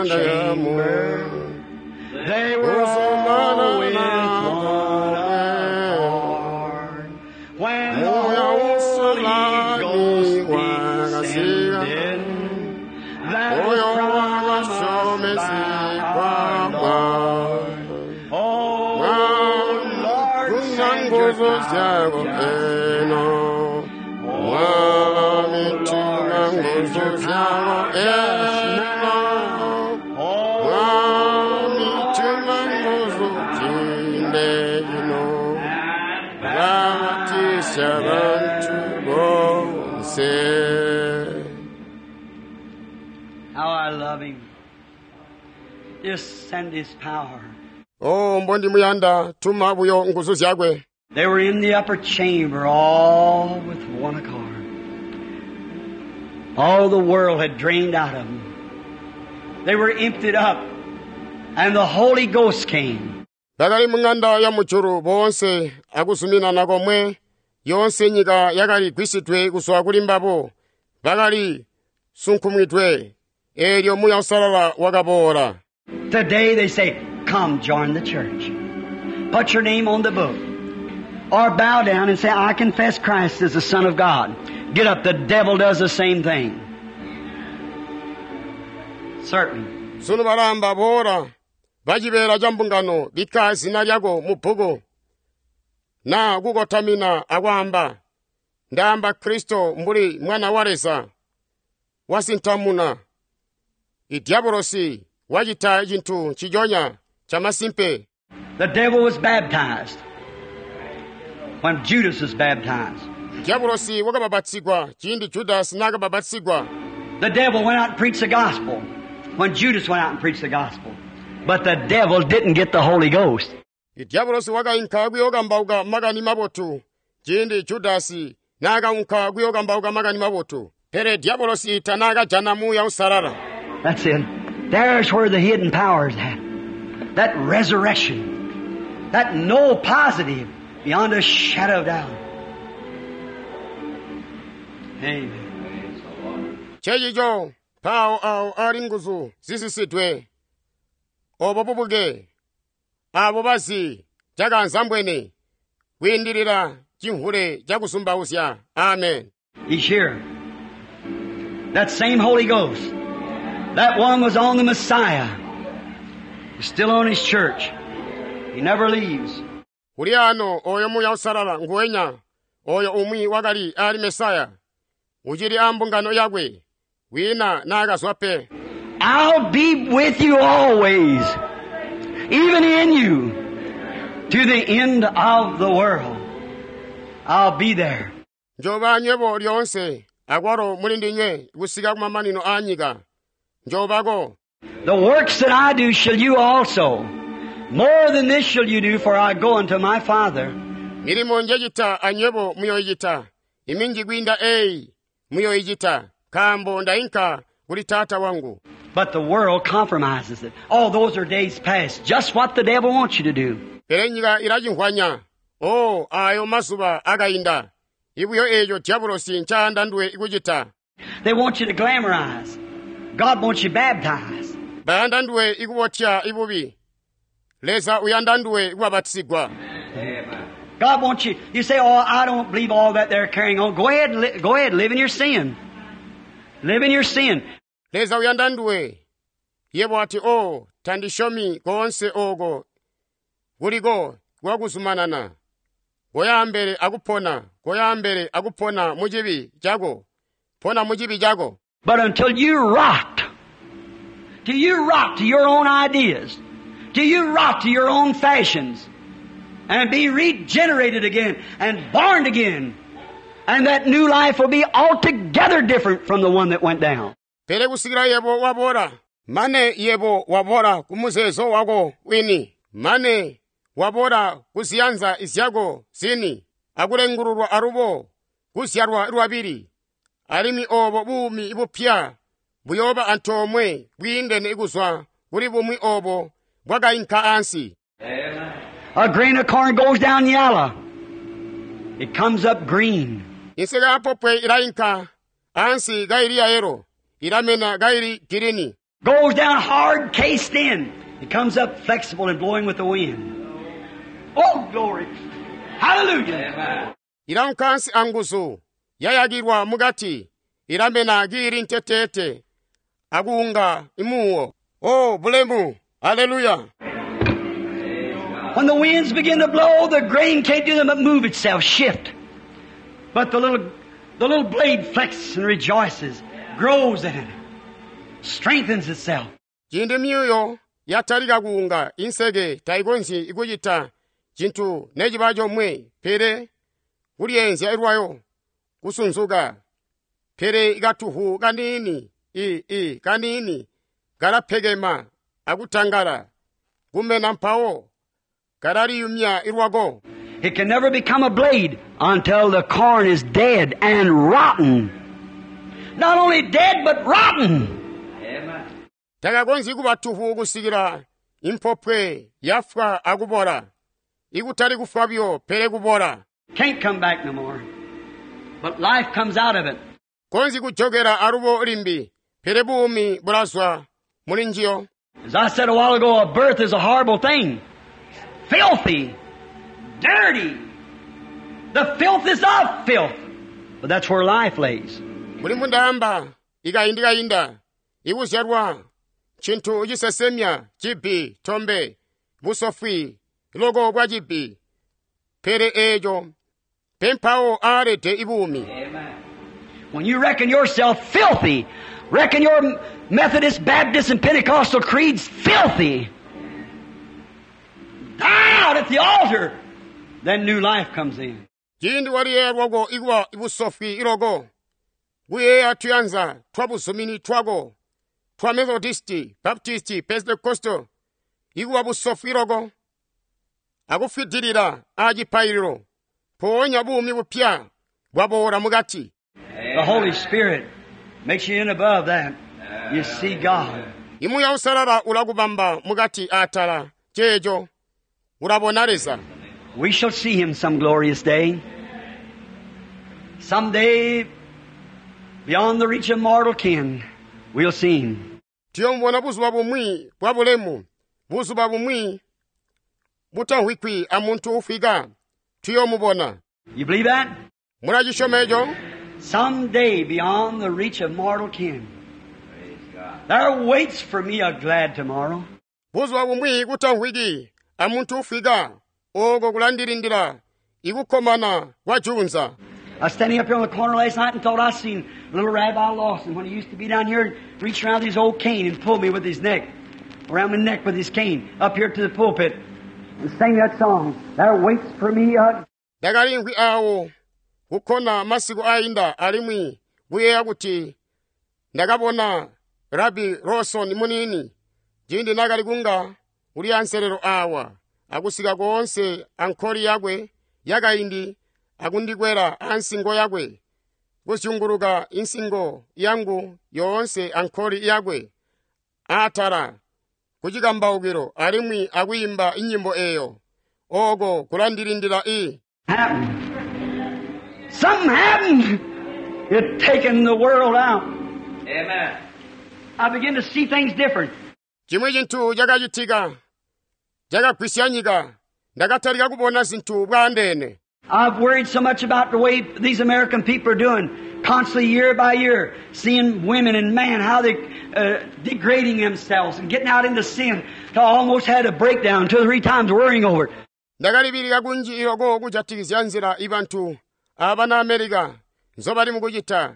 chamber. They were all with one accord. When the Holy Ghost descended, that was promised by our Lord. Oh, Lord, send your power just now. Oh, Lord, send your power just now. Oh, Lord, send your Babatisa bantu bonse. How I love Him. Just send His power. Oh, mbondimuyanda tuma buyo nguzu zyakwe. They were in the upper chamber, all with one accord. All the world had drained out of them. They were emptied up, and the Holy Ghost came. Bakali mung'anda ya mujulu boonse akuzuminana komwe, yonse nyika yakali gwisidwe kuzwa kuli mbabo, bakali sunkumwidwe, eelyo Muuya Uusalala wakaboola. Today they say, come join the church. Put your name on the book. Or bow down and say, I confess Christ as the Son of God. Get up, the devil does the same thing. Certainly. Sunu balamba boola, bacibeela ca mbungano bikka zina lyako mu bbuku, na kukotamina akwaamba, ndaamba Kristo mbuli mwana wa Leza, wasintamuna. Idyabolosi wacita cintu nciconya camasimpe. The devil was baptized when Judas was baptized. Diabolosi wakababatsigwa ciindi Judasi naakababatsigwa. The devil went out and preached the gospel when Judas went out and preached the gospel. But the devil didn't get the Holy Ghost. Diabolosi wakainka kuyookambauka makani mabotu ciindi Judasi naakaunka kuyookambauka makani mabotu. Pele Diabolosi tanaakajana Muuya Uusalala. That's it. There's where the hidden power is at. That resurrection. That no positive. Beyond a shadow of doubt. Amen. Praise the Lord. Ncencico mpawo awo ali nguzu zisisidwe obo bubuke abo bazi cakanzambwene kwiindilila cimvule cakuzumbauzya amen He's here. That same Holy Ghost. That one was on the Messiah. He's still on his church. He never leaves. Uli ano oyo Muuya Uusalala nguwenya oyo umwi wakali ali Mesaya ucili a mbungano yakwe wina naakazwa pe. I'll be with you always, even in you, to the end of the world. I'll be there. Njoba nywebo lyoonse akwalo muli ndinywe kusika kumamanino a nyika. Njobako. The works that I do shall you also. More than this shall you do, for I go unto my Father. Milimo njecita anywebo muyoicita. Iminji kwiinda eyi muyoicita, nkaambo ndainka kuli Taata wangu. But the world compromises it. Oh, those are days past. Just what the devil wants you to do. Pele nyika ilacimvwanya. Oh, ayo mazuba akainda. Ibuyo eeco diabolosi ncaanda nduwe kucita. They want you to glamorize. God wants you baptized. Bayanda nduwe ikubotya ibubi. Leza uyanda nduwe kubabatizigwa. Amen. God wants you. You say, "Oh, I don't believe all that they're carrying on." Go ahead, and li- go ahead, live in your sin. Live in your sin. Leza uyanda nduwe. Yebo ati, "Oh, tandishomi koonse oko kuliko kwakuzumanana. Koya ambele akupona, koya ambele akupona mu cibi cako. Pona mu cibi cako." But until you rot, till you rot to your own ideas, till you rot to your own fashions, and be regenerated again and born again, and that new life will be altogether different from the one that went down. Pele kusikila yebo wabora, mane yebo wabora kumuzeezo wako wini, mane wabora kuziyanza izyako zini, akulengululwa alubo, kuzyalwa lwabili, alimwi obo buumi bupya buyoba antoomwe bwiindene kuzwa kuli bumwi obo bwakainka ansi. Amen. A grain of corn goes down yellow. It comes up green. Inseke ya popwe ilainka ansi kaili ya yelo, ilamena kaili girini. Goes down hard, cased in. It comes up flexible and blowing with the wind. Oh, glory. Hallelujah. Amen. Ilaunka ansi anguzu, yayakilwa mukati, ilamena kiili ntetete, akuunga imuwo. Oh, bulemu. Hallelujah. When the winds begin to blow, the grain can't do them but move itself, shift. But the little, the little blade flexes and rejoices, grows in it, strengthens itself. Ciindi myuyo yatalika kuunga inseke taikonzyi ikucita cintu neciba comwe pele kulyenzya ilwayo kusunzuka pele ikatuhu kaniini i i kaniini kalapekema akutangala kumena mpawo kalaliyumya ilwako. It can never become a blade until the corn is dead and rotten. Not only dead, but rotten. Amen. Takakonzyi kuba tuhu kusikila impopwe yafwa akubora. Ikutali kufwa buyo pele kubora. Can't come back no more. But life comes out of it. Konzyi kujokera alubo limbi pele buumi bulazwa muli njiyo. As I said a while ago, a birth is a horrible thing. Filthy. Dirty. The filth is of filth. But that's where life lays. Muli mbundaamba ikayindikayinda ikuzyalwa cintu cisesemya cibi tombe busofwi loko bwa cibi pele eeco pempawo aalede ibuumi. Amen. When you reckon yourself filthy, reckon your Methodist, Baptist, and Pentecostal creeds filthy, die out at the altar, then new life comes in. Ciindi waliyeeya lwako ikuba ibusofwi iloko kuyeeya tuyanza twa buzumini twako twa Methodisti, Baptisti, Pentecostal ikuba busofwi loko akufwidilila acipaililo mpoonya buumi bupya bwaboola mukati. The Holy Spirit makes you in above that. You see God. Imuya usalala ulakubamba mukati atala ceeco ulabona Leza. We shall see Him some glorious day. Someday, beyond the reach of mortal ken, we'll see Him. Tuyomubona buzuba bumwi bwa bulemu, buzuba bumwi butamvwikwi amuntu ufwika. Tuyomubona. You believe that? Mulachisyoma eco? Someday, beyond the reach of mortal ken, Praise God. there waits for me a glad tomorrow. Buzuba bumwi kutamvwiki amuntu ufwika, oko kulandilindila ikukkomana kwa junza. I was standing up here on the corner last night and thought I seen little Rabbi Lawson when he used to be down here and reach around his old cane and pull me with his neck, around my neck with his cane, up here to the pulpit and sing that song. There waits for me a Ndakalimvwi awo kukkona masiku ayinda alimwi kuyeeya kuti ndakabona Rabbi Lawson munini ciindi nakali kunga uli anselelo awa akusika koonse ankoli yakwe yakaindi akundikwela ansingo yakwe kuzyunguluka insingo yangu yoonse ankoli yakwe atala kucikambaukilo alimwi akuyimba inyimbo eyo oko kulandilindila i happened. Something happened. It taken the world out. Amen. I begin to see things different. Chimwe chinthu chakachitika chakagwisya nyika ndakatalika kubona zinthu bwaandene. I've worried so much about the way these American people are doing, constantly year by year, seeing women and men, how they uh, degrading themselves and getting out into sin, till I almost had a breakdown two or three times worrying over it. Ndakalibilika kunji iloko kujatikizya nzila ibantu abana Amerika nzobali mukuchita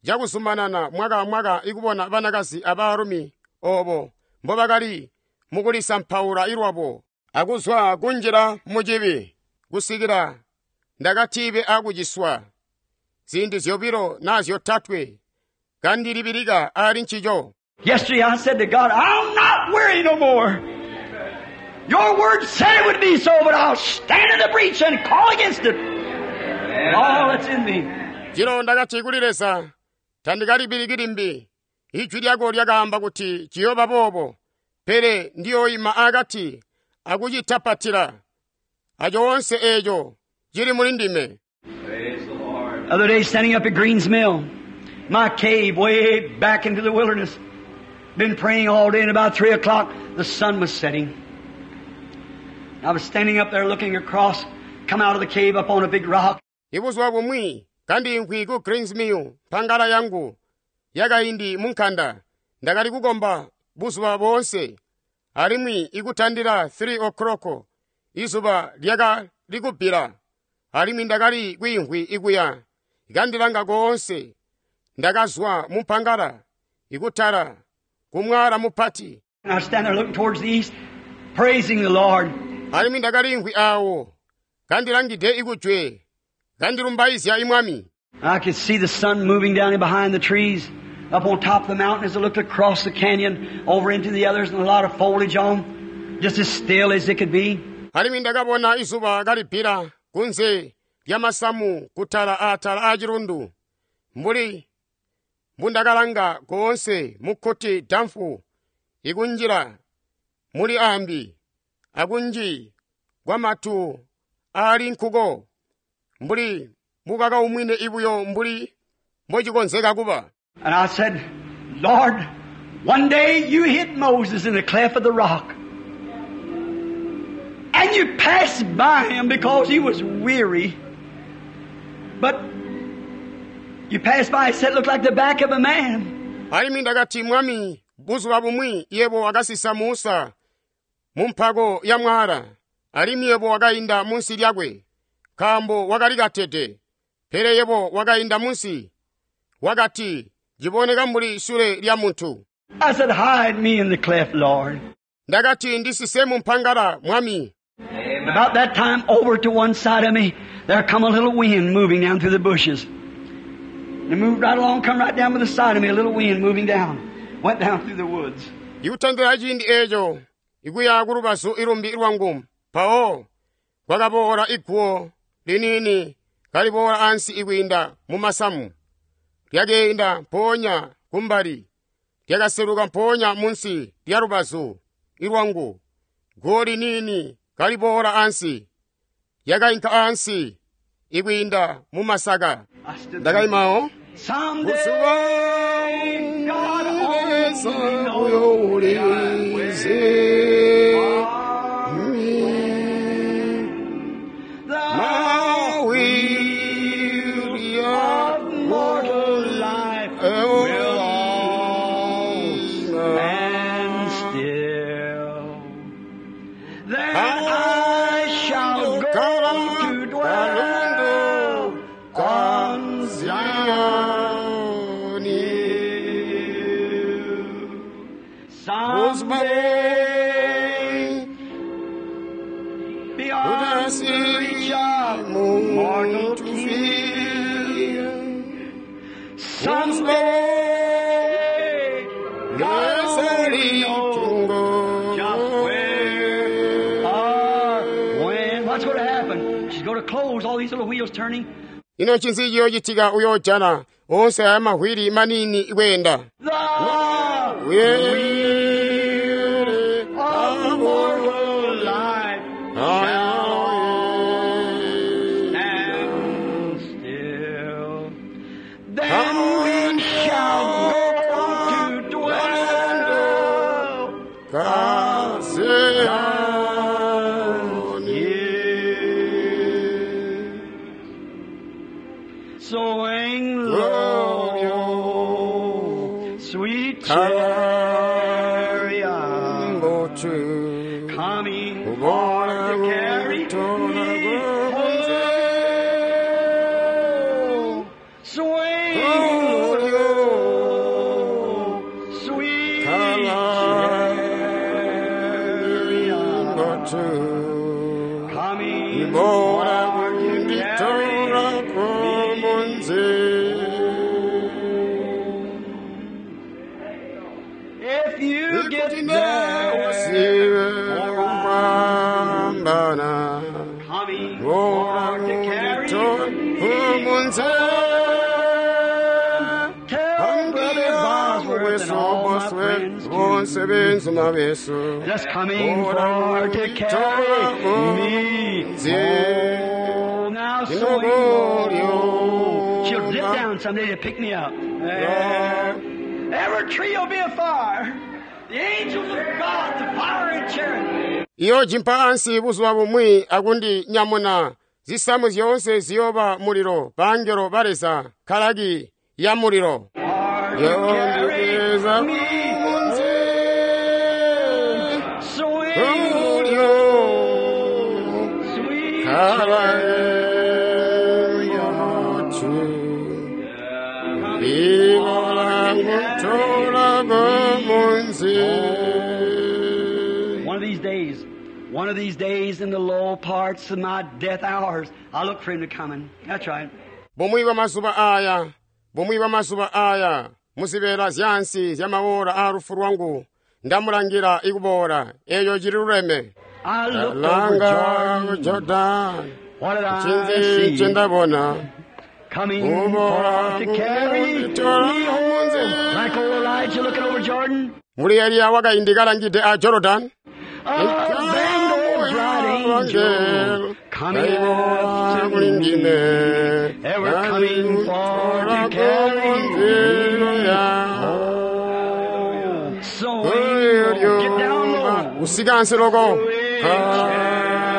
cakuzumanana mwaka amwaka ikubona banakazi abaalumi obo mbobakali mukulisampaula ilwabo akuzwa kunjila mucibi kusikila ndakatibe akuciswa ziindi zyobilo naa zyotatwe kandilibilika ali ncico. Yesterday I said to God, I'll not worry no more. Your word said it would be so, but I'll stand in the breach and call against it. All that's in me. Jilo ndakati kuli Leza, tandikalibiliki limbi. Ijwi lyako lyakaamba kuti ciyoba boobo, pele ndiyoyima akati akucitapatila. Acho wonse echo chili muli ndime. Praise the Lord. Other day, standing up at Green's Mill, my cave way back into the wilderness. Been praying all day, and about three o'clock, the sun was setting. I was standing up there looking across, come out of the cave up on a big rock. Ibuzuba bumwi kandimvwi ku Greens Mill mpangala yangu yakaindi munkhanda ndakali kukomba buzuba boonse alimwi ikutandila three o'clock izuba lyakali kubbila alimwi ndakali kwiimvwi ikuya ikandilanga koonse ndakazwa mu mpangala ikutala kumwala mupati. And I was standing there looking towards the east, praising the Lord. Alimwi ndakalimvwi awo kandilangide ikujwe kandilumbaizya imwami. I could see the sun moving down in behind the trees, up on top of the mountain as I looked across the canyon, over into the others, and a lot of foliage on, just as still as it could be. Alimwi ndakabona izuba kalibbila kunze lya masamu kutala atala a chilundu mbuli mbundakalanga koonse mukkuti damfu ikunjila muli ambi akunji kwa matu ali nkuko mbuli mukakaumwine ibuyo mbuli mbochikonzeka kuba. And I said, Lord, one day you hit Moses in the cleft of the rock. And you passed by him because he was weary. But you passed by and said it looked like the back of a man. Alimwi ndakati mwami buzuba bumwi yebo wakasisa Musa mu mpako ya mwala alimwi yebo wakayinda munsi lyakwe nkaambo wakali katete pele yebo wakayinda munsi wakati ciboneka mbuli sule lya muntu. I said, hide me in the cleft, Lord. Ndakati ndisise mu mpangala mwami. Amen. About that time, over to one side of me, there come a little wind moving down through the bushes. And it moved right along, come right down by the side of me, a little wind moving down. Went down through the woods. Ikutandila ciindi eco ikuya ku lubazu ilumbi lwangu mpawo kwakaboola iguwo liniini kaliboola ansi ikwiinda mu masamu lyakeenda mpoonya kumbali lyakaseluka mpoonya munsi lya lubazu ilwangu guwo liniini kaliboola ansi Yakainka ansi ikwiinda mu masaka. I stood there. Ndakaimawo. Someday God Leza only uyo knows ulizi. the Mawili of mortal life will all stand still. Then I shall go to dwell on Zion hill. Someday beyond the reach of mortal kin. Someday God only knows just where or when. What's going to happen? She's going to close all these little wheels turning. Ino ncinzi ciyoocitika uyoojana onse aya mahwiri manini ikweenda. The Weel of mortal life shall stand still. Then we shall go to dwell here. Swing low, sweet chariot, coming for to carry me home. Swing low, sweet chariot, coming for to carry me If you get there, coming for to carry me home. Tell Brother Bosworth and all my friends too. Just coming for to carry me home. Now swing low. She'll dip down someday to pick me up. There. Every tree will be afire. The angels of God, the fiery chariot. Iyo jimpa ansi buzuba bumwi akundi nyamuna zisamu zyoonse ziyoba muliro bangelo baleza kalaki ya muliro Are to carry yondibweza me munzi Swing ulyo low, sweet kalaembotu ibolangutola munzi. One of these days, one of these days in the low parts of my death hours, I look for him to coming. That's right. Bumwi bwa mazuba aya, bumwi bwa mazuba aya, muzibeera zyansi zyamawola a lufu lwangu, ndamulangira ikuboola, eyo cili luleme. I looked over Langa Jordan. Jordan, What did I ncinzi see? nce ndabona? Coming Uboola for to carry me kunditola munzi. home. Like old Elijah looking over Jordan. Muli Eliya wakaindi kalangide a Jordan, A band of bright angels coming kaibola after kuli me. ndime. They were coming for to carry me home. So get down low. Usika ansi loko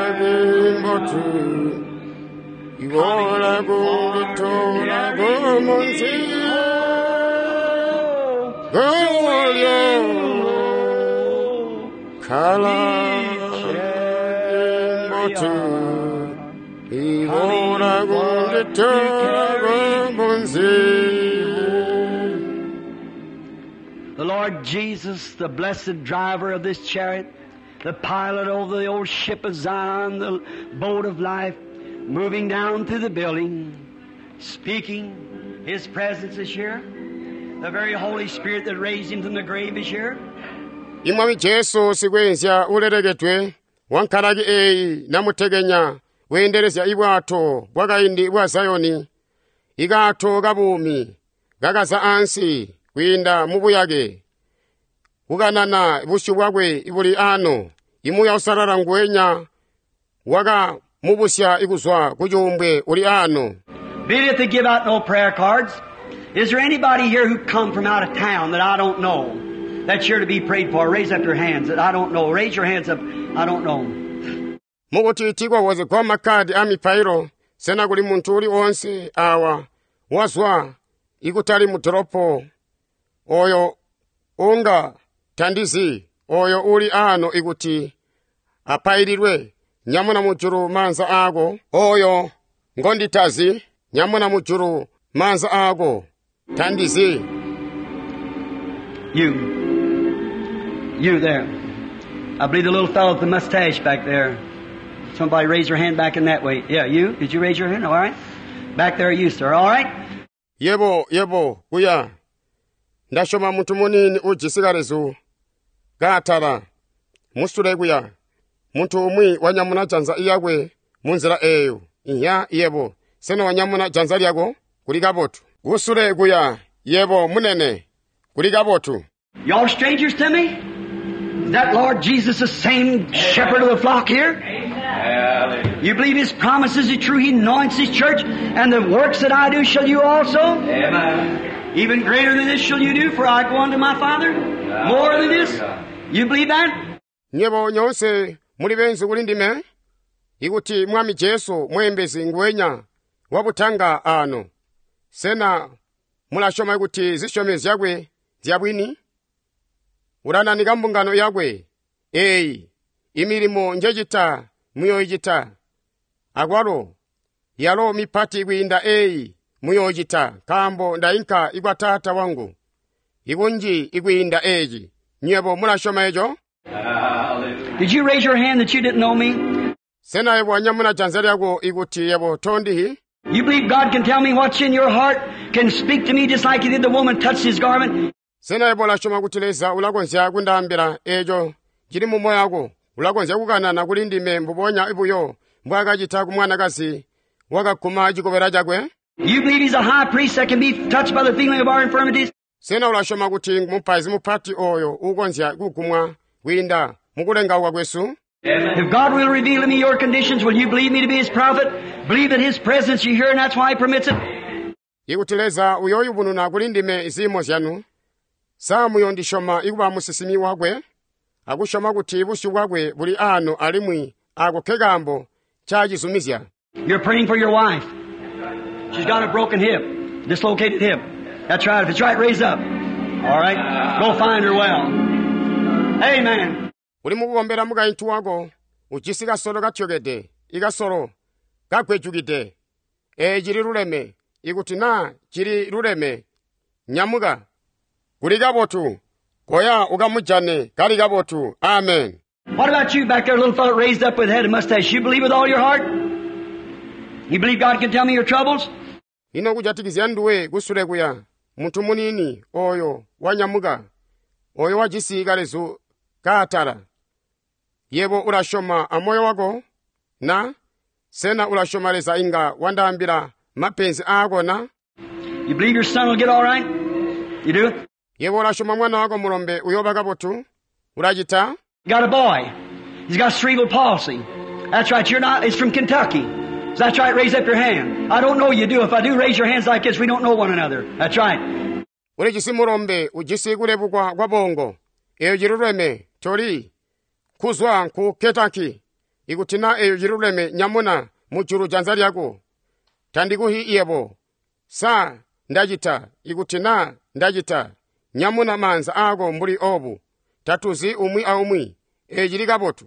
kalimbotu ibola kunditola kumunzi golyo kalimbotu ibola kunditola kumunzi. The Lord Jesus, the blessed driver of this chariot, the pilot over the old ship of Zion, the boat of life, moving down through the building, speaking. His presence is here. The very Holy Spirit that raised him from the grave is here. Imwami Jesu sikwenzya ulelekedwe wankhalaki eyi namutekenya wenderezya ibwato bwakaindi bwa Zayoni ikato kabumi kakaza ansi kwiinda mu buyake kukanana busyu bwakwe buli ano imuya usalala nguwenya waka mubusya ikuzwa ku cuumbwe uli ano. Be it they give out no prayer cards. Is there anybody here who come from out of town that I don't know? That's here to be prayed for. Raise up your hands that I don't know. Raise your hands up. I don't know. Mukuti tikwawozegwa makhadi a mipailo, sena kuli munthu uliwonse awa wazwa ikutali mu doropo oyo unga tandizi oyo uli ano ikuti apaililwe nyamuna mujulu manza ako oyo ngonditazi nyamuna mujulu manza ako tandizi. You. You there. I believe the little fellow with the mustache back there. Somebody raise your hand back in that way. Yeah, you? Did you raise your hand? All right. Back there, you, sir. All right. Yebo, yebo, kuya. Ndasyoma munthu munini ujisi kalezu kaatala musule kuya. Munthu umwi wanyamuna janza iyakwe munzila eyo. Iya, yebo. Sena wanyamuna janza lyako kuli kabotu. Kusule kuya, yebo munene kuli kabotu. Y'all strangers to me? Is that Lord Jesus the same shepherd of the flock here? Hallelujah. You believe His promises are true? He anoints His church, and the works that I do shall you also? Amen. Even greater than this shall you do, for I go unto my Father. More than this? You believe that? Nyebo nyonse muli benzu kuli ndime ikuti mwami Jesu mwembezi ngwenya wabutanga ano. Sena mulasyoma kuti zisyomezyo zyakwe zyabwini? Ulananika mbungano yakwe eyi imilimo njecita muyoyicita akwalo yalo mipati kwiinda eyi muyoyicita nkaambo ndayinka ikwa Taata wangu ikunji ikwiinda eyi. Nywebo mulasyoma eco? Hallelujah. Did you raise your hand that you didn't know me? Sena yebo wanyamuna janza lyako ikuti yebo tondihi? You believe God can tell me what's in your heart, can speak to me just like He did the woman touched His garment? Sena yebo ulasyoma kuti Leza ulakonzya kundaambila eco cili mu moyo wako, ulakonzya kukanana kuli ndime mbubonya buyo mbwaakacita ku mwanakazi wakaguma cikobela cakwe? You believe He's a high priest that can be touched by the feeling of our infirmities? Sena ulasyoma kuti mupaizi mupati oyo ukonzya kugumwa kwiinda mukulengauka kwesu? If God will reveal to me your conditions, will you believe me to be His prophet? Believe that His presence you hear, and that's why He permits it? Ikuti Leza uyoyubununa kuli ndime ziimo zyanu, sa muyondisyoma ikuba musisimi wakwe, akusyoma kuti busyu bwakwe buli ano alimwi ako ke kaambo ncacizumizya. You're praying for your wife. She's got a broken hip, dislocated hip. That's right. If it's right, raise up. All right? Go find her well. Amen. Uli mukukombela mukaintu wako ujisi kasolo katyokede, ikasolo kagwejukide. Ee cili luleme, ikuti naa cili luleme, nyamuka. Kuli kabotu, koya ukamujane kali kabotu. Amen. What about you back there, little fellow raised up with head and mustache? You believe with all your heart? You believe God can tell me your troubles? Ino kujatikizya nduwe kusule kuya, munthu munini oyo wanyamuka, oyo wajisi kalezu kaatala. Yebo ulasyoma amoyo wako na? Sena ulasyoma Leza inga wandaambila mapenzi aako na? You believe your son will get all right? You do? Yebo ulasyoma mwana wako mulombe uyoba kabotu? Ulacita? Got a boy. He's got cerebral palsy. That's right. You're not, it's from Kentucky. So that's right. Raise up your hand. I don't know you do. If I do, raise your hands like this. We don't know one another. That's right. Ulijisi mulombe ujisi kulebukwa kwa bongo. Eyo ciluleme toli kuzwa ku Kentucky. Ikuti na eyo ciluleme nyamuna mujulu janza lyako. Tandikuhi yebo. Sa ndacita ikuti na ndacita nyamuna manza ako mbuli obu. Tatuzi umwi aumwi. Eyo cili kabotu.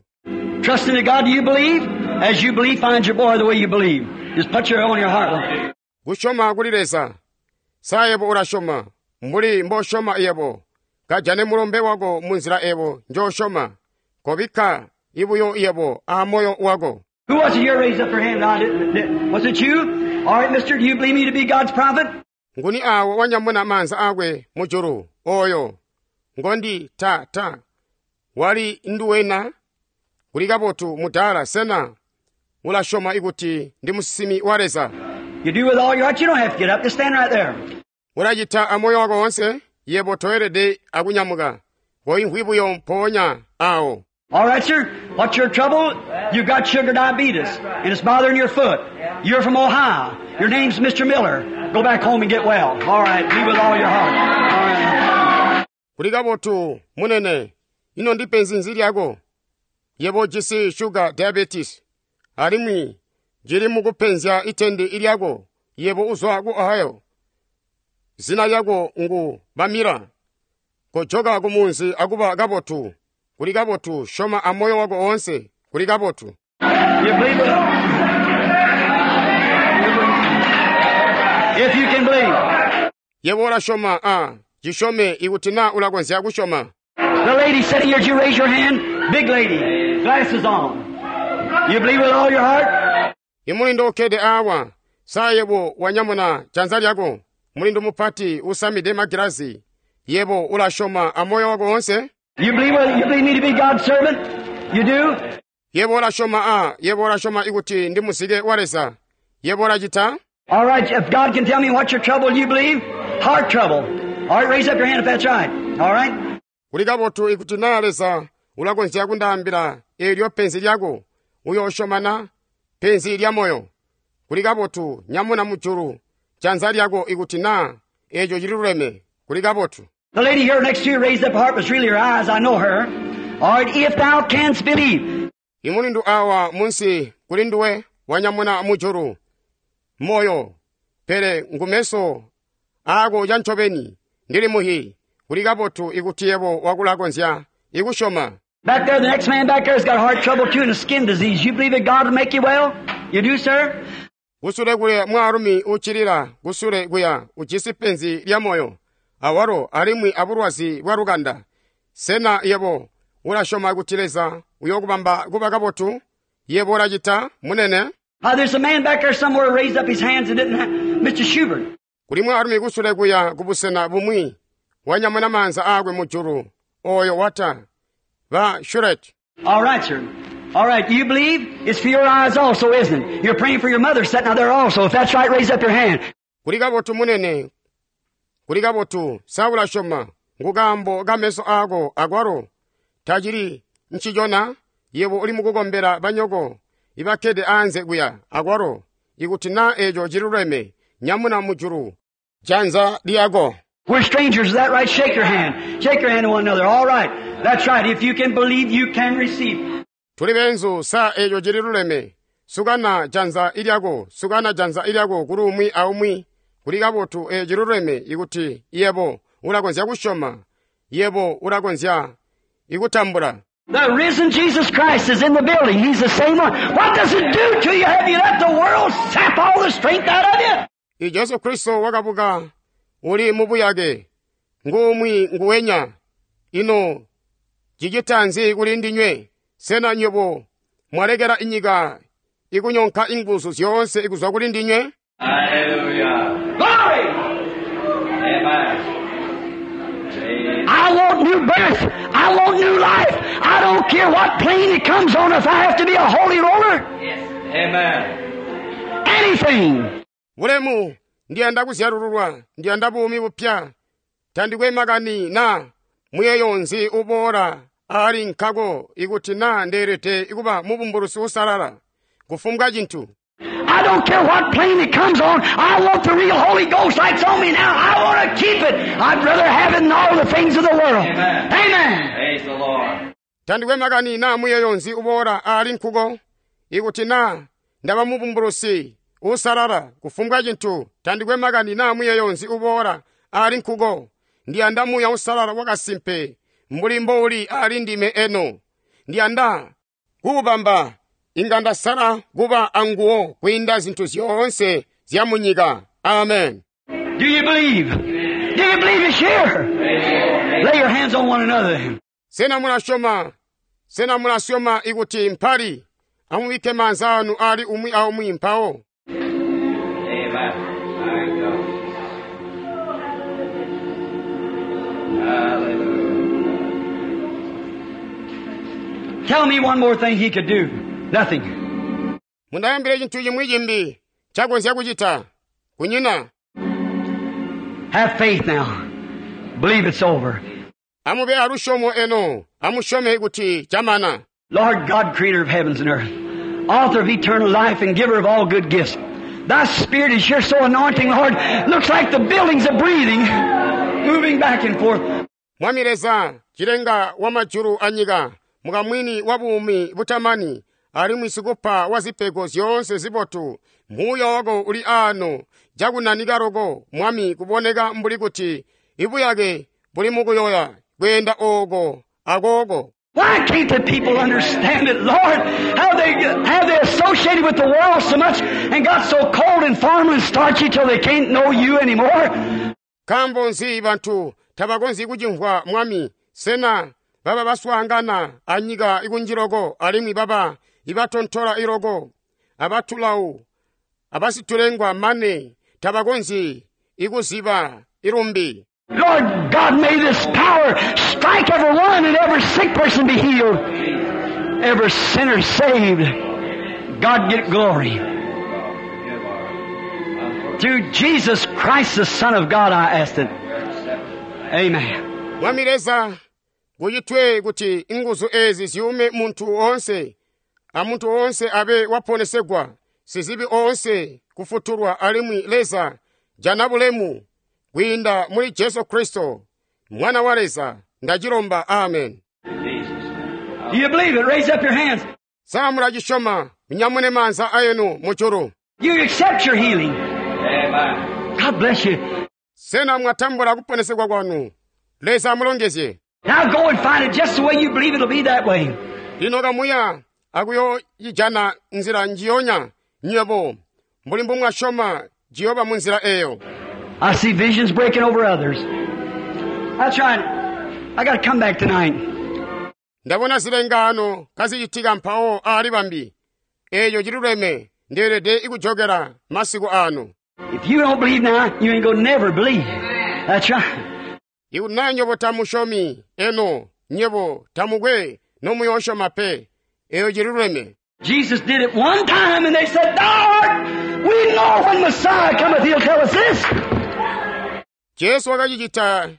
Trust in God, do you believe? As you believe, find your boy the way you believe. Just put your on your heart. Kusyoma kuli Leza. Sa yebo ulasyoma mbuli mbosyoma yebo. Kajane mulombe wako munzila ebo njosyoma. Kobikka ibuyo yebo a moyo wako. Who was it here raised up their hand? I didn't, didn't. Was it you? All right, mister, do you believe me to be God's prophet? Nguni awo wanyamuna manza akwe mujulu oyo ngondi ta ta wali nduwena kuli kabotu mudala sena ulasyoma ikuti ndi musimi wa Leza. You do with all your heart. You don't have to get up. Just stand right there. Ulacita amoyo wako wonse yebo toyelede akunyamuka koimvwi buyo mpoonya awo. All right, sir. What's your trouble? You've got sugar diabetes, and it's bothering your foot. You're from Ohio. Your name's Mister Miller. Go back home and get well. All right. Be with all your heart. All right. Kuli kabotu munene, ino ndi penzi nzi lyako? Yebo ujisi sugar diabetes, alimwi jili mukupenzya itende ilyako. Yebo uzwa ku Ohio. Zina lyako ngu Bamira. Kojoka kumunzi akuba kabotu. Kuli kabotu, syoma amoyo wako oonse. Kuli kabotu. You believe it? If you can believe. Yebo ulasyoma, a cisyome ikuti na ulakonzya kusyoma. The lady sitting here, did you raise your hand? Big lady, glasses on. You believe with all your heart? Imulindo ukkede awa, sa yebo wanyamuna janza lyako. Mulindo mupati usamide magilazi. Yebo ulasyoma amoyo wako oonse. You believe, with, you believe me to be God's servant? You do? Yebo ulasyoma, a yebo ulasyoma ikuti ndi muzike wa Leza. Yebo ulacita? All right, if God can tell me what your trouble, you believe? Heart trouble. All right, raise up your hand if that's right. All right? Kuli kabotu ikuti na Leza ulakonzya kundaambila eelyo penzi lyako, uyoosyoma na penzi lya moyo. Kuli kabotu nyamuna mujulu janza lyako ikuti na eeco cililuleme. Kuli kabotu. The lady here next to you raised up her heart, was really her eyes. I know her. All right, if thou canst believe. Imulindu awa munsi kuli nduwe wanyamuna mujulu moyo, pele ngumeso aako cancobeni ndili muhi. Kuli kabotu ikuti yebo wakulakonzya ikusyoma. Back there, the next man back there has got heart trouble too and a skin disease. You believe that God will make you well? You do, sir? Kusule kuya mwaalumi uccilila kusule kuya ujisi penzi lya moyo awalo alimwi abulwazi bwa lukanda. Sena yebo ulasyoma kuti Leza uyokubamba kuba kabotu? Yebo ulacita munene? Uh, there's a man back there somewhere raised up his hands and didn't have, Mister Schubert. Kuli mwaalumi kusule kuya kubusena bumwi wanyamuna maanza aakwe mujulu oyo wata ba Shuret. All right, sir. All right, you believe? It's for your eyes also, isn't it? You're praying for your mother sitting out there also. If that's right, raise up your hand. Kuli kabotu munene. Kuli kabotu, sa ulasyoma ngukambo kameso aako akwalo tacili ncicona. Yebo uli mukukombela banyoko ibakkede anze kuya akwalo ikuti na eeco ciluleme nyamuna mujulu janza lyako. We're strangers, is that right? Shake your hand. Shake your hand to one another. All right. That's right. If you can believe, you can receive. Tuli benzu, sa eeco cililuleme. Sukana janza ilyako, sukana janza ilyako kuli umwi aumwi. Kuli kabotu eeco ciluleme ikuti yebo ulakonzya kusyoma, yebo ulakonzya ikutambula. The risen Jesus Christ is in the building. He's the same one. What does it do to you? Have you let the world sap all the strength out of you? I Jesu Kristo wakabuka uli mubuyake ngumwi nguwenya. Ino cicita nzi kuli ndinywe? Sena nywebo mwalekela inyika ikunyonka inguzu zyoonse ikuzwa kuli ndinywe? Hallelujah. Glory! Amen. I want new birth. I want new life. I don't care what plane it comes on if I have to be a holy roller. Yes. Amen. Anything. Bulemu ndiyanda kuzyalululwa, ndiyanda buumi bupya. Tandikwe makani na muyeyo nzi uboola ali nkako ikuti na ndeelede ikuba mubumbulusi usalala kufumbwa cintu. I don't care what plane it comes on. I want the real Holy Ghost that's on me now. I want to keep it. I'd rather have it than all the things of the world. Amen. Amen. Praise the Lord. Tandikwe makani na muyeyo nzi uboola ali nkuko ikuti na ndaba mubumbulusi usalala kufumbwa cintu. Tandikwe makani na muyeyo nzi uboola ali nkuko. Ndiyanda muya usalala wakasimpe mbuli mbouli ali ndime eno. Ndiyanda kuubamba inga ndasala kuba anguwo kwiinda zintu zyoonse zya munyika. Amen. Do you believe? Do you believe it's here? Lay your hands on one another. Sena mulasyoma, sena mulasyoma ikuti mpali amubikke maanza anu ali umwi aumwi mpawo. Amen. Thank God. Hallelujah. Tell me one more thing he could do. Nothing. Mundayambire chintu chimwi chimbi chakonzya kuchita. Kunyina. Have faith now. Believe it's over. Amube alusyomo eno, amusyome kuti camana. Lord God, creator of heavens and earth, author of eternal life and giver of all good gifts, Thy Spirit is here so anointing, Lord, looks like the buildings are breathing, moving back and forth. Mwami Leza, cilenga wa majulu anyika, mukamwini wa buumi butamani, alimwi sikupa wa zipego zyoonse zibotu, muuya wako uli aano, cakunanika loko, Mwami, kuboneka mbuli kuti ibuyake buli mukuyoya, kweenda ooko akooko. Why can't the people understand it, Lord? How they, how they associated with the world so much and got so cold and formal and starchy till they can't know you anymore? Nkaambo nzi bantu tabakonzyi kucimvwa Mwami, sena baba baswaangana anyika ikunjiloko alimwi baba ibatontola iloko, abatulawu, abasitulengwa mane tabakonzyi ikuziba ilumbi. Lord God, may this power strike every one and every sick person be healed, every sinner saved. God get glory. Through Jesus Christ, the Son of God, I asked it. Amen. Mwami Leza, kucitwe kuti inguzu ezi ziyume muntu oonse, amuntu oonse abe waponesegwa, sizibi oonse kufutulwa alimwi Leza jana bulemu kwiinda muli Jesu Kristo, Mwana wa Leza, ndacilomba. Amen. Do you believe it? Raise up your hands. Sa mulacisyoma, munyamune maanza ayenu mujulu. You accept your healing. Amen. God bless you. Sena mwatambula kuponesegwa kwanu? Leza amulongezye. Now go and find it just the way you believe it'll be that way. Lino kamuya akuyoyijana nzila njiyonya nywebo mbuli mbumwasyoma jiyoba mu nzila eyo. I see visions breaking over others. That's right. I got to come back tonight. Ndabona zilengaano kazicitika mpawo aali bambi. Eeyo ciluleme ndeelede ikujokera masiku ano. If you don't believe now, you ain't gonna never believe. That's right. Ikuti naa nywebo tamusyomi eno, nywebo tamukwe nomuyoosyoma pe. Eeyo ciluleme. Jesus did it one time and they said, Thou art, we know when Messiah cometh, he'll tell us this. Jesu wakacicita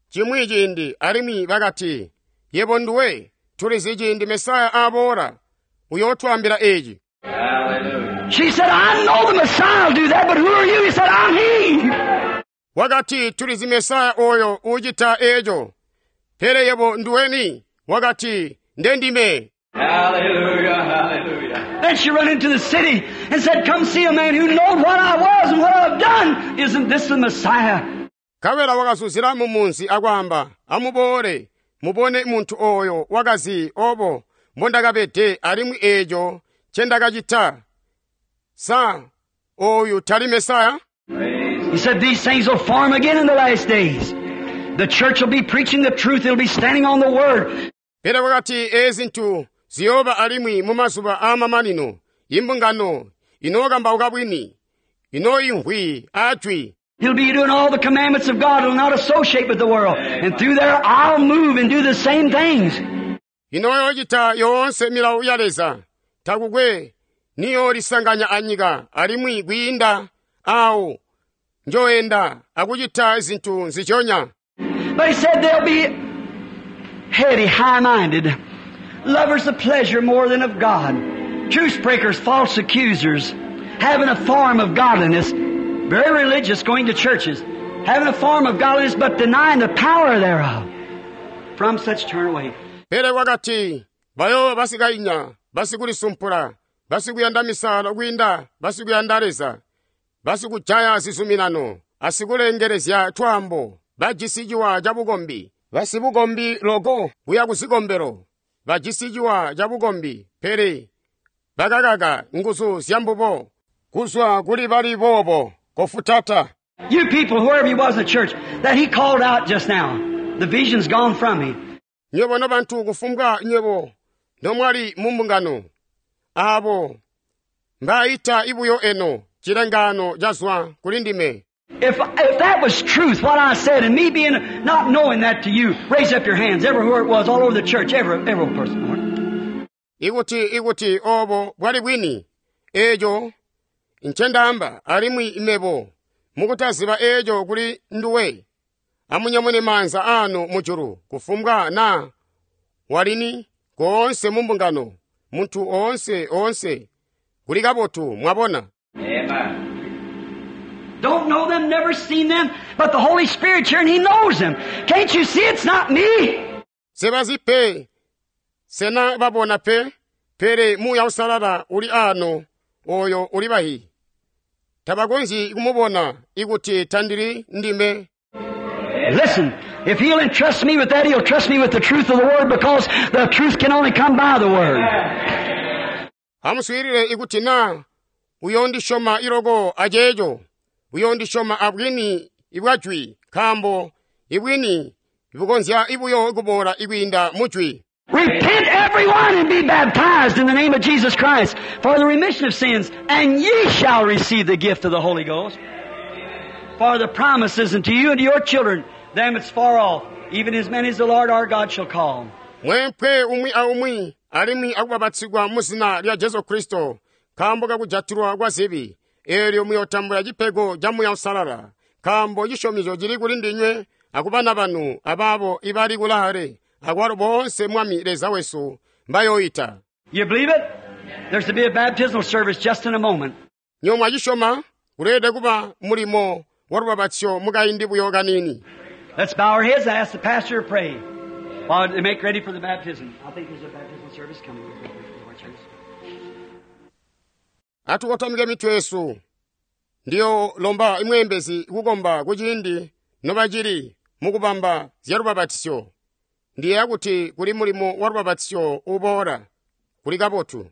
cimwi ciindi alimwi bakati, yebo nduwe, tulizi ciindi Mesaya aboola, uyootwaambila eci. Hallelujah. She said, I know the Messiah will do that, but who are you? He said, I'm he. Wakati tulizi Mesaya oyo ucita eco. Pele yebo nduweni? Wakati ndendime. Hallelujah. Hallelujah. Then she run into the city and said, Come see a man who knowed what I was and what I've done. Isn't this the Messiah? Nkabela wakazuzila mu munzi akwaamba, amuboole, mubone muntu oyo wakazi obo mbondakabede alimwi eco ncendakacita. Sa oyu tali Mesaya? Praise He said, These things will form again in the last days. The church will be preaching the truth. It'll be standing on the Word. Pele wakati ezi zintu ziyooba alimwi mu mazuba aamamanino, imbungano inookambauka bwini, inoimvwi ajwi. He'll be doing all the commandments of God. He'll not associate with the world. And through there, I'll move and do the same things. Inoyoocita yoonse milawo ya Leza, takukwe niyoolisanganya anyika alimwi kwiinda awo njoenda akucita zinthu nzichonya. But he said they'll be heady, high-minded, lovers of pleasure more than of God, truce breakers, false accusers, having a form of godliness, very religious, going to churches, having a form of godliness but denying the power thereof. From such turn away. Pele wakati bayooba basikainya, basikulisumpula, basikuyanda misalo kwiinda basikuyanda Leza, basikujaya zizuminano, asikulengelezya twaambo, bajisi ciwa ca bukombi, basibukombi loko kuya kuzikombelo, bajisi ciwa ca bukombi, pele bakakaka nguzu zya mbubo, kuzwa kuli bali boobo kofutata. You people, whoever you was in the church, that he called out just now, the vision's gone from me. Nywebo nobantu kufumbwa nywebo nomwali mu mbungano, abo mbaayita ibuyo eno cilengaano cazwa kuli ndime. If, if that was truth, what I said, and me being not knowing that to you, raise up your hands everywhere it was, all over the church, every, every person. Ikuti ikuti obo bwali bwini, eco ncendaamba alimwi mebo mukutaziba eco kuli nduwe, Amunyamune maanza anu mujulu kufumbwa naa walini koonse mu mbungano muntu oonse oonse kuli kabotu mwabona Amen. Don't know them, never seen them, but the Holy Spirit's here and He knows them. Can't you see it's not me? sebazi pe sena babona pe pele muuya usalala uli ano oyo uli bahi tabakonzyi kumubona ikuti tandili ndime Listen, if He'll entrust me with that, He'll trust me with the truth of the Word because the truth can only come by the Word. amuswiilile ikuti naa uyondisyoma iloko aceeco uyondisyoma abwini ibwa jwi nkaambo ibwini bukonzya ibuyo kuboola ikwiinda mu jwi Repent everyone and be baptized in the name of Jesus Christ for the remission of sins, and ye shall receive the gift of the Holy Ghost. For the promise is unto you and to your children, them that's far off, even as many as the Lord our God shall call. mwempwe umwi aumwi alimwi akubabatsigwa mu zina lya jesu kristo nkaambo kakujatilwa kwa zibi eelyo muyotambula cipego ca muuya usalala nkaambo cisyomezyo cili kuli ndinywe akubana banu abaabo ibali kulaale akwalo boonse mwami leza wesu mbayoyita You believe it? There's to be a baptismal service just in a moment. nyomwe acisyoma kuleelede kuba mulimo wa lubabatsyo mukaindi buyo kanini Let's bow our heads and ask the pastor to pray while they make ready for the baptism. I think there's a baptismal service coming. atukotamike mitwe yesu ndiyo lomba imwembezi kukomba kuciindi nobacili mukubamba zya lubabatisyo ndiyeeya kuti kuli mulimo wa lubabatisyo uboola kuli kabotu.